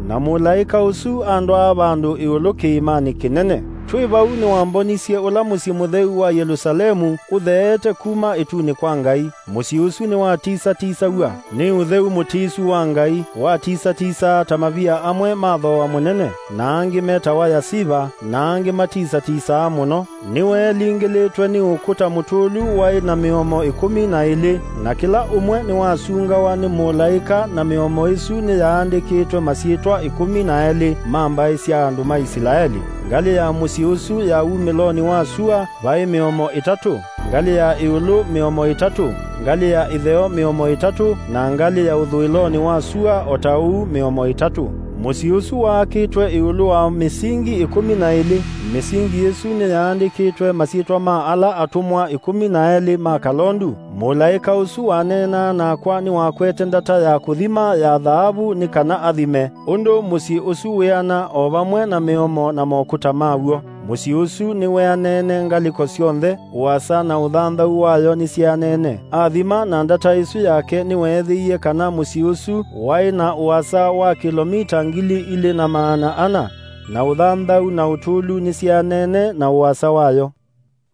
na mũlaĩka ũsu andwaa vandũ ĩũlũ kĩĩmanĩ kĩnene. Twĩ vau nĩwambonisye ũla mũsyĩ mũtheu wa Yelũsalemu ũtheete kuma ĩtunĩ kwa Ngai. Mũsyĩ ũsu nĩwatisatisaw'a nĩ ũtheu mũtisu wa Ngai, watisatisaa ta mavia amwe ma thooa mũnene, na angĩ metawa yasiva, na angĩ matisatisaa mũno. Nĩweelingĩlĩtwe nĩ ũkũta mũtũlu waĩ na mĩomo ĩkũmi na ĩlĩ, na kĩla ũmwe nĩwasungawa nĩ mũlaĩka, na mĩomo ĩsu nĩyaandĩkĩtwe masyĩtwa ĩkũmi na elĩ ma mbaĩ sya andũ ma Isilaeli. Ngalĩ ya mũsyĩ ũsu ya wumĩlonĩ wa sua vaĩ mĩomo ĩtatũ, ngalĩ ya ĩũlũ mĩomo ĩtatũ, ngalĩ ya ĩtheo mĩomo ĩtatũ, na ngalĩ ya ũthũĩlonĩ wa sua o ta ũu mĩomo ĩtatũ. Mũsyĩ ũsu waakĩtwe ĩũlũ wa mĩsingi ĩkũmi na ĩlĩ. Mĩsingi ĩsu nĩyaandĩkĩtwe masyĩtwa ma ala atũmwa ĩkũmi na elĩ ma kalondu. Mũlaĩka ũsu waneenaa nakwa nĩwakwete ndata ya kũthima ya thaavu nĩ kana athime ũndũ mũsyĩ ũsu wĩana o vamwe na mĩomo na mokũta maw'o. Mũsyĩ ũsu nĩweaneene ngalĩko syonthe, ũasa na ũthanthau wayo nĩsyeaneene. Athima na ndata ĩsu yake nĩweethĩie kana mũsyĩ ũsu waĩ na ũasa wa kĩlomita ngili ilĩ na maana ana, na ũthanthau na ũtũlu nĩsyeaneene na ũasa wayo.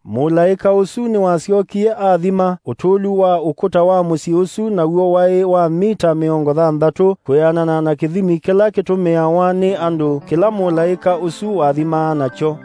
Mũlaĩka ũsu nĩwasyokie athima ũtũlu wa ũkũta wa mũsyĩ ũsu, naw'o waĩ wa mita mĩongo thanthatũ, kwĩanana na kĩthimi kĩla kĩtũmĩawa nĩ andũ kĩla mũlaĩka ũsu wathimaa nakyo.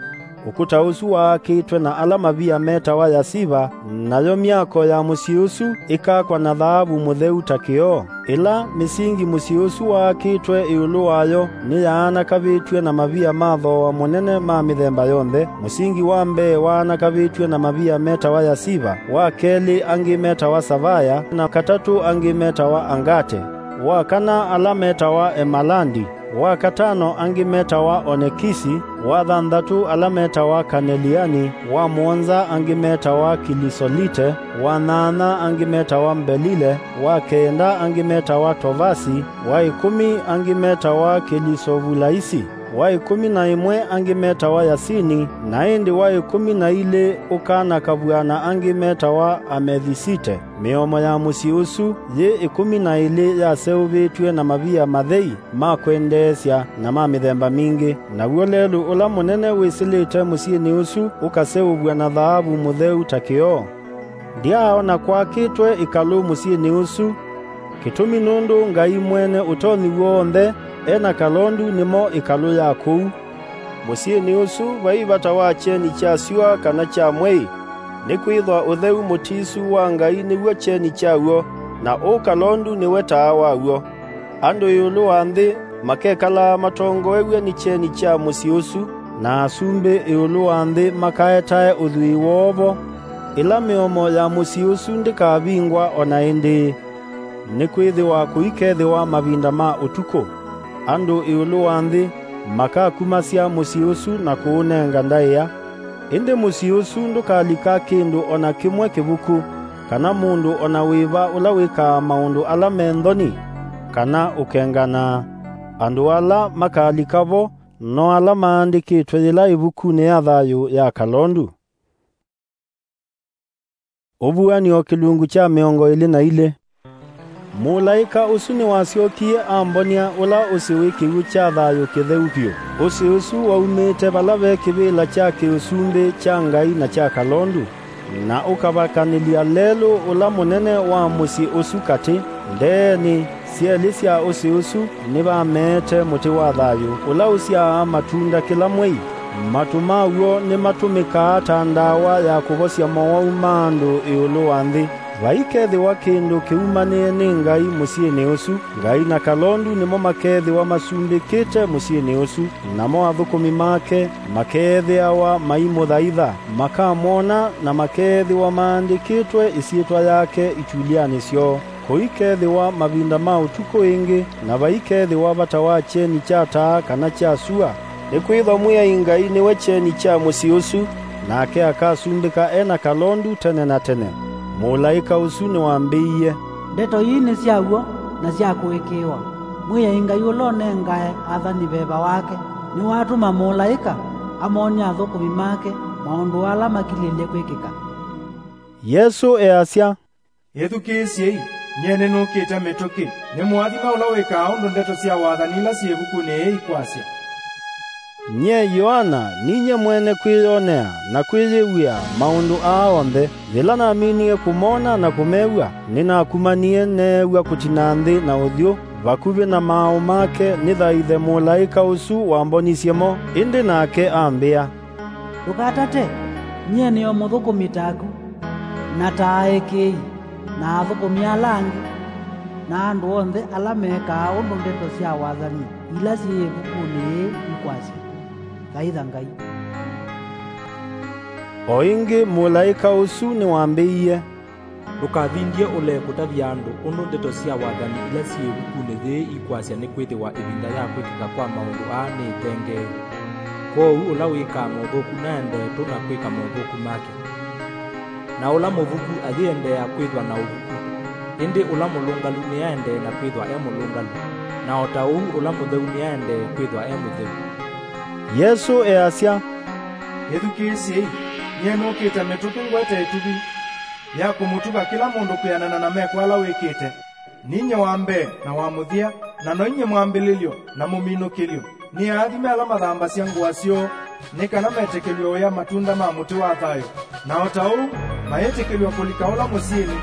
Ũkũta ũsu waakĩtwe na ala mavia metawa yasiva, nayo myako ya mũsyĩ ũsu ĩkakwa na thaavu mũtheu ta kĩoo. Ĩla mĩsingi mũsyĩ ũsu waakĩtwe ĩũlũ wayo nĩyaanakavĩtw'e na mavia ma thooa mũnene ma mĩthemba yonthe. Mũsingi wa mbee waanakavĩtw'e na mavia metawa yasiva, wa kelĩ angĩ metawa savaya, na katatũ angĩ metawa angate, wa kana ala metawa emalandi, wa katano angĩ metawa onekisi, wa thanthatũ ala metawa kaneliani, wa mũonza angĩ metawa kilisolite, wa nyaanya angĩ metawa mbelile, wa kenda angĩ metawa tovasi, wa ĩkũmi angĩ metawa kilisovulaisi, wa ĩkũmi na ĩmwe angĩ metawa yasini, na ĩndĩ wa ĩkũmi na ilĩ ũkanakavw'a na angĩ metawa amethisite. Mĩomo ya mũsyĩ ũsu yĩ ĩkũmi na ĩlĩ yaseũvĩtw'e na mavia mathei ma kwendeesya na ma mĩthemba mingĩ, naw'o lelũ ũla mũnene wĩsĩlĩte mũsyĩnĩ ũsu ũkaseũvw'a na thaavu mũtheu ta kĩoo. Ndyaaona kwakĩtwe ĩkalũ mũsyĩnĩ ũsu, kĩtumi nũndũ Ngai Mwene Ũtonyi W'onthe e na kalondu nĩmo ĩkalũ ya kũu. Mũsyĩnĩ ũsu vai vata wa kyeni kya syũa kana kya mwei, Nĩkwĩthwa ũtheu mũtisu wa Ngai nĩw'o kyeni kyaw'o, na ũkalondu nĩwe taa waw'o. Andũ ĩũlũ wa nthĩ makekalaa matongoew'e nĩ kyeni kya mũsyĩ ũsu, na asumbĩ ĩũlũ wa nthĩ makaetae ũthwii woo vo. Ĩla mĩomo ya mũsyĩ ũsu ndĩkavingwa o na ĩndĩĩ, nĩkwĩthĩwa kũikethĩwa mavinda ma ũtukũ. Andũ ĩũlũ wa nthĩ makakumasya mũsyĩ ũsu na kũũnenga ndaĩa. Ĩndĩ mũsyĩ ũsu ndũkalika kĩndũ o na kĩmwe kĩvuku, kana mũndũ o na wĩva ũla wĩkaa maũndũ ala me nthoni, kana ũkenganaa. Andũ ala makalika vo no ala maandĩkĩtwe yĩla ĩvukunĩ ya thayũ ya kalondu. Ũvuan'yo kĩlungu kya mĩongo ĩlĩ na ilĩ. Mũlaĩka ũsu nĩwasyokie ambonia ũla ũsĩ wĩ kĩw'ũ kya thayũ kĩtheu vyũ. Ũsĩ ũsu waumĩte vala ve kĩvĩla kya kĩũsumbĩ kya Ngai na kya kalondu, na ũkavakanĩlya lelũ ũla mũnene wa mũsyĩ ũsu katĩ. Ndeenĩ syelĩ sya ũsĩ ũsu nĩvameete mũtĩ wa thayũ, ũla ũsyaa matunda kĩla mwei. Matũ maw'o nĩmatũmĩkaa ta ndawa ya kũvosya mowau ma andũ ĩũlũ wa nthĩ. Vaikethĩwa kĩndũ kĩumanĩe nĩ Ngai mũsyĩnĩ ũsu. Ngai na kalondu nĩmo makethĩwa masumbĩkĩte mũsyĩnĩ ũsu, namo athũkũmi make makeethĩawa maimũthaitha, makamwona, na makeethĩwa maandĩkĩtwe ĩsyĩtwa yake itulyanĩ syoo. Kũikethĩwa mavinda ma ũtukũ ĩngĩ, na vaikethĩwa vata wa kyeni kya taa kana kya sua, nĩkwĩthwa Mwĩai Ngai nĩwe kyeni kya mũsyĩ ũsu, nake akasumbĩka e na kalondu tene na tene. Mũlaĩka ũsu nĩwambĩie, "Ndeto ii nĩ sya w'o na sya kũĩkĩĩwa. Mwĩai Ngai ũla ũnengae athani veva wake nĩwatũma mũlaĩka amonie athũkũmi make maũndũ ala makilĩlye kwĩkĩka." Yesũ easya, "Ĩthukĩĩsyei, nyie nĩnũkĩte mĩtũkĩ. Nĩ mũathime ũla wĩkaa ũndũ ndeto sya wathani ila syĩ ĩvukunĩ yĩĩ ikwasya." Nyie Yoana ninyie mwene kwĩyonea na kwĩyĩw'a maũndũ aa onthe. Yĩla naminie kũmona na kũmew'a, nĩnakumanie neew'a kũtina nthĩ na ũthyũ vakuvĩ na maaũ make nĩthaithe mũlaĩka ũsu wambonisye mo. Ĩndĩ nake ambĩa, "Ndũkatate, nyie nĩ o mũthũkũmi taku, na ta aĩkĩĩi, na athũkũmi ala angĩ, na andũ onthe ala mekaa ũndũ ndeto sya wathani ila syĩ ĩvukunĩ yĩĩ ikwasya. Thaitha Ngai." O ĩngĩ mũlaĩka ũsu nĩwambĩie, "Ndũkavindye ũlee kũtavya andũ ũndũ ndeto sya wathani ila syĩ ĩvukunĩ yĩĩ ikwasya, nĩkwĩthĩwa ĩvinda ya kwĩkĩka kwa maũndũ aa nĩĩtengeeu. Kwoou ũla wĩkaa mothũku naendee tũ na kwĩka mothũku make, na ũla mũvuku ayĩendeea kwĩthwa na ũvuku, ĩndĩ ũla mũlũngalu nĩaendee na kwĩthwa e mũlũngalu, na o ta ũu ũla mũtheu nĩaendee kwĩthwa e mũtheu." Yesũ easya, "Ĩthukĩĩsyei, nyie nũkĩte mĩtũkĩ ngwete ĩtuvi ya kũmũtuva kĩla mũndũ kwĩanana na meko ala wĩkĩte. Ninyie wa mbee na wa mũthya, na noinyie mwambĩlĩlyo na mũminũkĩlyo. Nĩ aathime ala mathambasya ngũa syoo, nĩ kana metĩkĩlw'e ũya matunda ma mũtĩ wa thayũ, na o ta ũu mayĩtĩkĩlw'a kũlika ũla mũsyĩnĩ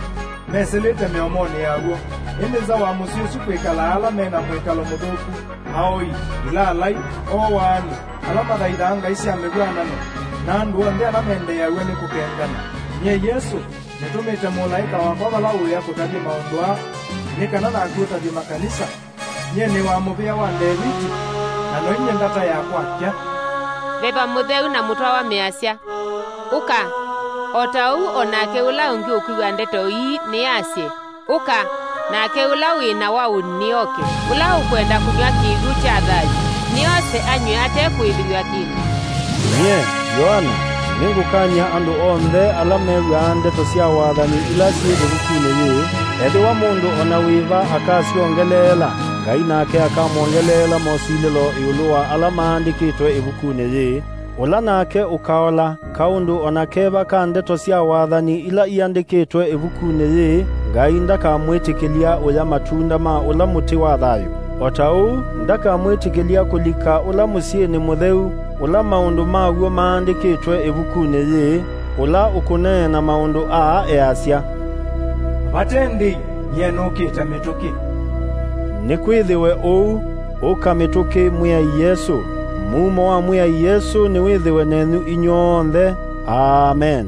mesĩlĩte mĩomonĩ yaw'o. Ĩndĩ nza wa mũsyĩ ũsu kwĩkalaa ala me na mwĩkalo mũthũku, aoi, ilalai, ooaani, ala mathaithaa ngai sya mĩvw'anano, na andũ onthe ala mendeeaw'a nĩ kũkengana. Nyie Yesũ, nĩtũmĩte mũlaĩka wakwa vala ũĩa kũtavya maũndũ aa, nĩ kana naku ũtavye makanisa. Nyie nĩ wa mũvĩa wa Ndeviti, na noinyie ndata yakwa akya." Veva Mũtheu na mũtwawa measya, "Ũka!" O ta ũu o nake ũla ũngĩ ũkwĩw'a ndeto ii nĩasye, "Ũka!" Nake ũla wĩ na waũni nĩoke. Ũla ũkwenda kũnyw'a kĩw'ũ kya thayũ, nĩose anyw'e ate kũĩlĩw'a kĩndũ. Nyie, Yoana, nĩngũkany'a andũ onthe ala mew'aa ndeto sya wathani ila syĩ ĩvukunĩ yĩĩ. Ethĩwa mũndũ o na wĩva akasyongeleela, Ngai nake akamwongeleela mosilĩlo ĩũlũ wa ala maandĩkĩtwe ĩvukunĩ yĩĩ. Ũla nake ũkaola kaũndũ o na keva ka ndeto sya wathani ila iandĩkĩtwe ĩvukunĩ yĩĩ, Ngai ndakamwĩtĩkĩlya ũya matunda ma ũla mũtĩ wa thayũ. O ta ũu, ndakamwĩtĩkĩlya kũlika ũla mũsyĩnĩ mũtheu, ũla maũndũ maw'o maandĩkĩtwe ĩvukunĩ yĩĩ, ũla ũkũneena maũndũ aa easya, "Vate ndĩi, nyie nũkĩte mĩtũkĩ." Nĩkwĩthĩwe ũu. Ũka mĩtũkĩ, Mwĩai Yesũ. Mumo wa Mwĩai Yesũ nĩwĩthĩwe nenyu inyw'onthe. Amen.